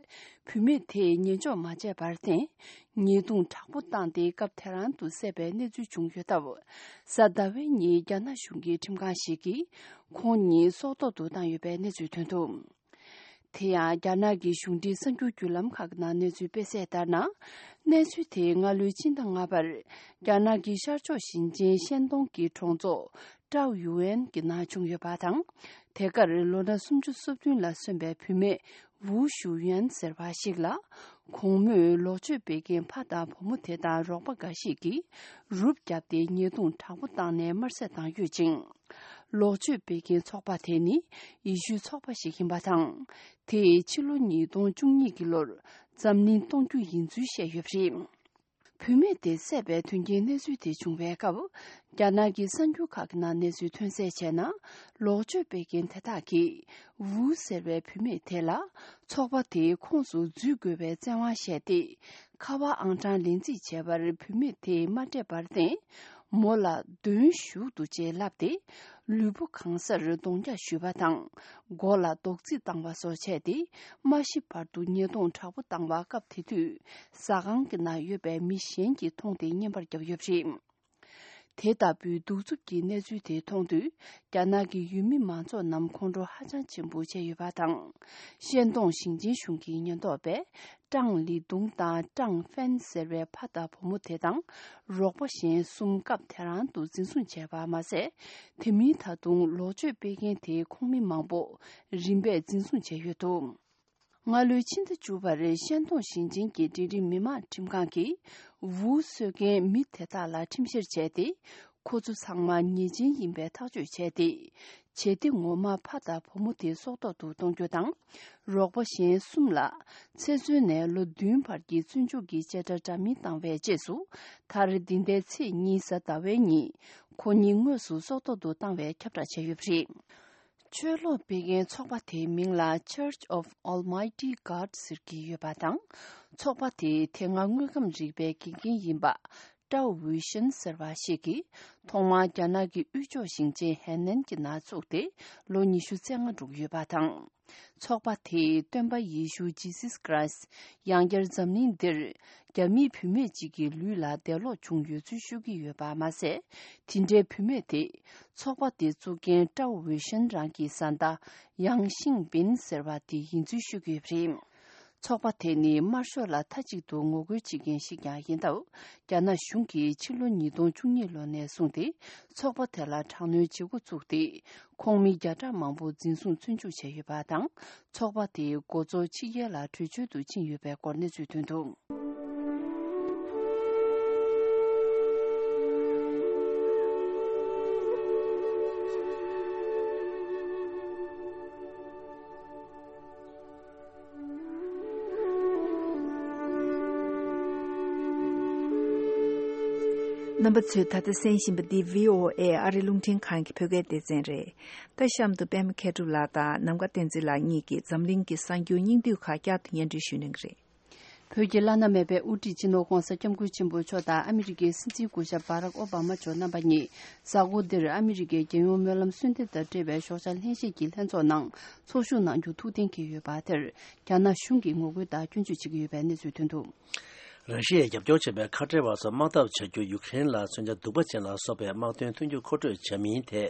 བུད་མེད་དེས་ཉན་འཇོག་མ་བྱས་པར་བརྟེན། ཉེས་རྡུང་དྲག་པོ་བཏང་སྟེ་སྐབས་དེ་རང་དུ་བསད་པའི་གནས་ཚུལ་བྱུང་ཡོད་སྟབས། གཟའ་ཟླ་བའི་ཉིན་རྒྱ་ནག་གཞུང་གི་ཁྲིམས་ཁང་ཞིག་གིས་ཁོང་གཉིས་སྲོག་ཐོག་ཏུ་བཏང་ཡོད་པའི་གནས་ཚུལ་ཐོན་འདུག་དེ་ཡང་རྒྱ་ནག་གི་གཞུང་འབྲེལ་གསར་འགྱུར་བརྒྱུད་ལམ་ཁག་ནང་གནས་ཚུལ་སྤེལ་གསལ་ལྟར་ན། གནས་ཚུལ་དེ་སྔ་ལོའི་སྤྱི་ཟླ་ལྔ་པར་རྒྱ་ནག་གི་ཤར་ཕྱོགས་ཞིང་ཆེན་ཤན་ཏུང་གི་གྲོང་ཚོ་ ཀྲའོ་ཡུའུ་ཨན་གྱི་ནང་བྱུང་ཡོད་པ་དང་། དེ་གར་ལོ་ན་སུམ་ཅུ་སོ་བདུན་ལ་སོན་པའི་བུད་མེད་ཝུའུ་ཞུ་ཡུན་ཟེར་བ་ཞིག་ལ། གོང་སྨོས་ལོག་སྤྱོད་སྤེལ་མཁན་ཕ་དང་བུ་མོ་དེ་དང་རོགས་པ་འགའ་ཞིག་གིས་རུབ་བརྒྱབ་སྟེ་ཉེས་རྡུང་དྲག་པོ་བཏང་ནས་དམར་གསོད་བཏང་ཡོད་ཅིང་། ལོག་སྤྱོད་སྤེལ་མཁན་ཚོགས་པ་དེ་ནི་ཡེ་ཤུའི་ཚོགས་པ་ཞིག་ཡིན་པ་དང་། དེས་ཕྱི་ལོ་ཉིས་སྟོང་བཅུ་གཉིས་ཀྱི་ལོར་འཛམ་གླིང་སྟོང་རྒྱུ་ཡིན་ཚུལ་བཤད་ཡོད་པ་རེད། བུད་མེད་དེ་བསད་པའི་དོན་རྐྱེན་གནས་ཚུལ་དེ་བྱུང་བའི་སྐབས། རྒྱ་ནག་གི་གསར་འགྱུར་ཁག་གི་ནང་གནས་ཚུལ་ཐོན་གསལ་བྱས་ན། ལོག་སྤྱོད་སྤེལ་མཁན་དེ་དག་གིས་ཝུའུ་ཟེར་བའི་བུད་མེད་དེ་ལ་ཚོགས་པ་དེའི་ཁོངས་སུ་འཛུལ་དགོས་པའི་བཙན་དབང་བཞག་སྟེ། ཁ་པར་ཨང་གྲངས་ལེན་རྩིས་བྱས་པར་བུད་མེད་དེས་མ་སྤྲད་པར་བརྟེན། མོ་ལ་གདོན་ཞུགས་འདུག་ཅེས་ལབ་སྟེ། ལུས་པོ་གང་སར་རྡུང་རྒྱག་ཞུས་པ་དང་། མགོ་ལ་རྡོག་རྫིས་བཏང་བ་སོགས་བྱས་ཏེ། མ་ཤི་བར་དུ་ཉེས་རྡུང་དྲག་པོ་བཏང་བ། སྐབས་དེ་དུས་ཟ་ཁང་གི་ནང་ཡོད་པའི་མི་གཞན་གྱིས་མཐོང་སྟེ་བརྙན་པར་བརྒྱབ་ཡོད་པ་རེད། དེ་ལྟ་བུའི་གདུག་རྩུབ་ཀྱི་གནས་ཚུལ་དེ་མཐོང་དུས། རྒྱ་ནག་གི་ཡུལ་མི་མང་ཚོགས་རྣམས་ཁོང་ཁྲོ་ཧ་ཅང་ཆེན་པོ་བྱས་ཡོད་པ་དང་། ཤན་ཏོང་ཞིང་ཆེན་གཞུང་གི་ཉེན་རྟོག་པས་ཀྲང་ལི་ཏུང་དང་ཀྲང་ཧྥན་ཟེར་བའི་ཕ་དང་བུ་མོ་དེ་དང་། རོགས་པ་གཞན་གསུམ་སྐབས་དེ་རང་དུ་འཛིན་བཟུང་བྱས་པ་མ་ཟད། དེ་མིན་ད་དུང་ལོག་སྤྱོད་སྤེལ་མཁན་དེའི་ཁོངས་མི་མང་པོ་རིམ་པས་འཛིན་བཟུང་བྱས་ཡོད་འདུག་སྔ་ལོའི་ཕྱི་ཟླ་བཅུ་པར་ཤན་ཏོང་ཞིང་ཆེན་གྱི་འབྲིང་རིམ་མི་དམངས་ཁྲིམས་ཁང་གིས་ཝུའུ་གསོད་མཁན་མི་དེ་དག་ལ་ཁྲིམས་བཤེར་བྱས་ཏེ། ཁོ་ཚོ་ཚང་མ་ཉེས་ཅན་ཡིན་པའི་ཐག་གཅོད་བྱས་ཏེ། བྱེད་གཏེ་ངོ་མ་ཕ་དང་བུ་མོ་དེ་སྲོག་ཐོག་ཏུ་གཏོང་རྒྱུ་དང་། རོགས་པ་གཞན་གསུམ་ལ་ཚེ་བཙོན་ནས་ལོ་བདུན་བར་གྱི་བཙོན་འཇུག་གི་བཅད་ཁྲ་འདྲ་མིན་བཏང་བའི་རྗེས་སུ། མཐར་འདི་ཟླའི་ཚེས་གཉིས་གཟའ་ཟླ་བའི་ཉིན། ཁོ་གཉིས་དངོས་སུ་སྲོག་ཐོག་ཏུ་བཏང་བའི་ཁྱབ་བསྒྲགས་བྱས་ཡོད་པ་རེད། ཆོས་ལུགས་སྤེལ་མཁན་ཚོགས་པ་དེའི་མིང་ལ་Church of Almighty God ཟེར་གྱི་ཡོད་པ་དང་། ཚོགས་པ་དེའི་དེ་སྔ་དངོས་ཁམས་རིག་པའི་དགེ་རྒན་ཡིན་པ། ཀྲའོ་ཝུའུ་ཤིན་ཟེར་བ་ཞིག་གིས་ཐོག་མར་རྒྱ་ནག་གི་དབུས་ཕྱོགས་ཞིང་ཆེན་ཧེ་ནན་གྱི་ནང་བཙུགས་ཏེ་ལོ་ཉི་ཤུ་རྩ་ལྔ་འགྲོ་གི་ཡོད་པ་དང་། ཚོགས་པ་དེས་སྟོན་པ་ཡེ་ཤུ་Jesus Christ ཡང་བསྐྱར་འཛམ་གླིང་འདིར་རྒྱ་མིའི་བུད་མེད་ཅིག་གི་ལུས་ལ་འདས་ལོག་བྱུང་ཡོད་ཚུལ་ཤོད་ཀྱི་ཡོད་པ་མ་ཟད། དེ་འདྲའི་བུད་མེད་དེ་ཚོགས་པ་དེ་བཙུགས་མཁན་ཀྲའོ་ཝུའུ་ཤིན་རང་གི་བཟའ་ཟླ་ཡང་ཤིང་པིན་ཟེར་བ་དེ་ཡིན་ཚུལ་ཤོད་ཀྱི་ཡོད་པ་རེད། ཚོགས་པ་དེ་ནི་དམར་ཤོག་ལ་མཐའ་གཅིག་ཏུ་ངོ་རྒོལ་བྱེད་མཁན་ཞིག་ཀྱང་ཡིན་སྟབས། རྒྱ་ནག་གཞུང་གིས་ཕྱི་ལོ་ཉིས་སྟོང་བཅུ་གཉིས་ལོ་ནས་བཟུང་སྟེ་ཚོགས་པ་དེ་ལ་དྲག་གནོན་བྱེད་འགོ་བཙུགས་ཏེ། ཁོངས་མི་བརྒྱ་ཕྲག་མང་པོ་འཛིན་བཟུང་བཙོན་འཇུག་བྱས་ཡོད་པ་དང་། ཚོགས་པ་དེའི་འགོ་གཙོ་ཕྱི་རྒྱལ་ལ་བྲོས་བྱོལ་དུ་ཕྱིན་ཡོད་པའི་སྐོར་གནས་ཚུལ་ཐོན་འདུག་རྣམ་པ་ཚོས་ད་ལྟ་གསན་བཞིན་པ་འདི་བྷི་ཨོ་ཨེ་ཨ་རི་རླུང་འཕྲིན་ཁང་གི་བོད་སྐད་སྡེ་ཚན་རེད། ད་གཤམ་དུ་པད་མ་མཁས་གྲུབ་ལགས་དང་ནམ་མཁའ་བསྟན་འཛིན་ལགས་གཉིས་ཀྱིས་འཛམ་གླིང་གི་གསར་འགྱུར་སྙིང་བསྡུས་ཁག་བསྐྱར་དུ་སྙན་སྒྲོན་ཞུ་གནང་གི་རེད། བོད་ཀྱི་བླ་ན་མེད་པའི་དབུ་ཁྲིད་སྤྱི་ནོར་༧གོང་ས་༧སྐྱབས་མགོན་ཆེན་པོ་མཆོག་དང་ཨ་མི་རི་ཀའི་སྲིད་འཛིན་སྐུ་ཞབས་བྷ་རག་ཨོ་བྷ་མ་མཆོག་རྣམ་པ་གཉིས་གཟའ་འཁོར་འདིར་ཨ་མི་རི་ཀའི་རྒྱལ་ཡོངས་སྨོན་ལམ་གསོལ་འདེབས་དང་འབྲེལ་བའི་ཞོགས་ཇ་ལྷན་བཞེས་ཀྱི་ལྷན་ཚོགས་ནང་ཚོགས་ཞུགས་གནང་རྒྱུ་ཐུགས་གཏན་འཁེལ་ཡོད་པ་དེར་རྒྱ་ནག་གཞུང་གིས་ངོ་རྒོལ་དང་སྐྱོན་བརྗོད་བྱེད་ཀྱི་ཡོད་པའི་གནས་ཚུལ་ཐོན་འདུག་ར་ཤི་ཡས་རྒྱབ་སྐྱོར་བྱས་པའི་ཁ་བྲལ་བ་སོགས་དམག་འཐབ་བྱ་རྒྱུར་ཡུ་ཁེ་རེན་ལ་མཚོན་ཆ་གདུག་པ་ཅན་ལ་སོགས་པའི་དམག་དོན་མཐུན་འགྱུར་མཁོ་སྤྲོད་བྱ་མིན་ཐད།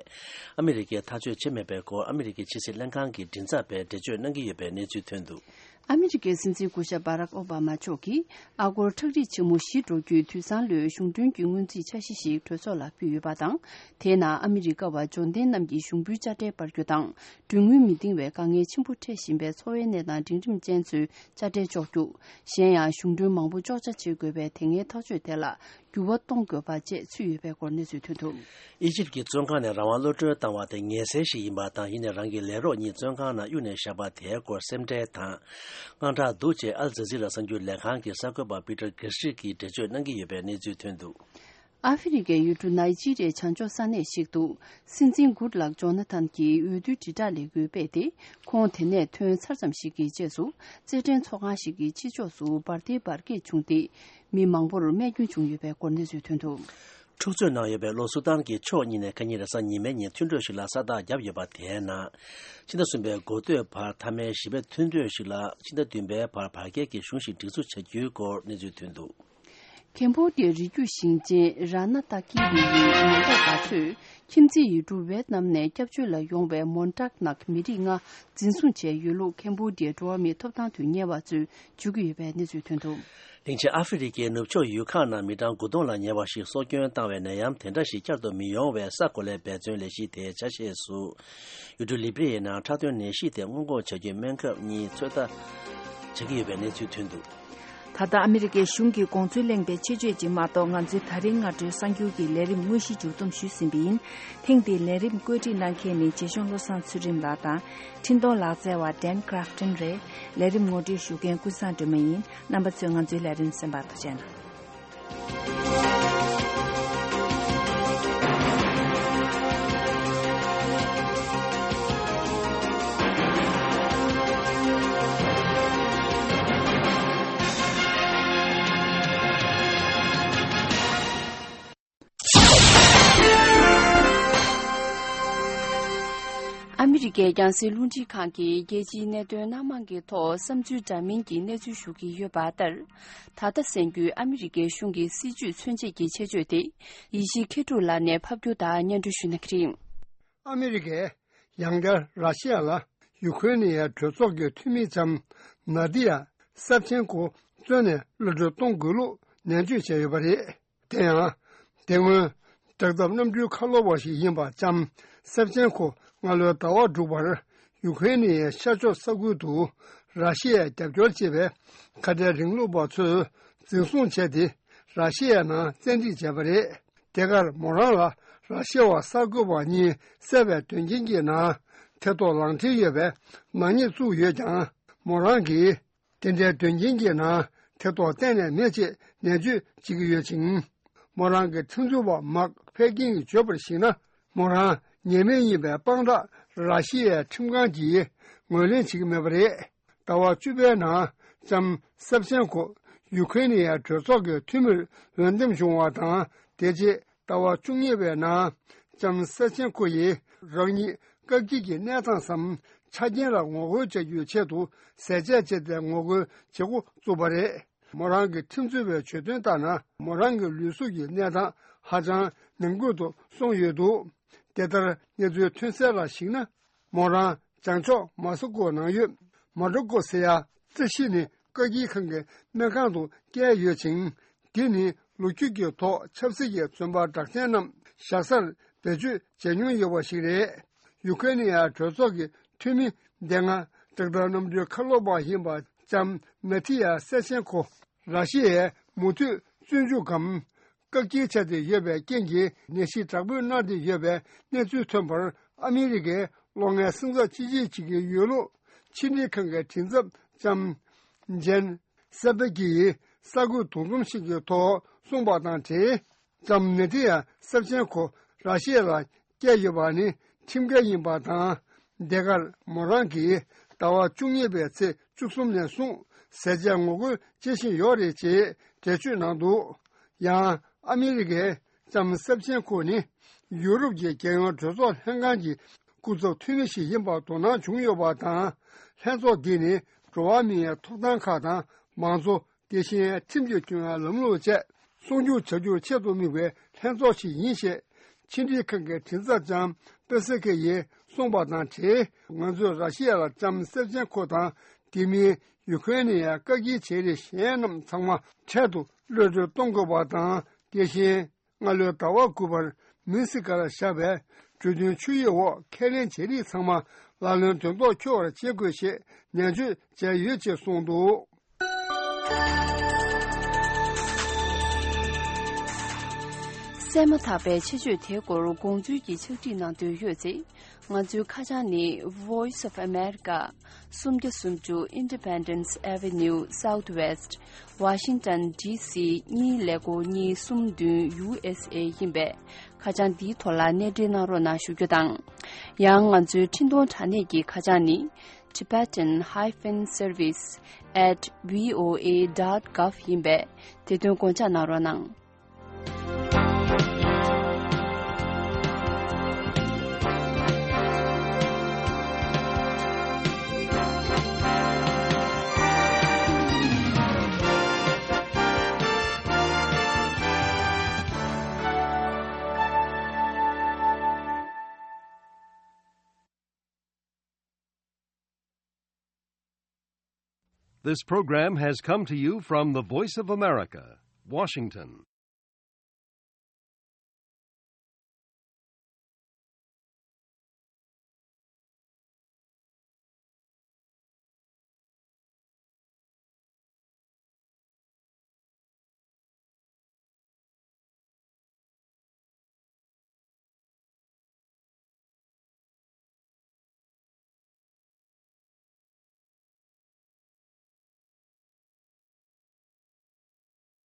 ཨ་མི་རི་ཀས་ཐག་གཅོད་བྱས་མེད་པའི་སྐོར་ཨ་མི་རི་ཀའི་ཕྱི་སྲིད་ལྷན་ཁང་གི་མགྲིན་ཚབ་པས་འགྲེལ་བརྗོད་གནང་གི་ཡོད་པའི་གནས་ཚུལ་ཐོན་འདུག་ཨ་མི་རི་ཀའི་སྲིད་འཛིན་སྐུ་ཞབས་བྷ་རག་ཨོ་བྷ་མ་མཆོག་གིས་ཨ་སྒོར་ཁྲག་ཁྲིག་ཆེན་མོ་བཞི་འགྲོ་རྒྱུའི་དུས་བཟང་ལོའི་གཞུང་གྲོན་གྱི་སྔོན་རྩིས་འཆར་གཞི་ཞིག་གྲོས་ཚོགས་ལ་ཕུལ་ཡོད་པ་དང་། དེའི་ནང་ཨ་མི་རི་ཀ་བ་འབྱོར་ལྡན་རྣམས་ཀྱི་གཞུང་འབུལ་དཔྱ་ཁྲལ་སྤར་རྒྱུ་དང་། གྲོན་དངུལ་མི་འདིང་བའི་དཀའ་ངལ་ཆེན་པོ་འཕྲད་བཞིན་པའི་འཚོ་བའི་གནས་སྟངས་འབྲིང་རིམ་ཅན་ཚོའི་དཔྱ་ཁྲལ་གཅོག་རྒྱུ། གཞན་ཡང་གཞུང་གྲོན་མང་པོ་གཅོག་ཆ་བྱེད་དགོས་པའི་དེ་སྔའི་ཐག་གཅོད་དེ་ལ་འགྱུར་བ་གཏོང་དགོས་པ་བཅས་ཚུད་ཡོད་པའི་སྐོར་གནས་ཚུལ་ཐོན་འདུག་ཨི་ཇིབ་ཀྱི་བཙོན་ཁང་ནས་རང་དབང་གློད་གྲོལ་བཏང་བ་དེ་ངལ་སེལ་ཞིག་ཡིན་པ་དང་། ཡིན་ནའི་རང་གི་ལས་རོགས་གཉིས་བཙོན་ཁང་ནང་གཡུགས་ནས་བཞག་པ་དེའི་སྐོར་སེམས་ཁྲལ་དང་དངངས་སྐྲག་འདུག་ཅེས་ཨལ་ཛ་ཛི་ར་གསར་འགྱུར་ལས་ཁང་གི་གསར་འགོད་པ་པི་ཏར་གྷི་སི་གིས་འགྲེལ་བརྗོད་གནང་གི་ཡོད་པའི་གནས་ཚུལ་ཐོན་འདུག་ཨ་ཧྥེ་རི་ཁའི་ཡུལ་གྲུ་ནཱི་ཇི་རི་ཡའི་བྱང་ཕྱོགས་ས་གནས་ཤིག་ཏུ། སྲིད་འཛིན་གུཌ་ལག་ཇོ་ན་ཐན་གྱིས་འོས་བསྡུའི་དྲིལ་བསྒྲགས་ལས་འགུལ་སྤེལ་ཏེ། ཁོང་དེ་ནས་ཐོན་ཚར་ཙམ་ཞིག་གི་རྗེས་སུ། རྩེད་འགྲན་ཚོགས་ཁང་ཞིག་གི་ཕྱི་ཕྱོགས་སུ་འབར་མདེལ་འབར་གས་བྱུང་སྟེ། མི་མང་པོར་རྨས་སྐྱོན་བྱུང་ཡོད་པའི་སྐོར་གནས་ཚུལ་ཐོན་འདུག་འཁྲུག་རྩོད་ནང་ཡོད་པའི་ལྷོ་སུ་དཱན་གྱི་ཕྱོགས་གཉིས་ནས་ཁ་ཉིན་རེས་གཟའ་ཉི་མའི་ཉིན་མཐུན་གྲོས་ཤིག་ལ་ས་རྟགས་བརྒྱབ་ཡོད་པ། དེའི་ནང་ཕྱི་ཟླ་གསུམ་པའི་འགོ་སྟོད་བར་མཐའ་མའི་བཞི་པའི་མཐུན་གྲོས་ཤིག་ལ་ཕྱི་ཟླ་བདུན་པའི་བར་བར་བརྒལ་གྱི་གཞུང་ཞིག་སྒྲིག་འཛུགས་བྱ་རྒྱུའི་སྐོར་གནས་ཚུལ་ཐོན་འདུག་ཁེམ་བྷོ་ཌི་ཡའི་རི་རྒྱུད་ཞིང་ཆེན་ར་ན་ཏ་ཀི་རི་ཡི་མོན་ཊག་པ་ཚོས་ཁྱིམ་མཚེས་ཡུལ་གྲུ་ཝེ་ཏི་ནམ་ནས་སྐྱབས་བཅོལ་ལ་ཡོང་བའི་མོན་ཊག་ནག་མི་རིགས་ལྔ་འཛིན་བཟུང་བྱས་ཡོད་ལུགས་ཁེམ་བྷོ་ཌི་ཡའི་འགྲོ་བ་མིའི་ཐོབ་ཐང་དོན་གཉེར་བ་ཚོས་བརྗོད་ཀྱི་ཡོད་པའི་གནས་ཚུལ་ཐོན་འདུག། གླིང་ཆེན་ཨ་ཧྥེ་རི་ཁའི་ནུབ་ཕྱོགས་ཡུལ་ཁག་ནང་མི་གྲངས་དགུ་སྟོང་ལ་ཉེ་བ་ཞིག་སྲོག་སྐྱོན་བཏང་བའི་ནད་ཡམས་དེ་འདྲ་ཞིག་བསྐྱར་དུ་མི་ཡོང་བའི་ས་གོ་ལའི་འབད་བརྩོན་ལས་གཞི་དེའི་ཆ་ཤས་སུ། ཡུལ་གྲུ་ལི་པི་རི་ཡའི་ནང་འཁྲབ་སྟོན་ནད་གཞི་དེ་སྔོན་འགོག་བྱ་རྒྱུའི་སྨན་ཁབ་གཉིས་ཚོད་ལྟ་བྱེད་ཀྱི་ཡོད་པའི་གནས་ཚུལ་ཐོན་འདུག། ད་ལྟ་ཨ་མི་རི་ཀའི་གཞུང་གིས་དགོངས་ཚུལ་གླེང་པའི་ཆེད་བརྗོད་ཅིག་མ་གཏོགས། ང་ཚོའི་ད་རིང་སྔ་དྲོའི་གསར་འགྱུར་གྱི་ལས་རིམ་དངོས་གཞི་མཇུག་བསྡོམས་ཞུས་ཟིན་པ་ཡིན། ཐེངས་འདིའི་ལས་རིམ་བཀོད་སྒྲིག་གནང་མཁན་ནི་རྗེ་གཞུང་བློ་བཟང་ཚུལ་ཁྲིམས་ལགས་དང་། འཕྲིན་གཏོང་ལག་རྩལ་བ་ཌན་ཁྲ་ཕ་ཏན་རེད། ལས་རིམ་ངོ་སྤྲོད་ཞུ་མཁན་ཀུན་བཟང་སྒྲོལ་མ་ཡིན། རྣམ་པ་ཚོས་ང་ཚོའི་ལས་རིམ་གསན་པར་ཐུགས་རྗེ་གནང་། ཨ་མི་རི་ཀའི་རྒྱང་སྲིང་རླུང་འཕྲིན་ཁང་གིས་རྒྱལ་སྤྱིའི་གནད་དོན་སྣ་མང་གི་ཐོག་བསམ་ཚུལ་འདྲ་མིན་གྱི་གནས་ཚུལ་ཞུ་གི་ཡོད་པ་ལྟར། ད་ལྟ་གསན་རྒྱུའི་ཨ་མི་རི་ཀའི་གཞུང་གི་སྲིད་བྱུས་མཚོན་བྱེད་ཀྱི་ཆེད་བརྗོད་དེ། ཡེ་ཤེས་མཁས་གྲུབ་ལགས་ནས་ཕབ་སྒྱུར་དང་སྙན་སྒྲོན་ཞུ་གནང་གི་རེད། ཨ་མི་རི་ཀས་ཡང་བསྐྱར་ར་ཤི་ཡ་ལ་ཡུ་ཁུ་རེན་ནི་ཡའི་གྲོས་ཚོགས་ཀྱི་འཐུས་མི་ལྕམ་ནཱ་ཏི་ཡ་སེབ་ཆེན་ཀོ་བཙོན་ནས་གློད་གྲོལ་གཏོང་དགོས་ལུགས་ནན་བརྗོད་བྱས་ཡོད་པ་རེད། དེ་ཡང་། དེ་སྔོན། དྲག་འཐབ་གནམ་གྲུའི་ཁ་ལོ་བ་ཞིག་ཡིན་པ་ལྕམ་སེབ་ཆེན་ཁོ་སྔ་ལོའི་ཟླ་བ་དྲུག་པར་ཡུ་ཁུ་རེན་ནི་ཡའི་ཤར་ཕྱོགས་ས་ཁུལ་དུ་ར་ཤི་ཡའི་རྒྱབ་སྐྱོར་བྱེད་པའི་ཁ་བྲལ་རིང་ལུགས་པ་ཚོས་འཛིན་བཟུང་བྱས་ཏེ་ར་ཤི་ཡའི་ནང་བཙན་ཁྲིད་བྱས་པ་རེད། དེ་གར་མོ་རང་ལ་ར་ཤི་ཡ་བ་གསར་འགོད་པ་གཉིས་བསད་པའི་དོན་རྐྱེན་གྱི་ནང་ཐེ་གཏོགས་ལག་འབྲེལ་ཡོད་པའི་ནག་ཉེས་བཙུགས་ཡོད་ཀྱང་། མོ་རང་གིས་དེ་འདྲའི་དོན་རྐྱེན་གྱི་ནང་ཐེ་གཏོགས་གཏན་ནས་མེད་ཅེས་ནན་བརྗོད་བྱེད་ཀྱི་ཡོད་ཅིང་། མོ་རང་གི་ཁྲིམས་རྩོད་པ་མཱག་ཕེ་ཀིང་གིས་བརྗོད་པར་གཞིགས་ན། མོ་རང་ཉེས་མེད་ཡིན་པའི་དཔང་རྟགས་ར་ཤི་ཡའི་ཁྲིམས་ཁང་གིས་ངོས་ལེན་བྱེད་ཀྱི་མེད་པ་རེད། ཟླ་བ་བཅུ་པའི་ནང་ལྕམ་སེབ་ཆེན་ཁོ་ཡུ་ཁུ་རེན་ནི་ཡའི་གྲོས་ཚོགས་ཀྱི་འཐུས་མིར་འོས་འདེམས་བྱུང་བ་དང་། དེ་རྗེས་ཟླ་བ་བཅུ་གཉིས་པའི་ནང་ལྕམ་སེབ་ཆེན་ཁོ་ཡིས་རང་ཉིད་བཀག་སྐྱིལ་གྱི་གནས་སྟངས་སམ་ཆ་རྐྱེན་ལ་ངོ་རྒོལ་བྱ་རྒྱུའི་ཆེད་དུ་ཟས་བཅད་བྱས་ཏེ་ངོ་རྒོལ་བྱེད་འགོ་བཙུགས་པ་རེད། མོ་རང་གི་ཁྲིམས་རྩོད་པའི་བརྗོད་དོན་ལྟར་ན། མོ་རང་གི་ལུས་གཟུགས་ཀྱི་གནས་སྟངས་ཧ་ཅང་ནང་ཁུལ་དུ་སོང་ཡོད་འདུག། དེ་ལྟར་གནས་ཚུལ་ཐོན་གསལ་ལ་གཞིགས་ན། མོ་རང་བྱང་ཕྱོགས་མོ་སི་ཀོ་ནང་ཡོད་མོ་ཌོ་ཀོ་ཟེར་ཡ་རྩི་ཤིང་ནི་བཀག་སྐྱིལ་ཁང་གི་སྨན་ཁང་དུ་བསྐྱལ་ཡོད་ཅིང་། དེ་ནི་ལོ་རྒྱུས་ཀྱི་ཐོག་ཆབ་སྲིད་ཀྱི་བཙོན་པ་གྲགས་ཅན་རྣམས་བཞག་སར་བེད་སྤྱོད་བྱས་མྱོང་ཡོད་པ་ཞིག་རེད། ཡུ་ཁེ་ནི་ཡ་གྲོས་ཚོགས་ཀྱི་འཐུས་མི་སྡེ་ལྔ་དྲག་འཐབ་གནམ་གྲུའི་ཁ་ལོ་བ་ཡིན་པ་ལྕམ་ནཱ་ཐི་ཡ་སེ་ཆེན་ཁོ་ར་ཤི་ཡའི་མུ་མཐུད་བཙོན་འཇུག་གམ། བཀག་སྐྱིལ་བྱས་ཏེ་ཡོད་པའི་རྐྱེན་གྱིས་ནད་གཞི་དྲག་སྤོས་གནང་སྟེ་ཡོད་པའི་གནས་ཚུལ་ཐོན་པར་ཨ་མི་རི་ཀའི་གློག་བརྙན་སིམ་འཛུལ་ཅི་བྱེད་བྱེད་ཀྱི་ཡོད་ལུགས་ཕྱི་འབྲེལ་ཁང་གི་མགྲིན་ཚབ་ལྕམ་ཇན་སེ་པེ་ཀྱིས་གསར་འགོད་འདུ་འཛོམས་ཤིག་གི་ཐོག་གསུངས་པ་དང་འབྲེལ། ལྕམ་ནཱ་ཐི་ཡ་སེབ་ཆེན་ཁོ་ར་ཤི་ཡ་ལ་བསྐྱལ་ཡོད་པ་ནི་ཁྲིམས་འགལ་ཡིན་པ་དང་། དེ་གར་མོ་རང་གིས་ཟླ་བ་བཅུ་གཉིས་པའི་ཚེས་བཅུ་གསུམ་ནས་བཟུང་ཟས་བཅད་ངོ་རྒོལ་བྱེད་བཞིན་ཡོད་རེད་ཅེས་འགྲེལ་བརྗོད་གནང་འདུག། ཡང་ཨ་མི་རི་ཀའི་ལྕམ་སེབ་ཆེན་ཁོ་ནི་ཡུ་རོབ་ཀྱི་རྒྱལ་ཡོངས་གྲོས་ཚོགས་ལྷན་ཁང་གི་སྐུ་ཚབ་འཐུས་མི་ཞིག་ཡིན་པར་དོ་སྣང་བྱུང་ཡོད་པ་དང་། ལྷན་ཚོགས་འདི་ནི་འགྲོ་བ་མིའི་ཐོབ་ཐང་ཁག་དང་མང་གཙོ། དེ་བཞིན་ཁྲིམས་ཀྱི་སྐྱོན་ལམ་ལུགས་བཅས་སྲུང་སྐྱོབ་བྱ་རྒྱུར་ཆེད་དུ་དམིགས་པའི་ལྷན་ཚོགས་ཤིག་ཡིན་ཞེས་ཕྱི་འབྲེལ་ཁང་གི་མགྲིན་ཚབ་ལྕམ་པེ་སི་ཁེ་ཡིས་གསུངས་པ་དང་འབྲེལ། ང་ཚོས་ར་ཤི་ཡ་ལ་ལྕམ་སེབ་ཆེན་ཁོ་དང་དེ་མིན་ཡུ་ཁེ་ནི་ཡའི་བཀག་སྐྱིལ་བྱེད་རིགས་གཞན་རྣམས་ཚང་མ་འཕྲལ་དུ་གློད་གྲོལ་གཏོང་དགོས་པ་དང་། དེ་བཞིན། སྔ་ལོའི་ཟླ་བ་དགུ་པར་མིན་སི་ཀར་བཞག་པའི་གྲོས་མཐུན་ཆུ་ཡིག་འོག་ཁས་ལེན་བྱས་རིགས་ཚང་མ་ལག་ལེན་དོན་ཐོག་འཁྱོལ་བར་བྱེད་དགོས་ཞེས་ནན་བརྗོད་བྱས་ཡོད་ཅེས་གསུངས་འདུག། གསན་མ་ཐག་པའི་ཆེད་བརྗོད་དེའི་སྐོར་དགོངས་ཚུལ་གྱི་ཕྱག་བྲིས་གནང་འདོད་ཡོད་ཚེ། ང་ཚོའི་ཁ་བྱང་ནི་Voice of America། སུམ་བརྒྱ་སུམ་ཅུ་Independence Avenue Southwest Washington D C གཉིས་ཀླད་ཀོར་གཉིས་གསུམ་བདུན་U S A ཡིན་པས། ཁ་བྱང་འདིའི་ཐོག་ལ་གནས་འབྲེལ་གནང་རོགས་གནང་ཞུ་རྒྱུ་དང་། ཡང་ང་ཚོའི་འཕྲིན་གཏོང་དྲ་གནས་ཀྱི་ཁ་བྱང་ནི། Tibetan hyphen service at V O A dot gov ཡིན་པས། དེ་དོན་དགོངས་འཇགས་གནང་རོགས་གནང་། This program has come to you from the Voice of America, Washington.